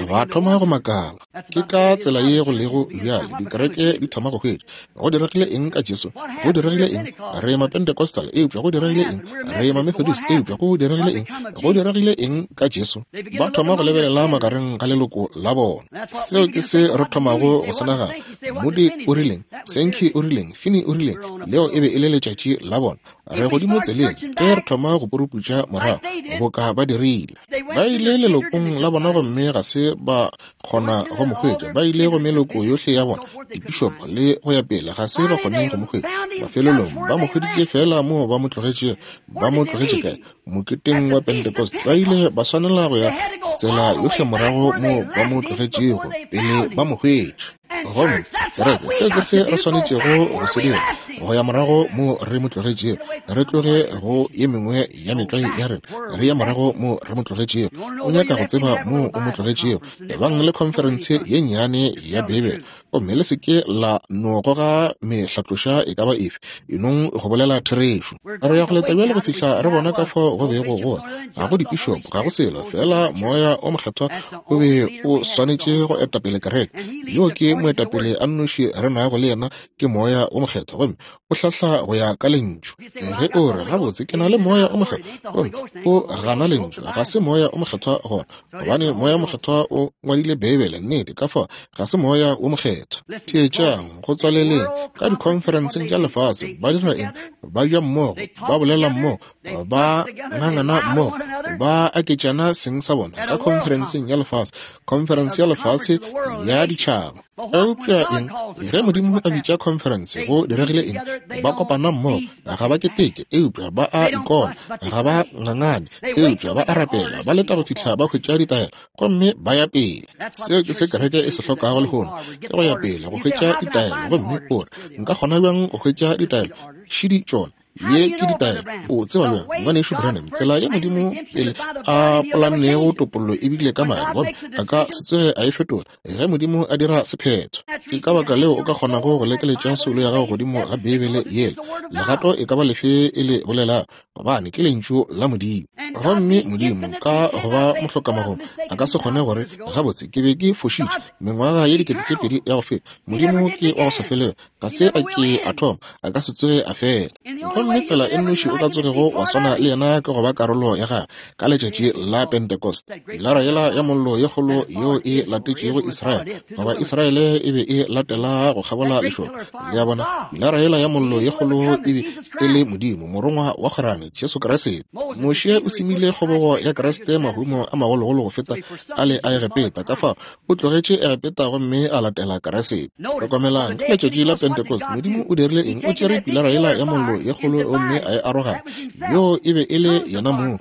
ba thoma go makala. Ke ka tsela ye go lego bjale, dikereke di thoma go hwetša go diregile eng ka Jesu, go diregile eng, re Mapentecostal, eupša go diregile eng, re Mamethodist, eupša go diregile eng, go diregile eng ka Jesu. Ba thoma go lebelela magareng ga leloko la bona. Seo ke se re thomago go se nagana. Moody o rileng, Sankey o rileng, Finney o rileng, leo e be e le letšatši la bona. Re godimo tseleng ge re thoma go puruputša morago, boka ba dirile. Ba ile lelokong la bona gomme ga se ba kgona go mo hwetša. Ba ile go meloko yohle ya bona, dipišopo le go ya pele, ga se ba kgone go mo hwetša. Mafelelong ba mo hweditše feela moo ba mo tlogetšego. Ba mo tlogetše kae? Moketeng wa Pentecost. Ba ile ba swanela go ya tsela yohle morago moo ba mo tlogetšego pele ba mo hwetša. Gomme, kereke, seo ke se re swanetšego go se dira, go ya morago mo re mo tlogetšego, re tloge go ye mengwe ya metlwae ya rena, re ye morago mo re mo tlogetšego. O nyaka go tseba mo o mo tlogetšego, ebang le khonferense ye nnyane ya Beibele, gomme le se ke la no goga mehlatloša e ka ba efe, enong go bolela therešo. Re ya go leta bjale go fihla re bona ka fao go bego go ga go dipišopo, ga go selo, feela Moya o Mokgethwa o be o swanetše go etapele kereke. Yo ke moetapele a nnoši re nago le yena, ke Moya o Mokgethwa, gomme o hlahla go ya ka Lentšu. Ge o re, Gabotse, ke na le Moya o Mokgethwa, gomme o gana Lentšu, ga se Moya o Mokgethwa gona, gobane Moya o Mokgethwa o ngwadile Beibele, nnete, ka fao ga se Moya wo Mokgethwa. Theetšang, go tswaleleng, ka dikhonferenseng tša lefase, ba dira eng? Ba ja mmogo, ba bolela mmogo, ba ngangana mmogo, ba aketšana seng sa bona ka khonferenseng ya lefase, khonferense ya lefase ya ditšhaba. Eupša eng? Ge Modimo a bitša khonferense, go diregile eng? Ba kopana mmogo, ga ba keteke, eupša ba a ikona, ga ba ngangane, eupša ba a rapela, ba leta go fihla ba hwetša ditaelo, gomme ba ya pele. Seo ke se kereke e se hlokago lehono, ke go ya pele go hwetša ditaelo. Gomme o re, Nka kgona bjang go hwetša ditaelo? Šidi tšona. Ye ke ditaelo. O tseba bjang, Ngwanešu Branham, tsela ya Modimo pele a polannego topollo e bile ka madi, gomme a ka se tsoge a e fetola ge Modimo a dira sephetho. Ke ka baka leo o ka kgonago go lekeletša soulo ya gago godimo ga Beibele yela, legato e ka ba lefe e le bolelago, gobane ke Lentšu la Modimo. Gomme Modimo, ka go ba mohlokamagomo, a ka se kgone gore, Gabotse, ke be ke fošitše, mengwaga ye 2000 ya go feta. Modimo ke wa go sa felego. Ga se a ke a thoma, a ka se tsoge a fela. Gomme tsela e nnoši o ka tsogego wa swana le yena ke go ba karolo ya gagwe ka letšatši la Pentecost, pilara yela ya mollo ye kgolo yeo e latetšego Israele, goba Israele e be e latela go kgabola lešoka. Le a bona, pilara yela ya mollo ye kgolo e be e le Modimo, morongwa wa kgwerano, Jesu Kriste. Moshe o semile kgobogo ya Kriste mahumo a magologolo go feta ale a Egepeta, ka fao o tlogetše Egepeta gomme a latela Keresete. Hlokomelang, ka letšatši la Pentecost, Modimo o dirile eng? O tšere pilara yela ya mollo ye kgolo gomme a e aroganya. Yoo e be e le yena mong.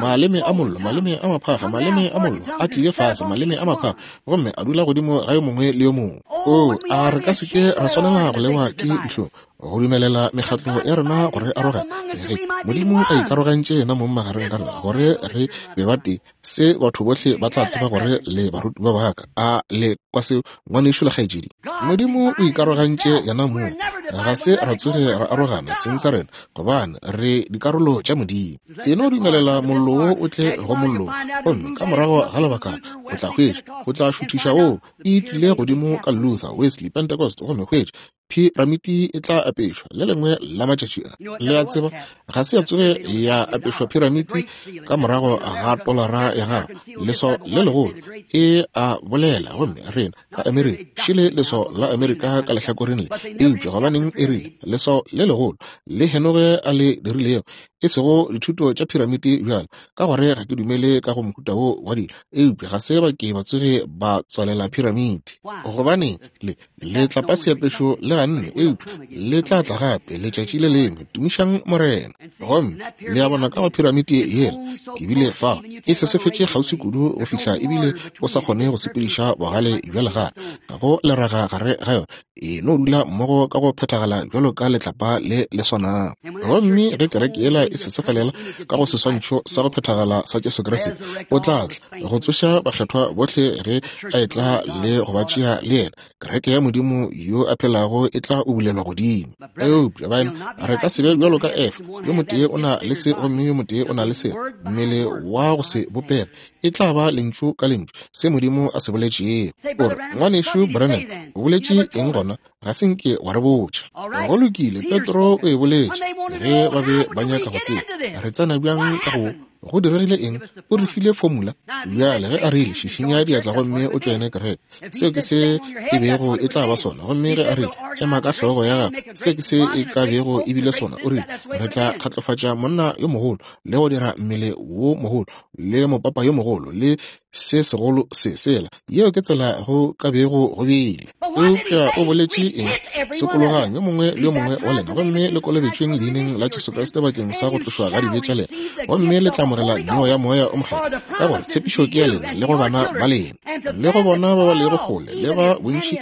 Maleme a mollo, maleme a maphakga, maleme a mollo a tlile fase, maleme a maphakga, gomme a dula godimo ga yo mongwe le yo mongwe. Oo, a re ka se ke ra swanela go lewa ke dihlong go dumelela mekgatlo ya rena gore arogane, ge Modimo a ikarogantše yena mong magareng ga rena gore re be batee. Se batho bohle ba tla tseba gore le barutiwa ba ka. A le kwa seo, ngwanešu le kgaetšedi? Modimo o ikarogantše yena mong. Ga se ra tsoge ra arogana seng sa rena, gobane re dikarolo tša Modimo. E no dumelela mollo wo o tle go mollo, gomme ka morago ga lebakana o tla hwetša, o tla šuthiša woo. E tlile godimo ka Luther, Wesley, Pentecost, gomme hwetša phiramiti e tla apešwa le lengwe la matšatši a. Le a tseba, ga se ya tsoge ya apešwa phiramiti ka morago ga tolara ya gago. Leswao le legolo e a bolela, gomme rena ka Amerika, šele leswao la Amerika ka lehlakoreng le. Eupša gobaneng e rile leswao le legolo le Henoge a le dirilego, e sego dithuto tša phiramiti bjalo, ka gore ga ke dumele ka go mohuta wo wa dilo, eupša ga se ba ke ba tsoge ba tswalela phiramiti. Gobaneng le Letlapa seapešo le ganne, eupša le tla tla gape letšatši le lengwe. Tumišang Morena. Gomme le a bona ka go phiramiti yela, ke bile fao, e sesefetše kgauswi kudu go fihla ebile o sa kgone go sepediša bogale bja legare. Ga go leraga gare ga yona, e no dula mmogo ka go phethagala bjalo ka letlapa le le swanago. Gomme ge kereke yela e sesefalela ka go seswantšho sa go phethagala sa Jesu Kriste, o tla tla go tsoša bakgethwa bohle ge a etla le go ba tšea le yena. Kereke ya Modimo yo a phelago e tla ubulelwa godimo. Eupša baena, re ka se be bjalo ka Efa, yo motee o na le se gomme yo motee o na le se, mmele wa go se bopege. E tla ba lentšu ka lentšu se Modimo a se boletšego. O re, Ngwanešu Branham, o boletše eng gona? Ga se nke wa re botša. Go lokile, Petro o e boletše ge ba be ba nyaka go tseba re tsena bjang ka go Go diregile eng? O re file formula. Bjale ge a rile, Šišinya diatla gomme o tšoene kereke, seo ke se e bego e tla ba sona. Gomme ge a rile, Ema ka hlogo ya gago, seo ke se e ka bego e bile sona. O rile, Re tla kgatlofatša monna yo mogolo, le go dira mmele wo mogolo, le mopapa yo mogolo, le se segolo se sela. Yeo ke tsela go ka bego go bile. Eupša o boletše eng? Sokologang, yo mongwe le yo mongwe wa lena, gomme le kolobetšweng leineng la Jesu Kriste bakeng sa go tlošwa ga dibe tša lena, gomme le tla amogela neo ya Moya o Mokgethwa, ka gore tshepišo ke ya lena le go bana ba lena, le go bona ba ba lego kgole, le ba bontši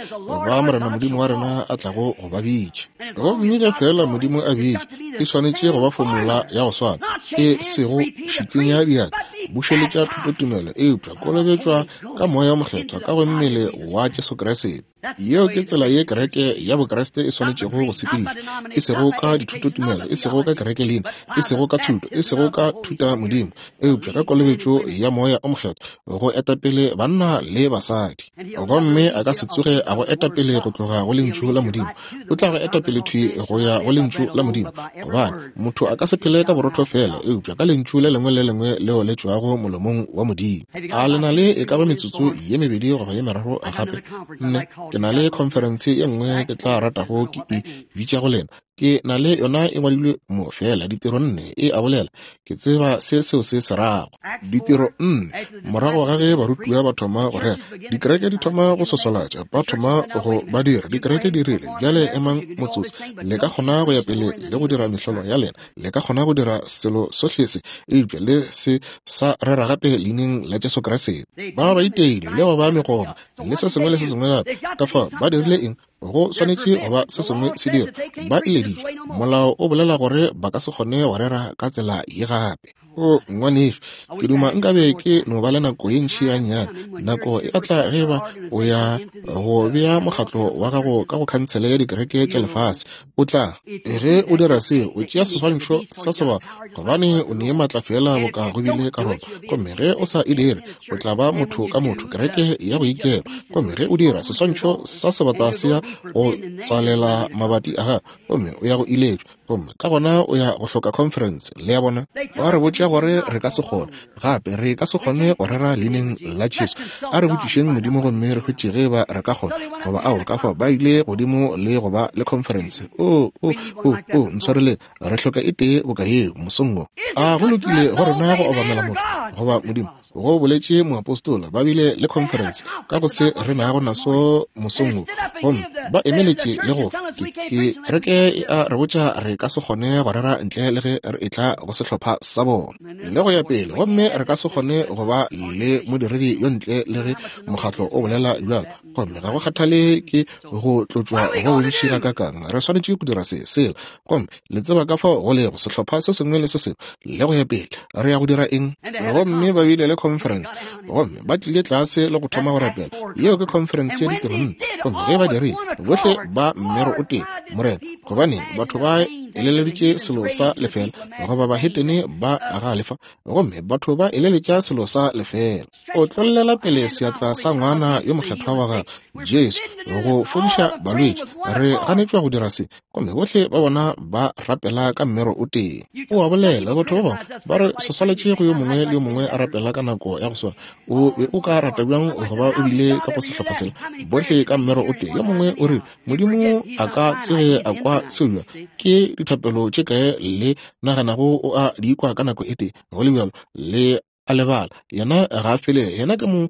ba Morena Modimo wa rena a tlago go ba bitša. Gomme ge feela Modimo a bitša, e swanetše go ba fomula ya go swana, e sego šikinya diatla, bušeletša thutotumelo, eupša kolobetšwa ka Moya wo Mokgethwa ka go mmele wa Jesu Kriste. Yeo ke tsela ye kereke ya Bokriste e swanetšego go sepedišwa, e sego ka dithutotumelo, e sego ka kereke leina, e sego ka thuto, e sego ka thutamodimo, eupša ka kolobetšo ya Moya o Mokgethwa go etapele banna le basadi. Gomme a ka se tsoge a go etapele go tloga go Lentšu la Modimo. O tla go etapele thwi go ya go Lentšu la Modimo, gobane motho a ka se phele ka borotho feela, eupša ka Lentšu le lengwe le lengwe leo le tšwago molomong wa Modimo. A le na le e ka ba metsotso ye mebedi goba ye meraro gape? Nne, ke na le khonferense ye nngwe ke tla ratago ke e bitša go lena. Ke na le yona e ngwadilwe mo, feela ditiro nne e a bolela. Ke tseba se seo se se rago. Ditiro nne, morago ga ge barutiwa ba thoma go rera, dikereke di thoma go swaswalatša, ba thoma go ba dira. Dikereke di rile, Bjale emang motsotso, le ka kgona go ya pele le go dira mehlolo ya lena, le ka kgona go dira selo sohle se, eupša le se sa rera gape Leineng la Jesu Kriste. Ba ba iteile le go ba megoma le se sengwe le se sengwe gape. Ka fao ba dirile eng? Go swanetše go ba se sengwe se dira. Ba ileditšwe. Molao o bolela gore ba ka se kgone go rera ka tsela ye gape. O, ngwanešu, ke duma nkabe ke no ba le nako ye ntši gannyane. Nako e a tla ge ba o ya go bea mokgatlo wa gago ka go Khansele ya Dikereke tša Lefase. O tla, ge o dira seo, o tšea seswantšho sa sebata, gobane o ne maatla feela boka go bile ka Roma. Gomme ge o sa e dire, o tla ba motho ka motho, kereke ya go ikela. Gomme ge o dira, seswantšho sa sebata se ya go tswalela mabati a gago, gomme o ya go iletšwa. Gomme ka gona o ya go hloka conference. Le a bona? Ba re botša gore re ka se kgone, gape re ka se kgone go rera Leineng la Jesu. A re botšišeng Modimo gomme re hwetše ge eba re ka kgona goba ao. Ka fao ba ile godimo le go ba le conference. O, o, o, o, ntshwareleng, re hloka e tee boka yeo mosong wo. A go lokile go rena go obamela motho goba Modimo? Go boletše moapostola. Ba bile le conference ka go se re nago naso mosong wo, gomme ba emeletše le go ke, kereke e a re botša re ka se kgone go rera ntle le ge re etla go sehlopha sa bona le go ya pele, gomme re ka se kgone go ba le modiredi yo ntle le ge mokgatlo o bolela bjalo. Gomme ga go kgathale ke go tlotšwa go bontši gakakang, re swanetše go dira se, sela. Gomme le tseba ka fao go lego, sehlopha se sengwe le se sengwe le go ya pele. Re ya go dira eng? Gomme ba bile le conference, gomme ba tlile tlase le go thoma go rapela. Yeo ke conference ya ditirong. Gomme ge ba dirile, bohle ba mmero o tee, Morena, gobaneng batho ba eleleditše selo sa lefela, goba bahetene ba galefa, gomme batho ba eleletša selo sa lefela. O tlollela pele seatla sa ngwana yo mokgethwa wa gagwe, Jesu, go fodiša balwetši. Re ganetšwa go dira se, gomme bohle ba bona ba rapela ka mmero o tee. O a bolela, batho ba bangwe ba re se swaletše go yo mongwe le yo mongwe a rapela ka nako ya go swana. O be o ka rata bjang go ba o bile ka go sehlopha sela, bohle ka mmero o tee? Yo mongwe o rile, Modimo a ka tsoge a kwa seo bjang? Ke dithapelo tše kae le naganago o a di kwa ka nako e tee? Go le bjalo, le a lebala, yena ga a fele, yena ke mo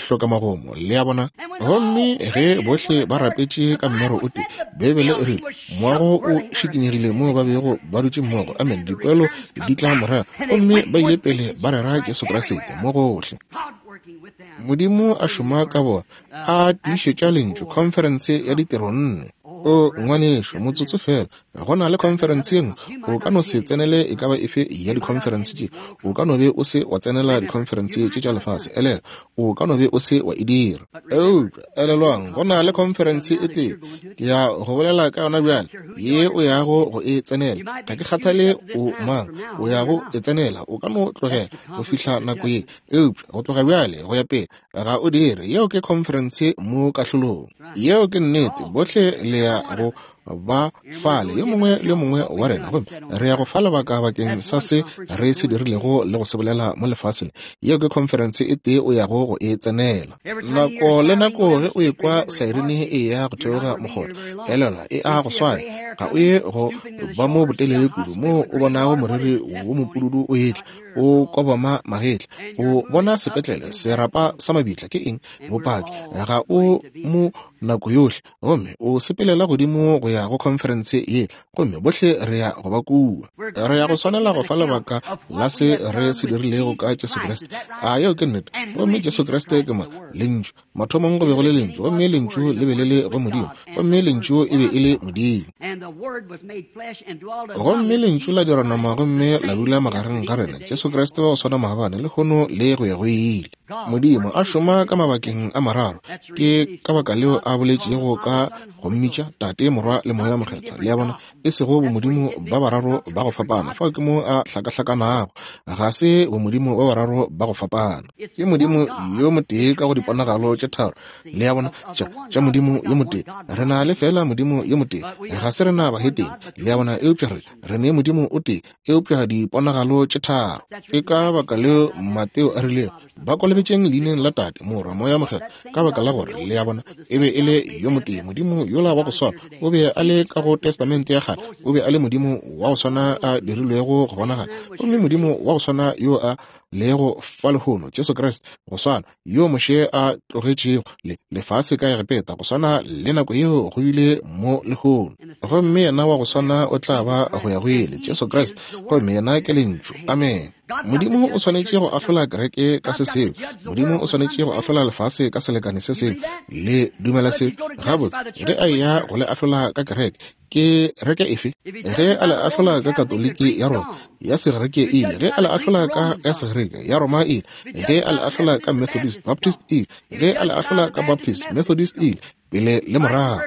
hlokamagomo, le a bona. Gomme ge bohle ba rapetše ka mmero o tee, Beibele e rile, moago o šikinyegile moo ba bego ba dutše mmogo. Amen. Dipoelo di tla morago. Gomme ba ile pele ba rera Jesu Kriste mo gohle. Modimo a šoma ka bona, a tiišetša Lentšu, khonferense ya ditiro nne. O, ngwanešu, motsotso feela. Go na le khonferense ye nngwe. O ka no se tsenele e ka ba efe ya dikhonferense tše. O ka no be o se wa tsenela dikhonferense tše tša lefase. Elelwa, o ka no be o se wa e dira. Eupša, elelwang, go na le khonferense e tee, ke ya go bolela ka yona bjale, ye o yago go e tsenela. Ga ke kgathale o mang, o yago e tsenela. O ka no tlogela go fihla nako ye. Eupša go tloga bjale go ya pele, ga o dire. Yeo ke khonferense mo kahlolong. Yeo ke nnete. Bohle le ya go ba fale, yo mongwe le yo mongwe wa rena, gomme re ya go fa lebaka bakeng sa se re se dirilego le go se bolela mo lefaseng. Yeo ke khonferense e tee o yago go e tsenela. Nako le nako ge o ekwa saerine e ya go theoga mokgotha, elelwa e a go swaya. Ga o ye go ba mo botelele kudu moo o bonago moriri wo mopududu o etla, o kobama magetla, o bona sepetlele, serapa sa mabitla. Ke eng? Bopaki. Ga o mo nako yohle. Gomme o sepelela godimo go ya go khonferense ye, gomme bohle re ya go ba kua. Re ya go swanela go fa lebaka la se re se dirilego ka Jesu Kriste. A yeo ke nnete? Gomme Jesu Kriste ke mang? Lentšu. Mathomong go be go le Lentšu, gomme Lentšu le be le le go Modimo, gomme Lentšu e be e le Modimo. Gomme Lentšu la dirwa nama gomme la dula magareng ga rena, Jesu Kriste wa go swana maabane, lehono, le go ya go ile. Modimo a šoma ka mabakeng a mararo. Ke ka baka leo a boletšego ka go mmitša Tate, Morwa le Moya Mokgethwa. Le a bona? E sego bomodimo ba bararo ba go fapana. Fao ke mo a hlakahlakanago. Ga se bomodimo ba bararo ba go fapana. Ke Modimo yo motee ka go diponagalo tše tharo. Le a bona? Tša, tša Modimo yo motee. Re na le feela Modimo yo motee. Ga se rena bahetene. Le a bona? Eupša re, re ne Modimo o tee. eupša diponagalo tše tharo. Ke ka baka leo Mateo a rilego, Ba kolobetšeng leineng la Tate, Morwa, Moya Mokgethwa, ka baka la gore, le a bona, e be e le yo motee. Modimo yola wa go swana o be a le ka go Testamente ya Kgale, o be a le Modimo wa go swana a dirilwego go bonagala, gomme Modimo wa go swana yo a. lego fa lehono, Jesu Kriste, go swana, yo Moshe a tlogetšego le lefase ka Egepeta, go swana le nako yeo go bile mo lehono. Gomme yena wa go swana o tla ba go ya go ile, Jesu Kriste, gomme yena ke Lentšu. Amene. Modimo o swanetše go ahlola kereke ka se sengwe. Modimo o swanetše go ahlola lefase ka selekane se sengwe. Le dumela se? Gabotse, ge a eya go le ahlola ka kereke, ke reke efe? Ge a le ahlola ka Katoliki ya Roma, ya Segerike ile. Ge a le ahlola ka ya Segerike, ya Roma ile. Ge a le ahlola ka Methodist, Baptist ile. Ge a le ahlola ka Baptist, Methodist ile. Pele le morago.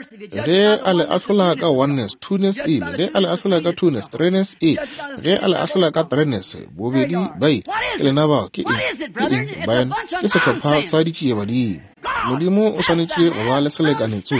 Ge a le ahlola ka oneness, twoness ile. Ge a le ahlola ka twoness, threeness ile. Ge a le ahlola ka threeness, bobedi ba ile. Ke lena bao. Ke eng? Ke eng, baena? Ke sehlopha sa ditšiebadimo. Modimo o swanetše go ba le selekane tso.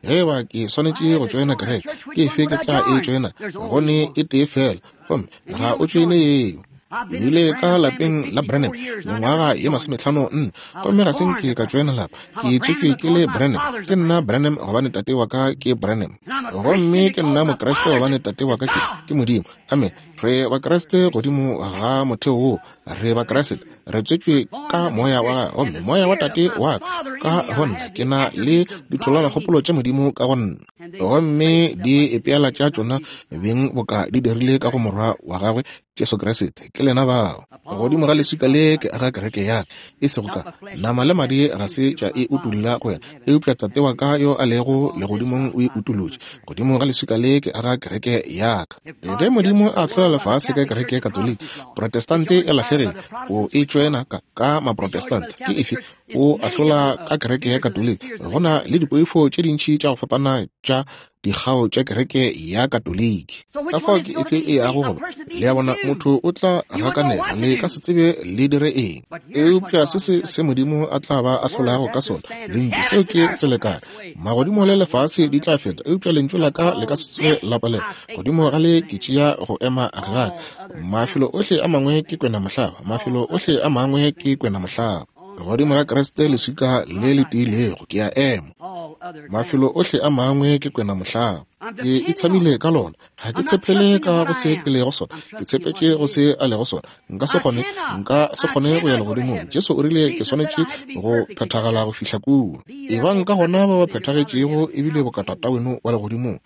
Ge eba ke swanetše go tšoena kereke, ke efe ke tla e tšoena? Go ne e tee feela, gomme ga o tšoene yeo. Ke bile ka lapeng la Branham mengwaga ye 54, gomme ga se nke ka tšoena lapa. Ke tswetšwe ke le Branham. Ke nna Branham gobane tate wa ka ke Branham. Gomme ke nna Mokriste gobane tate wa ka ke, ke Modimo. Amen. Re Bakriste godimo ga motheo woo. Re Bakriste. Re tswetšwe ka Moya wa Gagwe, gomme Moya wa Tate wa ka ka go nna. Ke na le ditholwanakgopolo tša Modimo ka go nna. Gomme di ipeela tša tšona beng boka di dirile ka go Morwa wa Gagwe, Jesu Kriste. Ke lena bao. Godimo ga leswika le ke aga kereke ya ka, e sego ka nama le madi ga se tša e utolla go wena, eupša Tate wa ka yo a lego legodimong o e utolotše. Godimo ga leswika le ke aga kereke ya ka. Ge Modimo a ahlola lefase ka kereke ya Katoliki, Protestante e lahlegile, o e tšoena ka, ka Maprotestante. Ke efe? O ahlola ka kereke ya Katoliki. Go na le dipoifo tše dintši tša go fapana tša dikgao tša kereke ya Katoliki. Ka fao ke efe e yago go ba? Le a bona, motho o tla gakanega, le ka se tsebe le dire eng. Eupša se se se Modimo a tla ba ahlolago ka sona, Lentšu, seo ke selekane. Magodimo le lefase di tla feta, eupša Lentšu la ka le ka se tsoge la palelwa. Godimo ga le ke tšea go ema ga ka. Mafelo ohle a mangwe ke kwenamohlaba, mafelo ohle a mangwe ke kwenamohlaba. Godimo ga Kriste leswika le le tiilego ke a ema. Mafelo ohle a mangwe ke kwenamohlaba. Ke itshamile ka lona. Ga ke tshepele ka go se ke lego sona, ke tshepetše go se a lego sona. Nka se kgone, nka se kgone go ya legodimong. Jesu o rile ke swanetše go phethagala go fihla kua. Ebang ka gona ba ba phethagetšego ebile boka Tataweno wa legodimong.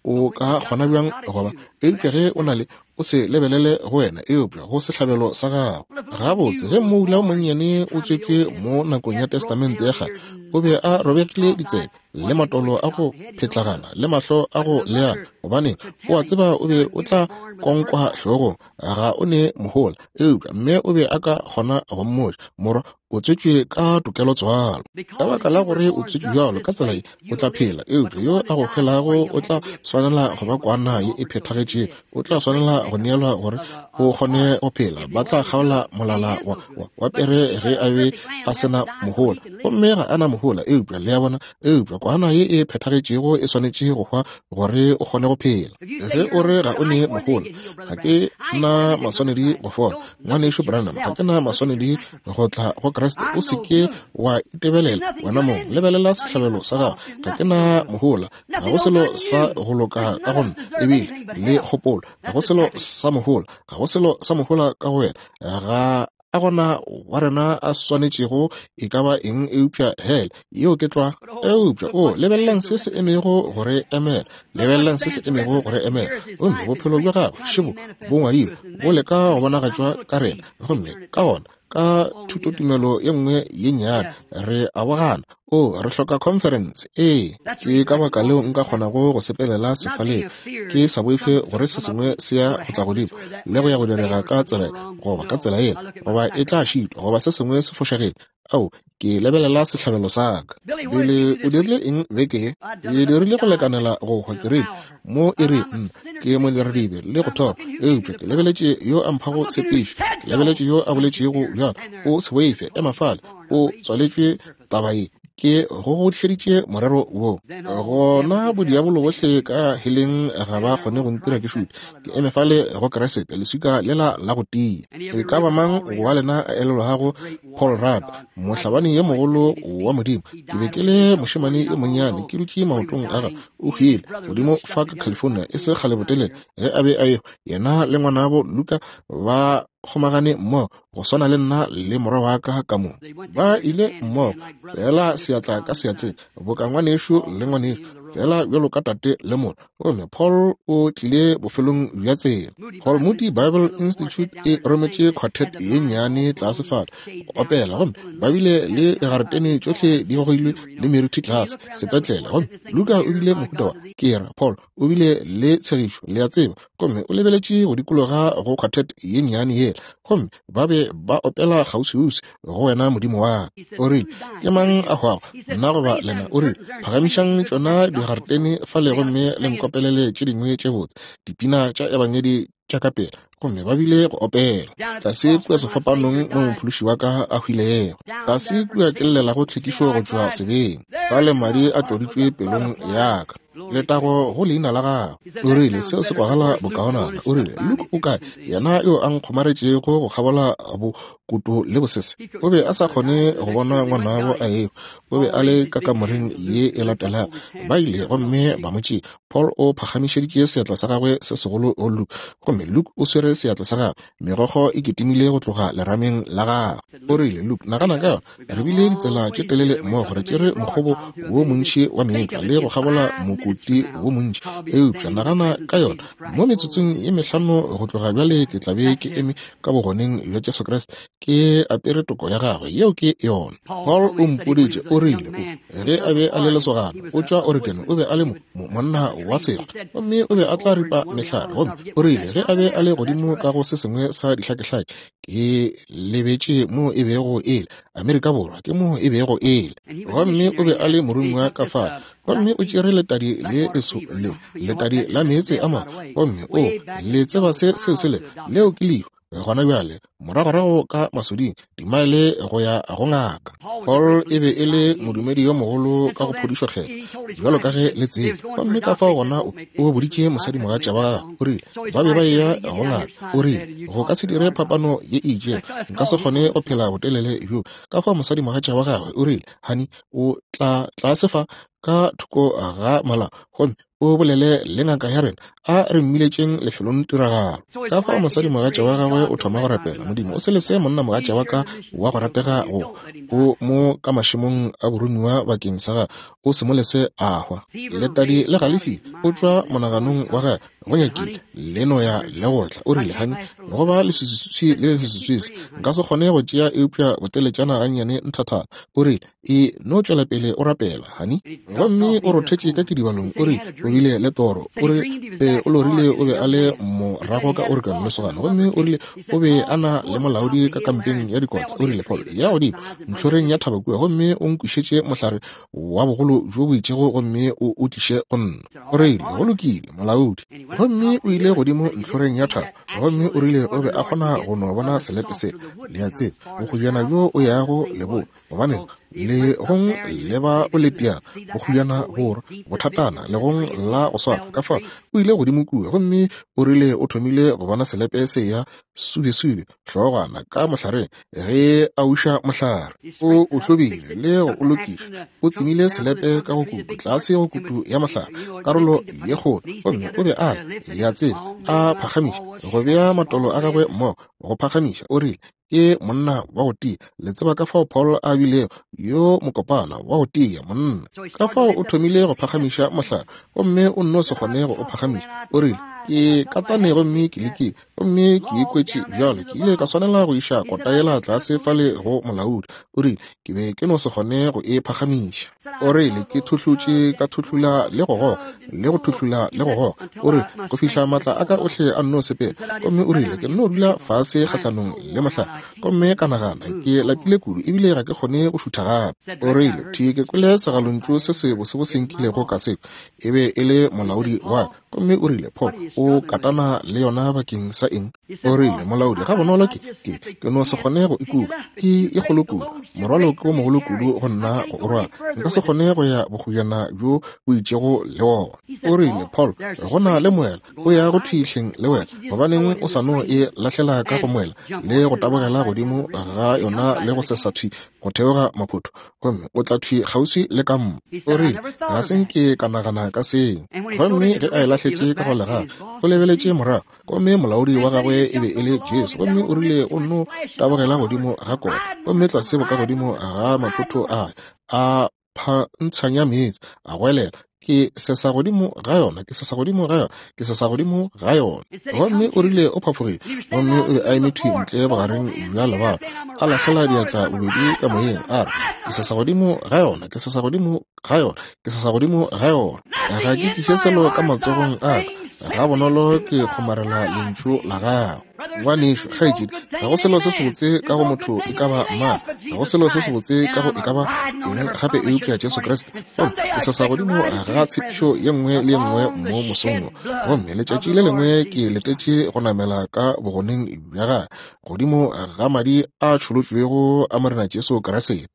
O ka kgona bjang go ba? Eupša ge o na le, o se lebelele go wena, eupša go sehlabelo sa gago. Gabotse, ge mmoula o monnyane o tswetšwe mo nakong ya Testamente ya Kgale, o be a robegile ditsebe, le matolo a go phetlagana, le mahlo a go leana. Gobaneng, o a tseba o be o tla konkwa hlogong, ga o ne mohola. Eupša mme o be a ka kgona go mmotša, Morwa, o tswetšwe ka tokelotswalo. Ka baka la gore o tswetšwe bjalo ka tsela ye, o tla phela. Eupša yo a go hwelago o tla swanela go ba kwana ye e phethagetšego. O tla swanela go neelwa gore o kgone go phela. Ba tla kgaola molala wa, wa, wa pere ge a be a se na mohola. Gomme ga a na mohola, eupša, le a bona, eupša kwana ye e phethagetšego e swanetše go hwa gore o kgone go phela. Ge o re ga o ne mohola, ga ke na maswanedi go fola. Ngwanešu Branham, ga ke na maswanedi go tla go Kriste. O se ke wa itebelela wena mong, lebelela sehlabelo sa gago. Ga ke na mohola, ga go selo sa go loka ka go nna, ebile le kgopolo, ga go selo sa mohola, ga go selo sa mohola ka go wena. Ga a gona wa rena a swanetšego e ka ba eng eupša hele. Yeo ke tlwa. Eupša, o, lebelelang se se emego go re emela. Lebelelang se se emego go re emela. Gomme bophelo bja gagwe, šebo, bo ngwadilwe, bo leka go bonagatšwa ka rena. Gomme ka gona, ka thutotumelo ye nngwe ye nnyane, re a bo gana. O, re hloka khonferense. Ee, ke ka baka leo nka kgonago go sepelela sefaleng, ke sa boife gore se sengwe se ya go tla godimo le go ya go direga ka tsela goba ka tsela yela, goba e tla šitwa, goba se sengwe se fošagetše. Ao, ke lebelela sehlabelo sa ka. Billy, o dirile eng beke ye? Ke dirile go lekanela go hwa, ke rile, mo e re, nna, ke modiradibe le go thoma, eupša ke lebeletše yo a mphago tshepišo, ke lebeletše yo a boletšego bjalo, o se boife, ema fale, o tswaletšwe taba ye, ke go godišeditše morero wo. Gona bodiabolo bohle ka heleng ga ba kgone go ntira ke šute, ke eme fale go Kriste, leswika lela la go tia. E ka ba mang wa lena a elelwago Paul Rudd, mohlabani yo mogolo wa Modimo. Ke be ke le mošemane yo monnyane, ke dutše maotong a gagwe. O hwile godimo fa ka California e se kgale botelele ge a be a ehwa. Yena le ngwanabo Luka ba. kgomagane mmogo go swana le nna le morwa wa ka ka mo. Ba ile mmogo, feela seatla ka seatleng, boka ngwanešu le ngwanešu, feela bjalo ka tate le morwa. Gomme Paul o tlile bofelong bja tsela. Paul Moody Bible Institute e rometše quartet ye nnyane tlase fale go opela, gomme ba bile le digaretene tšohle di gogilwe le merithi tlase sepetlele. Gomme Luka o bile mohuta wa, ke ra, Paul o bile le tshegišo, le a tseba, gomme o lebeletše go dikologa go quartet ye nnyane yela, gomme ba be ba opela kgauswiuswi go wena Modimo wa. O rile, Ke mang a hwago, nna goba lena? O rile, Phagamišang tšona digaretene fale gomme le nkopelele tše dingwe tše botse, dipina tša ebangedi tša ka pela. Gomme ba bile go opela tlase kua sefapanong mo mophološi wa ka a hwilego, tlase kua ke llelago tlhwekišo go tšwa sebeng, fale madi a tloditšwe pelong ya ka. Letago go leina la gagwe. O rile, Seo se kwagala bokaonana. O rile, Luke o kae, yena yo a nkgomaretšego go kgabola bokoto le bosese? O be a sa kgone go bona ngwanabo a ehwa. O be a le ka kamoreng ye e latelago. Ba ile gomme ba mo tšea. Paul o phagamišeditše seatla sa gagwe se segolo go Luke, gomme Luke o swere seatla sa gagwe. Megokgo e kitimile go tloga lerameng la gagwe. O rile, Luke, nagana ka yona. Re bile ditsela tše telele mmogo, re tšere mokgobo wo montši wa meetlwa le go kgabola mokoti wo montši. Eupša nagana ka yona, mo metsotsong ye mehlano go tloga bjale ke tla be ke eme ka bogoneng bja Jesu Kriste, ke apere toko ya gagwe. Yeo ke yona. Paul o mpoditše, o rile, o, ge a be a le lesogana, o tšwa Oregon, o be a le mo, mo, monna wa sekgwa, gomme o be a tla ripa mehlare. Gomme o rile ge a be a le godimo ka go se sengwe sa dihlakehlake, ke lebetše mo e bego e le, Amerika Borwa ke mo e bego e le. Gomme o be a le morongwa ka fale, gomme o tšere letadi le leso le, letadi la meetse a mangwe, gomme o le tseba se seo se le, leo ke lehu gona bjale, moragorago ka masoding, dimaele go ya go ngaka. Paul e be e le modumedi yo mogolo ka go phodišo kgethwa, bjalo ka ge le tseba. Gomme ka fao gona o, o boditše mosadimogatša wa gagwe, o rile, ba be ba eya go ngaka. O rile, Go ka se dire phapano ye e itšego. Nka se kgone go phela botelele bjo. Ka fao mosadimogatša wa gagwe o rile, Honey, o tla tlase fa ka thoko ga molao gomme o bolele le ngaka ya rena, a re mmiletšeng lefelong tiragalo. Ka fao mosadimogatša wa gagwe o thoma go rapela, Modimo, o se lese monnamogatša wa ka wa go ratega go o mo ka mašemong a boromiwa bakeng sa gagwe, o se mo lese a hwa. Letadi le galefile, o tšwa monaganong wa gagwe, go nyakile le no ya le go tla. O rile, Hani, go ba leswiswiswi le leswiswiswi, nka se kgone go tšea eupša boteletšana gannyane nthathana. O rile, E no tšwela pele o rapela, hani. Gomme o rothetše ka kidibalong, o rile o bile le toro. O re e, o lorile o be a le morago ka Oregon, lesogana. Gomme o rile o be a na le molaodi ka kampeng ya dikotla. O rile, Paul, ya godimo ntlhoreng ya thaba kua, gomme o nkwišetše mohlare wa bogolo bjo bo itšego gomme o o tliše go nna. O rile, Go lokile, molaodi. Gomme o ile godimo ntlhoreng ya thaba, gomme o rile o be a kgona go no bona selepe sela, le a tseba, bokgojana bjo o yago leboa. Gobaneng, legong le ba boletiana, bokgojana borwa, bothatana, legong la go swana. Ka fao o ile godimo kua, gomme o rile o thomile go bona selepe se ya subesube, hlogwana ka mohlareng, ge a uša mohlare. O o hlobile le go o lokiša. O tsemile selepe ka go kutu, tlase go kutu ya mohlare, karolo ye kgolo. Gomme o be a le, le a tseba, a phagamiša, go bea matolo a gagwe mmogo, go phagamiša. O rile, Ke monna wa go tia. Le tseba ka fao Paul a bilego yo mokopana wa go tia monna. Ka fao o thomile go phagamiša mohlare, gomme o nno se kgone go o phagamiša. O rile, Ke katane gomme ke lekile, gomme ke ikwetše bjalo. Ke ile ka swanela go iša kota yela tlase fale go molaodi. O rile, Ke be ke no se kgone go e phagamiša. O rile, Ke thuhlutše ka thuhlula le go goga, le go thuhlula le go goga. O rile, Go fihla maatla a ka ohle a nno sepela. Gomme o rile, Ke nno dula fase kgahlanong le mohlare, gomme ka nagana, Ke lapile kudu ebile ga ke kgone go šutha gape. O rile, Thwi ke kwele segalontšu se se bosebose nkilego ka se kwa. E be e le molaodi wa ka. Gomme o rile, Paul, o katana le yona bakeng sa eng? O rile, Molaodi, ga bonolo ke, ke, ke no se kgone go e kuka. Ke e kgolo kudu. Morwalo ke o mogolo kudu go nna go o rwala. Nka se kgone go ya bokgojana bjo bo itšego le wona. O rile, Paul, go na le moela o ya go thwi hleng le wena. Gobaneng o sa no e lahlela ka go moela le go tabogela godimo ga yona le go sesa thwi? go theoga maphotho, gomme o tla thwi kgauswi le kampa. O rile, Ga se nke ka nagana ka seo. Gomme ge a e lahletše ka go legaga, o lebeletše morago, gomme molaodi wa gagwe e be e le Jesu, gomme o rile o nno tabogela godimo ga kota, gomme tlase bokagodimo ga maphotho a, a phantshanya meetse, a goelela, Ke sesa godimo ga yona, ke sesa godimo ga yona, ke sesa godimo ga yona. Gomme o rile o phafogile, gomme o be a eme thwi ntle bogareng bja lebala, a lahlela diatla bobedi ka moyeng, a re, Ke sesa godimo ga yona, ke sesa godimo ga yona, ke sesa godimo ga yona. Ga ke tliše selo ka matsogong a ka, ga bonolo ke kgomarela lentšu la gago. Ngwanešu, kgaetšedi, ga go selo se sebotse ka go motho e ka ba mang, ga go selo se sebotse ka go e ka ba eng gape eupša Jesu Kriste. Gomme ke sesa godimo ga tshepišo ye nngwe le ye nngwe mo mosong wo. Gomme letšatši le lengwe ke letetše go namela ka bogoneng bja gagwe, godimo ga madi a tšholotšwego a Morena Jesu Kriste.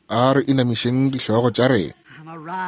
A re inamišeng dihlogo tša rena.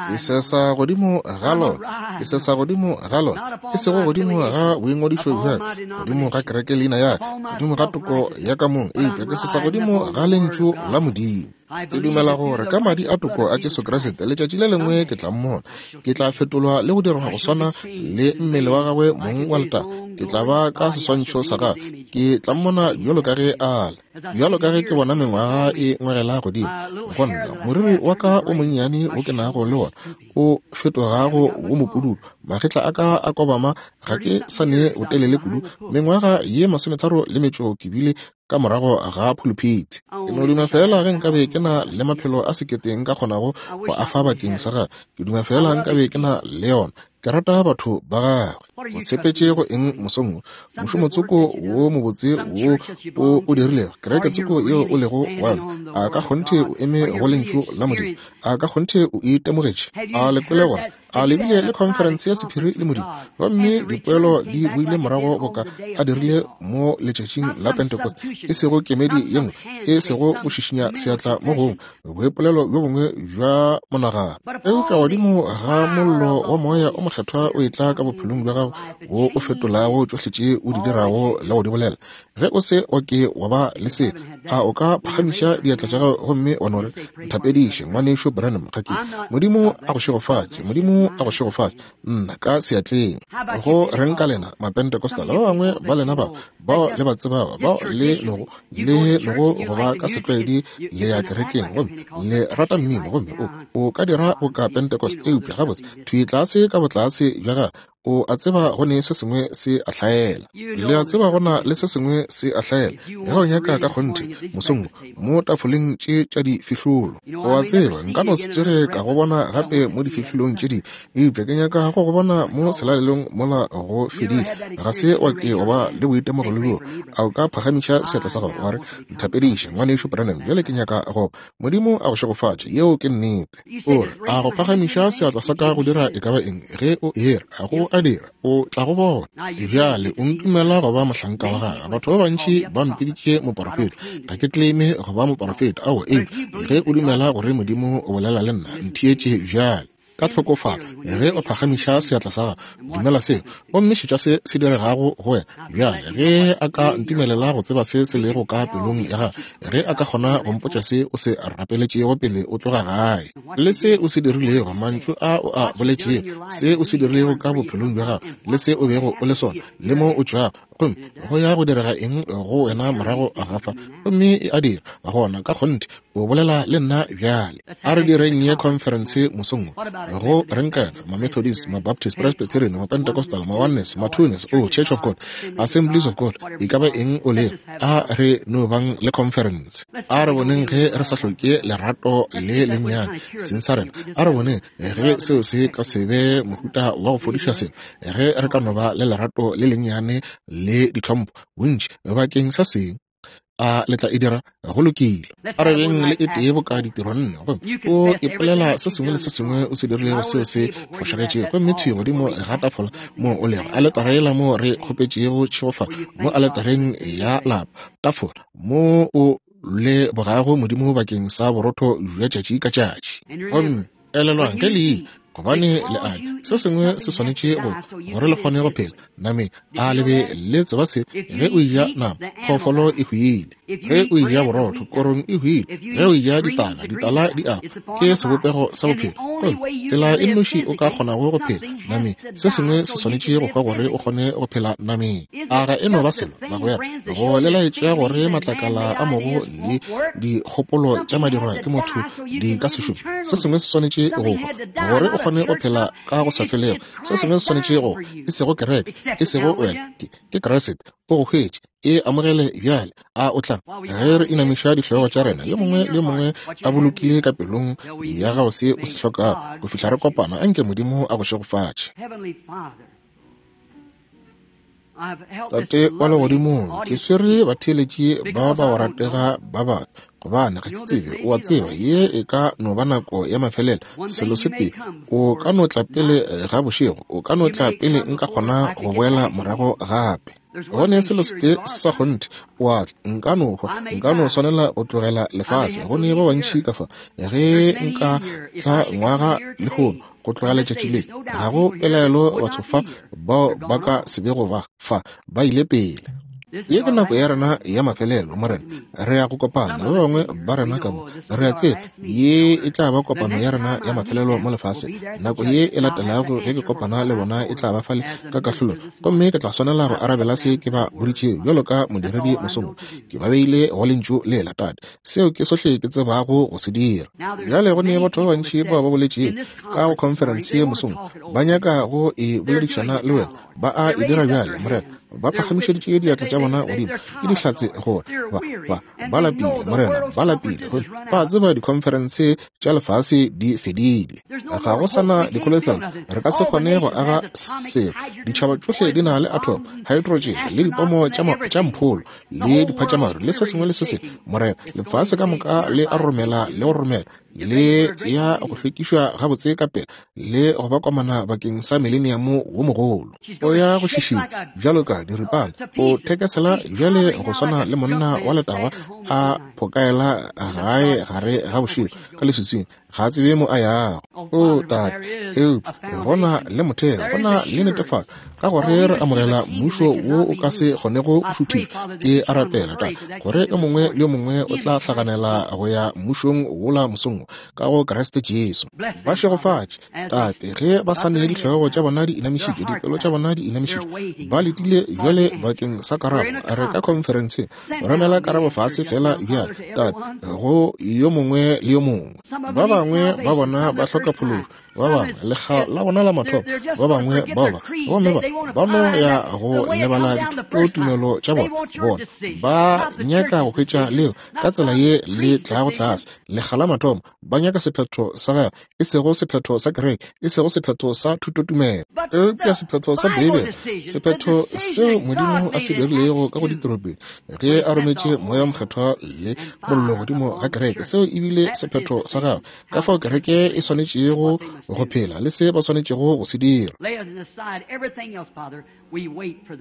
Ke sesa godimo ga lona, ke sesa godimo ga lona, e sego godimo ga boingwadišo bja ka, godimo ga kereke leina ya ka, godimo ga toko ya ka mong, eupša ke sesa godimo ga Lentšu la Modimo. Ke dumela gore ka madi a toko a Jesu Kriste, letšatši le lengwe ke tla mmona, ke tla fetolwa le go dirwa go swana le mmele wa gagwe mong wa letago, ke tla ba ka seswantšho sa gagwe, ke tla mmona bjalo ka ge a le. Bjalo ka ge ke bona mengwaga e ngwegela godimo go nna, moriri wa ka o monnyane wo ke nago le wona o fetogago wo mopududu, magetla a ka a kobama, ga ke sa ne botelele kudu, mengwaga ye masometharo le metšo ke bile ka morago ga phuluphithi. Ke no duma feela ge nkabe ke na le maphelo a sekete nka kgonago go a fa bakeng sa gagwe. Ke duma feela nkabe ke na le yona. Ke rata batho ba gagwe. O tshepetše go eng mosong wo? Mošomo tsoko wo mobotse wo o o dirilego, kereke tsoko yeo o lego wa yona, a ka kgonthe o eme go Lentšu la Modimo? A ka kgonthe o itemogetše? A le kwele gore a le bile le khonferense ya sephiri le Modimo, gomme dipoelo di boile morago boka a dirile mo letšatšing la Pentecost, e sego kemedi ye nngwe, e sego go šišinya seatla mo gongwe, boipolelo bjo bongwe bja monagano. Eupša godimo ga mollo wa Moya o Mokgethwa o etla ka bophelong bja gago, wo o fetolago tšohle tše o di dirago le go di bolela. Ge o se wa ke wa ba le seo, a o ka phagamiša diatla tša gago gomme wa no re, Nthapediše, Ngwanešu Branham, ga ke. Modimo a go šegofatše. Modimo a go šegofatše. Nna ka seatleng. Go reng ka lena Mapentecostal, ba bangwe ba lena bao, bao le ba tsebago, bao le nogo, le nogo go ba ka setlwaedi le ya kerekeng, gomme le rata mmino, gomme o, o ka dira boka Pentecost, eupša gabotse thwi tlase ka botlase bja gago o a tseba go ne se sengwe se a hlaela. Le a tseba go na le se sengwe se a hlaela. Ge o nyaka ka kgonthe, mosong wo, mo tafoleng tše tša difihlolo, o a tseba nka no se tsoge ka go bona gape mo difihlolong tše dingwe, eupša ke nyaka go go bona mo selalelong mola go fedile. Ga se wa ke wa ba le boitemogelo bjoo. A o ka phagamiša seatla sa gago wa re, Nthapediše, Ngwanešu Branham, bjale ke nyaka go. Modimo a go šegofatše. Yeo ke nnete. O re, A go phagamiša seatla sa ka go dira e ka ba eng? Ge o era, a go a dira, o tla go bona. Bjale o ntumela go ba mohlanka wa gagwe. Batho ba bantši ba mpiditše moporofeta. Ga ke claime go ba moporofeta, aowa, eupša ge o dumela gore Modimo o bolela le nna, ntheetše bjale. Ka tlhokofalo, ge o phagamiša seatla sa gago, dumela seo, gomme šetša se se diregago go wena. Bjale, ge a ka ntumelela go tseba se se lego ka pelong ya gago, ge a ka kgona go mpotša se o se rapeletšego pele o tloga gae, le se o se dirilego, mantšu a o a boletšego, se o se dirilego ka bophelong bja gago, le se o bego o le sona, le mo o tšwago, gomme go ya go direga eng go wena morago ga fa, gomme e a dira, gona ka kgonthe o bolela le nna bjale. A re direng ye khonferense mosong wo. Go reng ka yona? Ma-Methodist, ma-Baptist, Presbyterian, ma-Pentecostal, ma-Oneness, ma-Twoness, oh, Church of God, Assemblies of God, e ka ba eng o lego, a re no bang le khonferense. A re boneng ge re sa hloke lerato le lennyane seng sa rena. A re boneng ge seo se ka se be mohuta wa go fodiša selo, ge re ka no ba le lerato le lennyane le ditlhompho bontši bakeng sa seng. A le tla e dira? Go lokile. A re beng le e tee boka ditiro nne, gomme o ipolela se sengwe le se sengwe o se dirilego seo se fošagetšego, gomme thwi godimo ga tafola moo o lego, aletara yela moo re kgopetšego tšhegofatšo, mo aletareng ya lapa, tafola mo o lebogago Modimo bakeng sa borotho bja tšatši ka tšatši. Gomme elelwang, ge le ile, Gobane le a ja, se sengwe se swanetše go gore le kgone go phela nameng. A le be le tseba se? Ge o eja nama, phoofolo e hwile. Ge o eja borotho, korong e hwile. Ge o eja ditala, ditala di a hwa. Ke sebopego sa bophelo. Gomme tsela e nnoši o ka kgonago go phela nameng, se sengwe se swanetše go hwa gore o kgone go phela nameng. A ga e no ba selo, bagwera, go le laetša gore matlakala a mogo le dikgopolo tša madirwa ke motho di ka se šome? Se sengwe se swanetše go hwa gore o kgone go phela ka go sa felego. Se sengwe se swanetše go, e sego kereke, e sego wena, ke Kriste o go hwetše. E amogele bjale. A o tla? Ge re inamiša dihlogo tša rena, yo mongwe le yo mongwe a bolokile ka pelong ya gago se o se hlokago, go fihla re kopana, anke Modimo a go šegofatše. Tate wa Legodimong, ke swere batheeletši ba ba go ratega ba batho, gobane ga ke tsebe, o a tseba, ye e ka no ba nako ya mafelelo. Selo se tee, o ka no tla pele ga bošego, o ka no tla pele nka kgona go boela morago gape. Go ne selo se tee sa kgonthe, o a tla, nka no hwa, nka no swanela go tlogela lefase. Go ne ba bantši ka fa, ge nka tla ngwaga lehono, go tloga letšatši le, ga go pelaelo batho fa bao ba ka se bego ba fa, ba ile pele. Ye ke nako ya rena ya mafelelo, Morena. Re ya go kopana, ba bangwe ba rena ka mo. Re a tseba ye e tla ba kopano ya rena ya mafelelo mo lefaseng. Nako ye e latelago ge ke kopana le bona e tla ba fale ka kahlolong, gomme ke tla swanela go arabela se ke ba boditšego bjalo ka modiredi mosong wo. Ke ba beile go Lentšu le la Tate. Seo ke sohle ke tsebago go se dira. Bjale go ne batho ba bantši bao ba boletšego ka go khonferense ye mosong, ba nyaka go e boledišana le wena. Ba a e dira bjale, Morena. Ba phagamišeditše diatla tša bona godimo. Ke dihlatse gore ba, ba, ba lapile, Morena. Ba lapile. Gomme ba tseba dikhonferense tša lefase di fedile. Ga go sa na dikholofelo. Re ka se kgone go aga selo. Ditšhaba tšohle di na le atom, hydrogen, le dipomo tša mpholo, le diphatšamaru, le se sengwe le se sengwe. Morena, lefase ka moka le a romela le go romela, le ya go hlwekišwa gabotse ka pela le go ba komana bakeng sa mileniamo wo mogolo. O ya go šišinya bjalo ka diripana, o thekesela bjale go swana le monna wa letagwa a phokaela gae gare ga bošego ka leswiswing, ga a tsebe mo a yago. O Tate, eupša go na le motheo, go na le netefatšo, ka gore re amogela mmušo wo o ka se kgonego go šuthišwa. Ke a rapela, Tate, gore yo mongwe le yo mongwe o tla hlaganela go ya mmušong wola mosong wo, ka go Kriste Jesu. Ba šegofatše, Tate, ge ba sa ne dihlogo tša bona di inamišitšwe, dipelo tša bona di inamišitšwe, ba letile bjale bakeng sa karabo. Re ka khonferenseng, romela karabo fase feela bjale, Tate, go yo mongwe le yo mongwe. Ba bangwe ba bona ba hloka phološo, ba bangwe lekga la bona la mathomo, ba bangwe bao ba, gomme ba, ba no ya go lebala dithutotumelo tša bona, bona ba nyaka go hwetša leo ka tsela ye le tlago tlase. Lekga la mathomo ba nyaka sephetho sa gagwe, e sego sephetho sa kereke, e sego sephetho sa thutotumelo, eupša sephetho sa Beibele, sephetho seo Modimo a se dirilego ka go ditoropeng ge a rometše Moya Mokgethwa le mollo godimo ga kereke. Seo e bile sephetho sa gagwe, ka fao kereke e swanetšego go phela le se ba swanetšego go se dira.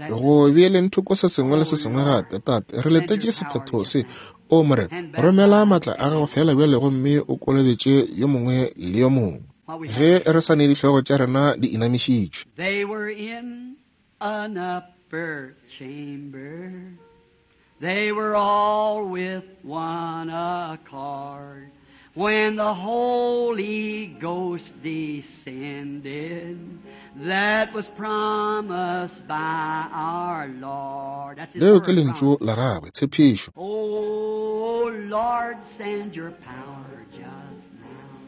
Go beeleng thoko se sengwe le se sengwe gape, Tate, re letetše sephetho se. O Morena, romela maatla a gago feela bjale gomme o kolobetše yo mongwe le yo mongwe, ge re sa ne dihlogo tša rena di inamišitšwe. They were in an upper chamber. They were all with one accord. When the Holy Ghost descended, that was promised by our Lord. That's his Leo ke word lentšu promise. la gagwe, tshepišo. Oh Lord, send your power just now.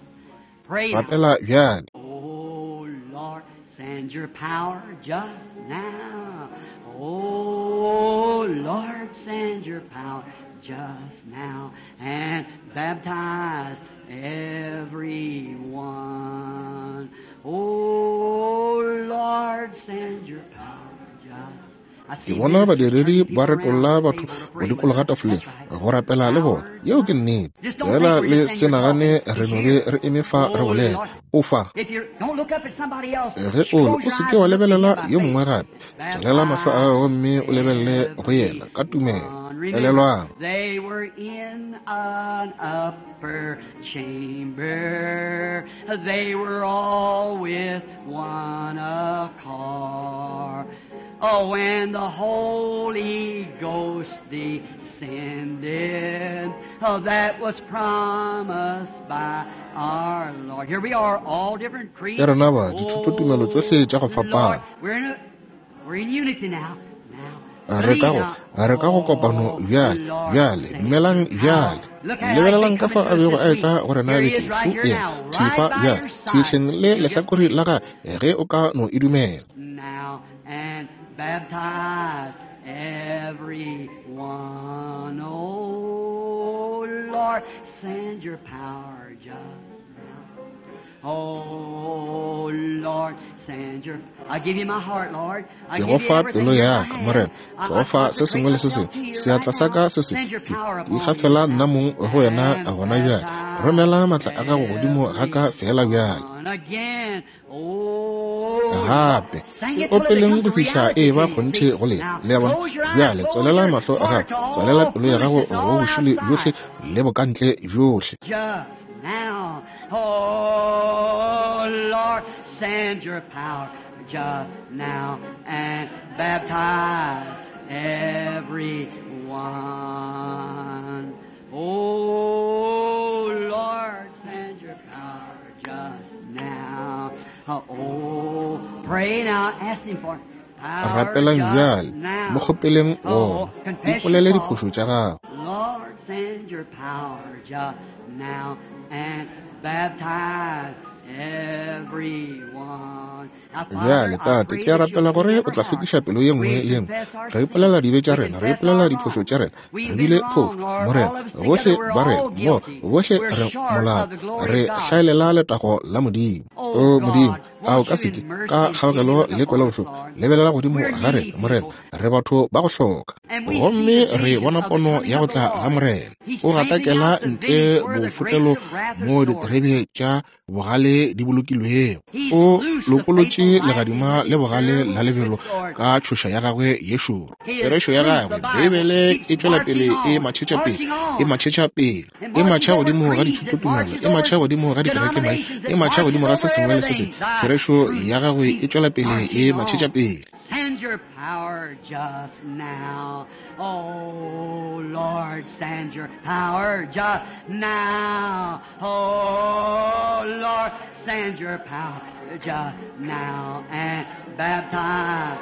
Pray now. Rapela bjale. Oh Lord, send your power just now. Oh Lord, send your power just now and baptize everyone. Oh Lord, send your power just. Ke bona badiredi ba retolla batho go dikologa tafoleng go rapela le bona. Yeo ke nnete. Fela le se nagane re no be re eme fa re bolela. O fa. Ge o le, o se ke wa lebelela yo mongwe gape. Tswalela mahlo a gago gomme o lebelele go yena ka tumelo. Elelwang. They were in an upper chamber. They were all with one accord. Oh, when the Holy Ghost descended, oh, that was promised by our Lord. Here we are, all different creeds. Ya rena ba dithutotumelo tšohle tša go fapana. We're in, a, we're in unity now. Now, Re ka go re ka go kopano bjale, bjale, dumelang bjale. Lebelelang ka fa a bego a etla go rena beke fu ena, thwi fa bjale, thwi hleng le lehlakore la gagwe, ge o ka no e dumela. now and baptize everyone. Oh Lord, send your power just now. Oh Lord, send your. I give you my heart, Lord. I Ke give go you fa everything pelo that ya I ka, have. Morena. I, Ke go I fa se consecrate sengwe le se myself sengwe. to you right Seatla sa now. ka se se Send your ke power ke upon me ikgafela nna mong go wena and gona bjale. baptize Romela matla a gago godimo ga ka fela bjale. everyone again. Oh Lord, Gape sing e it till it opeleng becomes go a fihla reality e to ba you. kgonthe See? go lena. Now, Le a bona? close your eyes, Bjale close tswalela your mahlo a heart gago, to tswalela all pelo ya gago foolishness go all bošole bjohle outside. le bokantle bjohle. Just now, oh Lord, send your power just now and baptize everyone. Oh Lord, send your power just now. Oh, pray now, ask Him for it. Power Rapelang just bjale, mo now. kgopeleng Oh, wona. confess your Ipolele fault. diphošo tša gago. Lord, send your power just now and baptize everyone. Now, Bjale, Father, I Tate, pray ke a that you'll rapela clean gore o every tla heart. hlwekiša pelo ye nngwe We le ye nngwe. confess our Re ipolela sins. dibe tša We rena, re confess ipolela our diphošo wrongs. tša rena. Re We've been bile phošo, wrong, Lord. Morena. All of us Bohle together, we're ba rena all mo, guilty. bohle We're re short molato. of the glory Re of God. hlaelela letago la Modimo. Oh O Modimo, God, a o won't ka you se ke in mercy ka and pity kgaogelo look le upon us, kwelobohloko Lord? lebelela godimo We're ga needy rena, Morena. people. Re batho ba go hloka. And we see Gomme the re vision bona of the pono coming ya go of the tla ga Lord. Morena. He's O trampling gatakela out the ntle vineyard where the grapes bofotlelo of wrath are mo stored. diterebe tša bogale di bolokilwego. He's O loosed the lopolotše faithful life in legadima his le bogale terrible la lebelo swift sword. ka tšhoša ya gagwe ye šoro. His Therešo ya truth, the gagwe, Bible, Beibele e keeps tšwela marching pele e on, matšhetša pele, marching e on, matšhetša pele, and e marches matšha over godimo ga creeds, it dithutotumelo, marches e matšha over godimo ga dikerekemaina, denominations, e it matšha marches godimo ga se over sengwe le se sengwe. everything. Thy Therešo truth ya gagwe e keeps tšwela pele e marching matšhetša on. pele. Send your power just now. Oh Lord, send your power just now. Oh Lord, send your power just now and baptize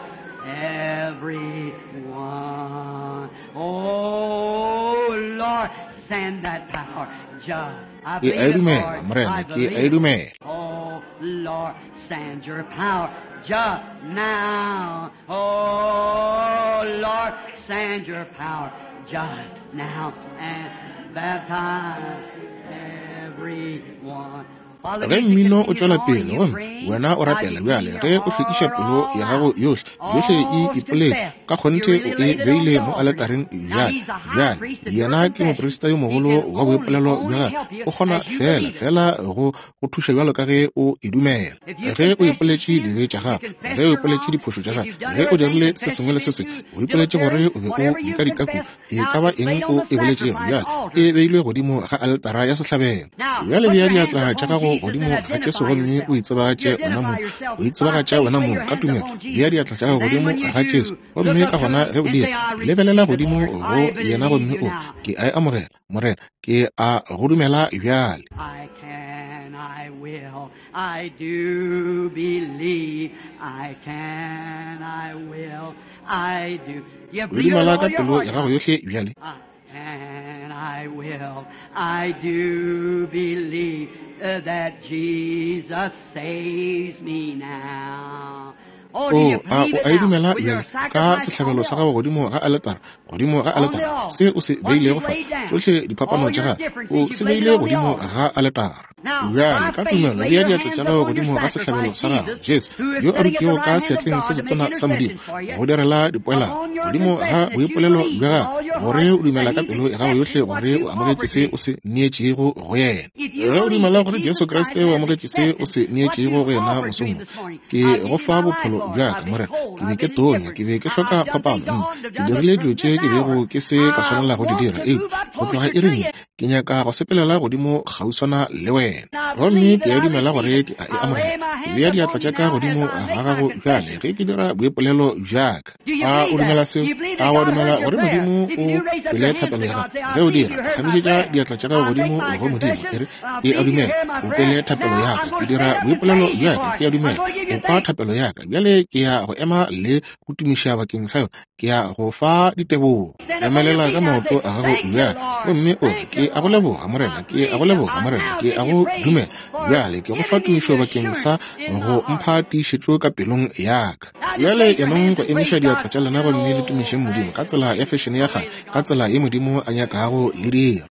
everyone. Oh Lord, send that power just. I Ke a believe e it, dumela, Lord. Morena, I ke a believe e it. dumela. Oh Lord, send your power just now. Oh Lord, send your power just now and baptize everyone. While the Ge music mmino o continues tšwela on and pele you gomme praying, wena o while rapela you bjale, clean ge your o hlwekiša heart pelo all ya gago out, yohle, yohle e all's ipoletše, confessed. ka You kgonthe really o e laid it on beile the mo altar. aletareng Now bjale. he's the high Bjale priest of your yena ke confession. moprista yo He mogolo can wa only, boipolelo bja only gagwe. help you O kgona as you fela believe it. fela go go thuša bjalo ka ge o e dumela. If you Ge o confess your ipoletše sins, dibe tša you gago, confess ge o your ipoletše wrongs, diphošo tša if gago, you've done ge o everything, dirile se confess sengwe le you've se been sengwe, too o ipoletše gore dilatory, o be o whatever you dikadikaku, confess, e now ka ba it's eng laid o on the e boletšego sacrifice bjale, altar. e beilwe godimo ga aletara ya sehlabelo. Now, Bjale put bea your hands diatla tša upon gago Jesus godimo and ga Jesu identify gomme o yourself. You itsebagatše wena identify mong, yourself o by itsebagatša faith, wena lay mong your ka hands tumelo. upon Bea Jesus. diatla tša gago And then godimo when you ga Jesu do, look gomme up ka to gona him ge o and say, dira, I lebelela receive it, godimo Lord. go I yena believe gomme you o re, now. Ke a e amogela, Morena, ke a go dumela bjale. I can, I will, I do believe. I can, I will, I do. You O believe it with dumela ka all your pelo heart ya now. gago yohle bjale. I can, I will, I do believe that Jesus saves me now. Oh, do O you a believe o it a e now dumela with your bjale ka sacrifice on sehlabelo the sa altar? gago godimo ga aletara, godimo ga On the aletara, altar. se o se What beilego you've fase, laid down. tšohle diphapano All tša your gago, differences o you've se laid it beile on the godimo altar. ga aletara. Bjale, ka tumelo, bea diatla tša gago godimo ga sehlabelo sa gago, Jesu, yo a dutšego ka seatleng se setona sa Modimo, go direla dipoelano, godimo ga boipolelo bja gago, gore o dumela ka pelo ya gago yohle gore o amogetše se o se neetšego go yena. Ge o dumela gore Jesu Kriste o amogetše se o se neetšego go yena mosong wo, ke go fa bophelo bja ka, Morena. Ke be ke tonya, ke be ke hloka phapano. Ke dirile dilo tše ke bego ke se ka swanela go di dira, eupša go tloga iring ye, ke nyaka go sepelela godimo kgauswana le wena. Gomme ke a dumela gore ke a e amogela. Ke bea diatla tša ka godimo ga gago bjale ge ke dira boipolelo bja ka. A o dumela seo? A wa dumela gore Modimo o kwele thapelo ya gago? Ge o dira, phagamišetša diatla tša gago godimo go Modimo, e re, Ke a dumela o kwele thapelo ya ka. Ke dira boipolelo bja ka. Ke a dumela o kwa thapelo ya ka. Bjale ke ya go ema le go tumiša bakeng sa yona. Ke ya go fa ditebogo. Emelela ka maoto a gago bjale gomme o re, Ke a go leboga, Morena. Ke a go leboga, Morena. Ke a go dumela. Bjale ke go fa tumišo bakeng sa go mpha tiišetšo ka pelong ya ka. Bjale enong go emiša diatla tša lena gomme le tumišeng Modimo ka tsela ya fešene ya kgale, ka tsela ye Modimo a nyakago le dira.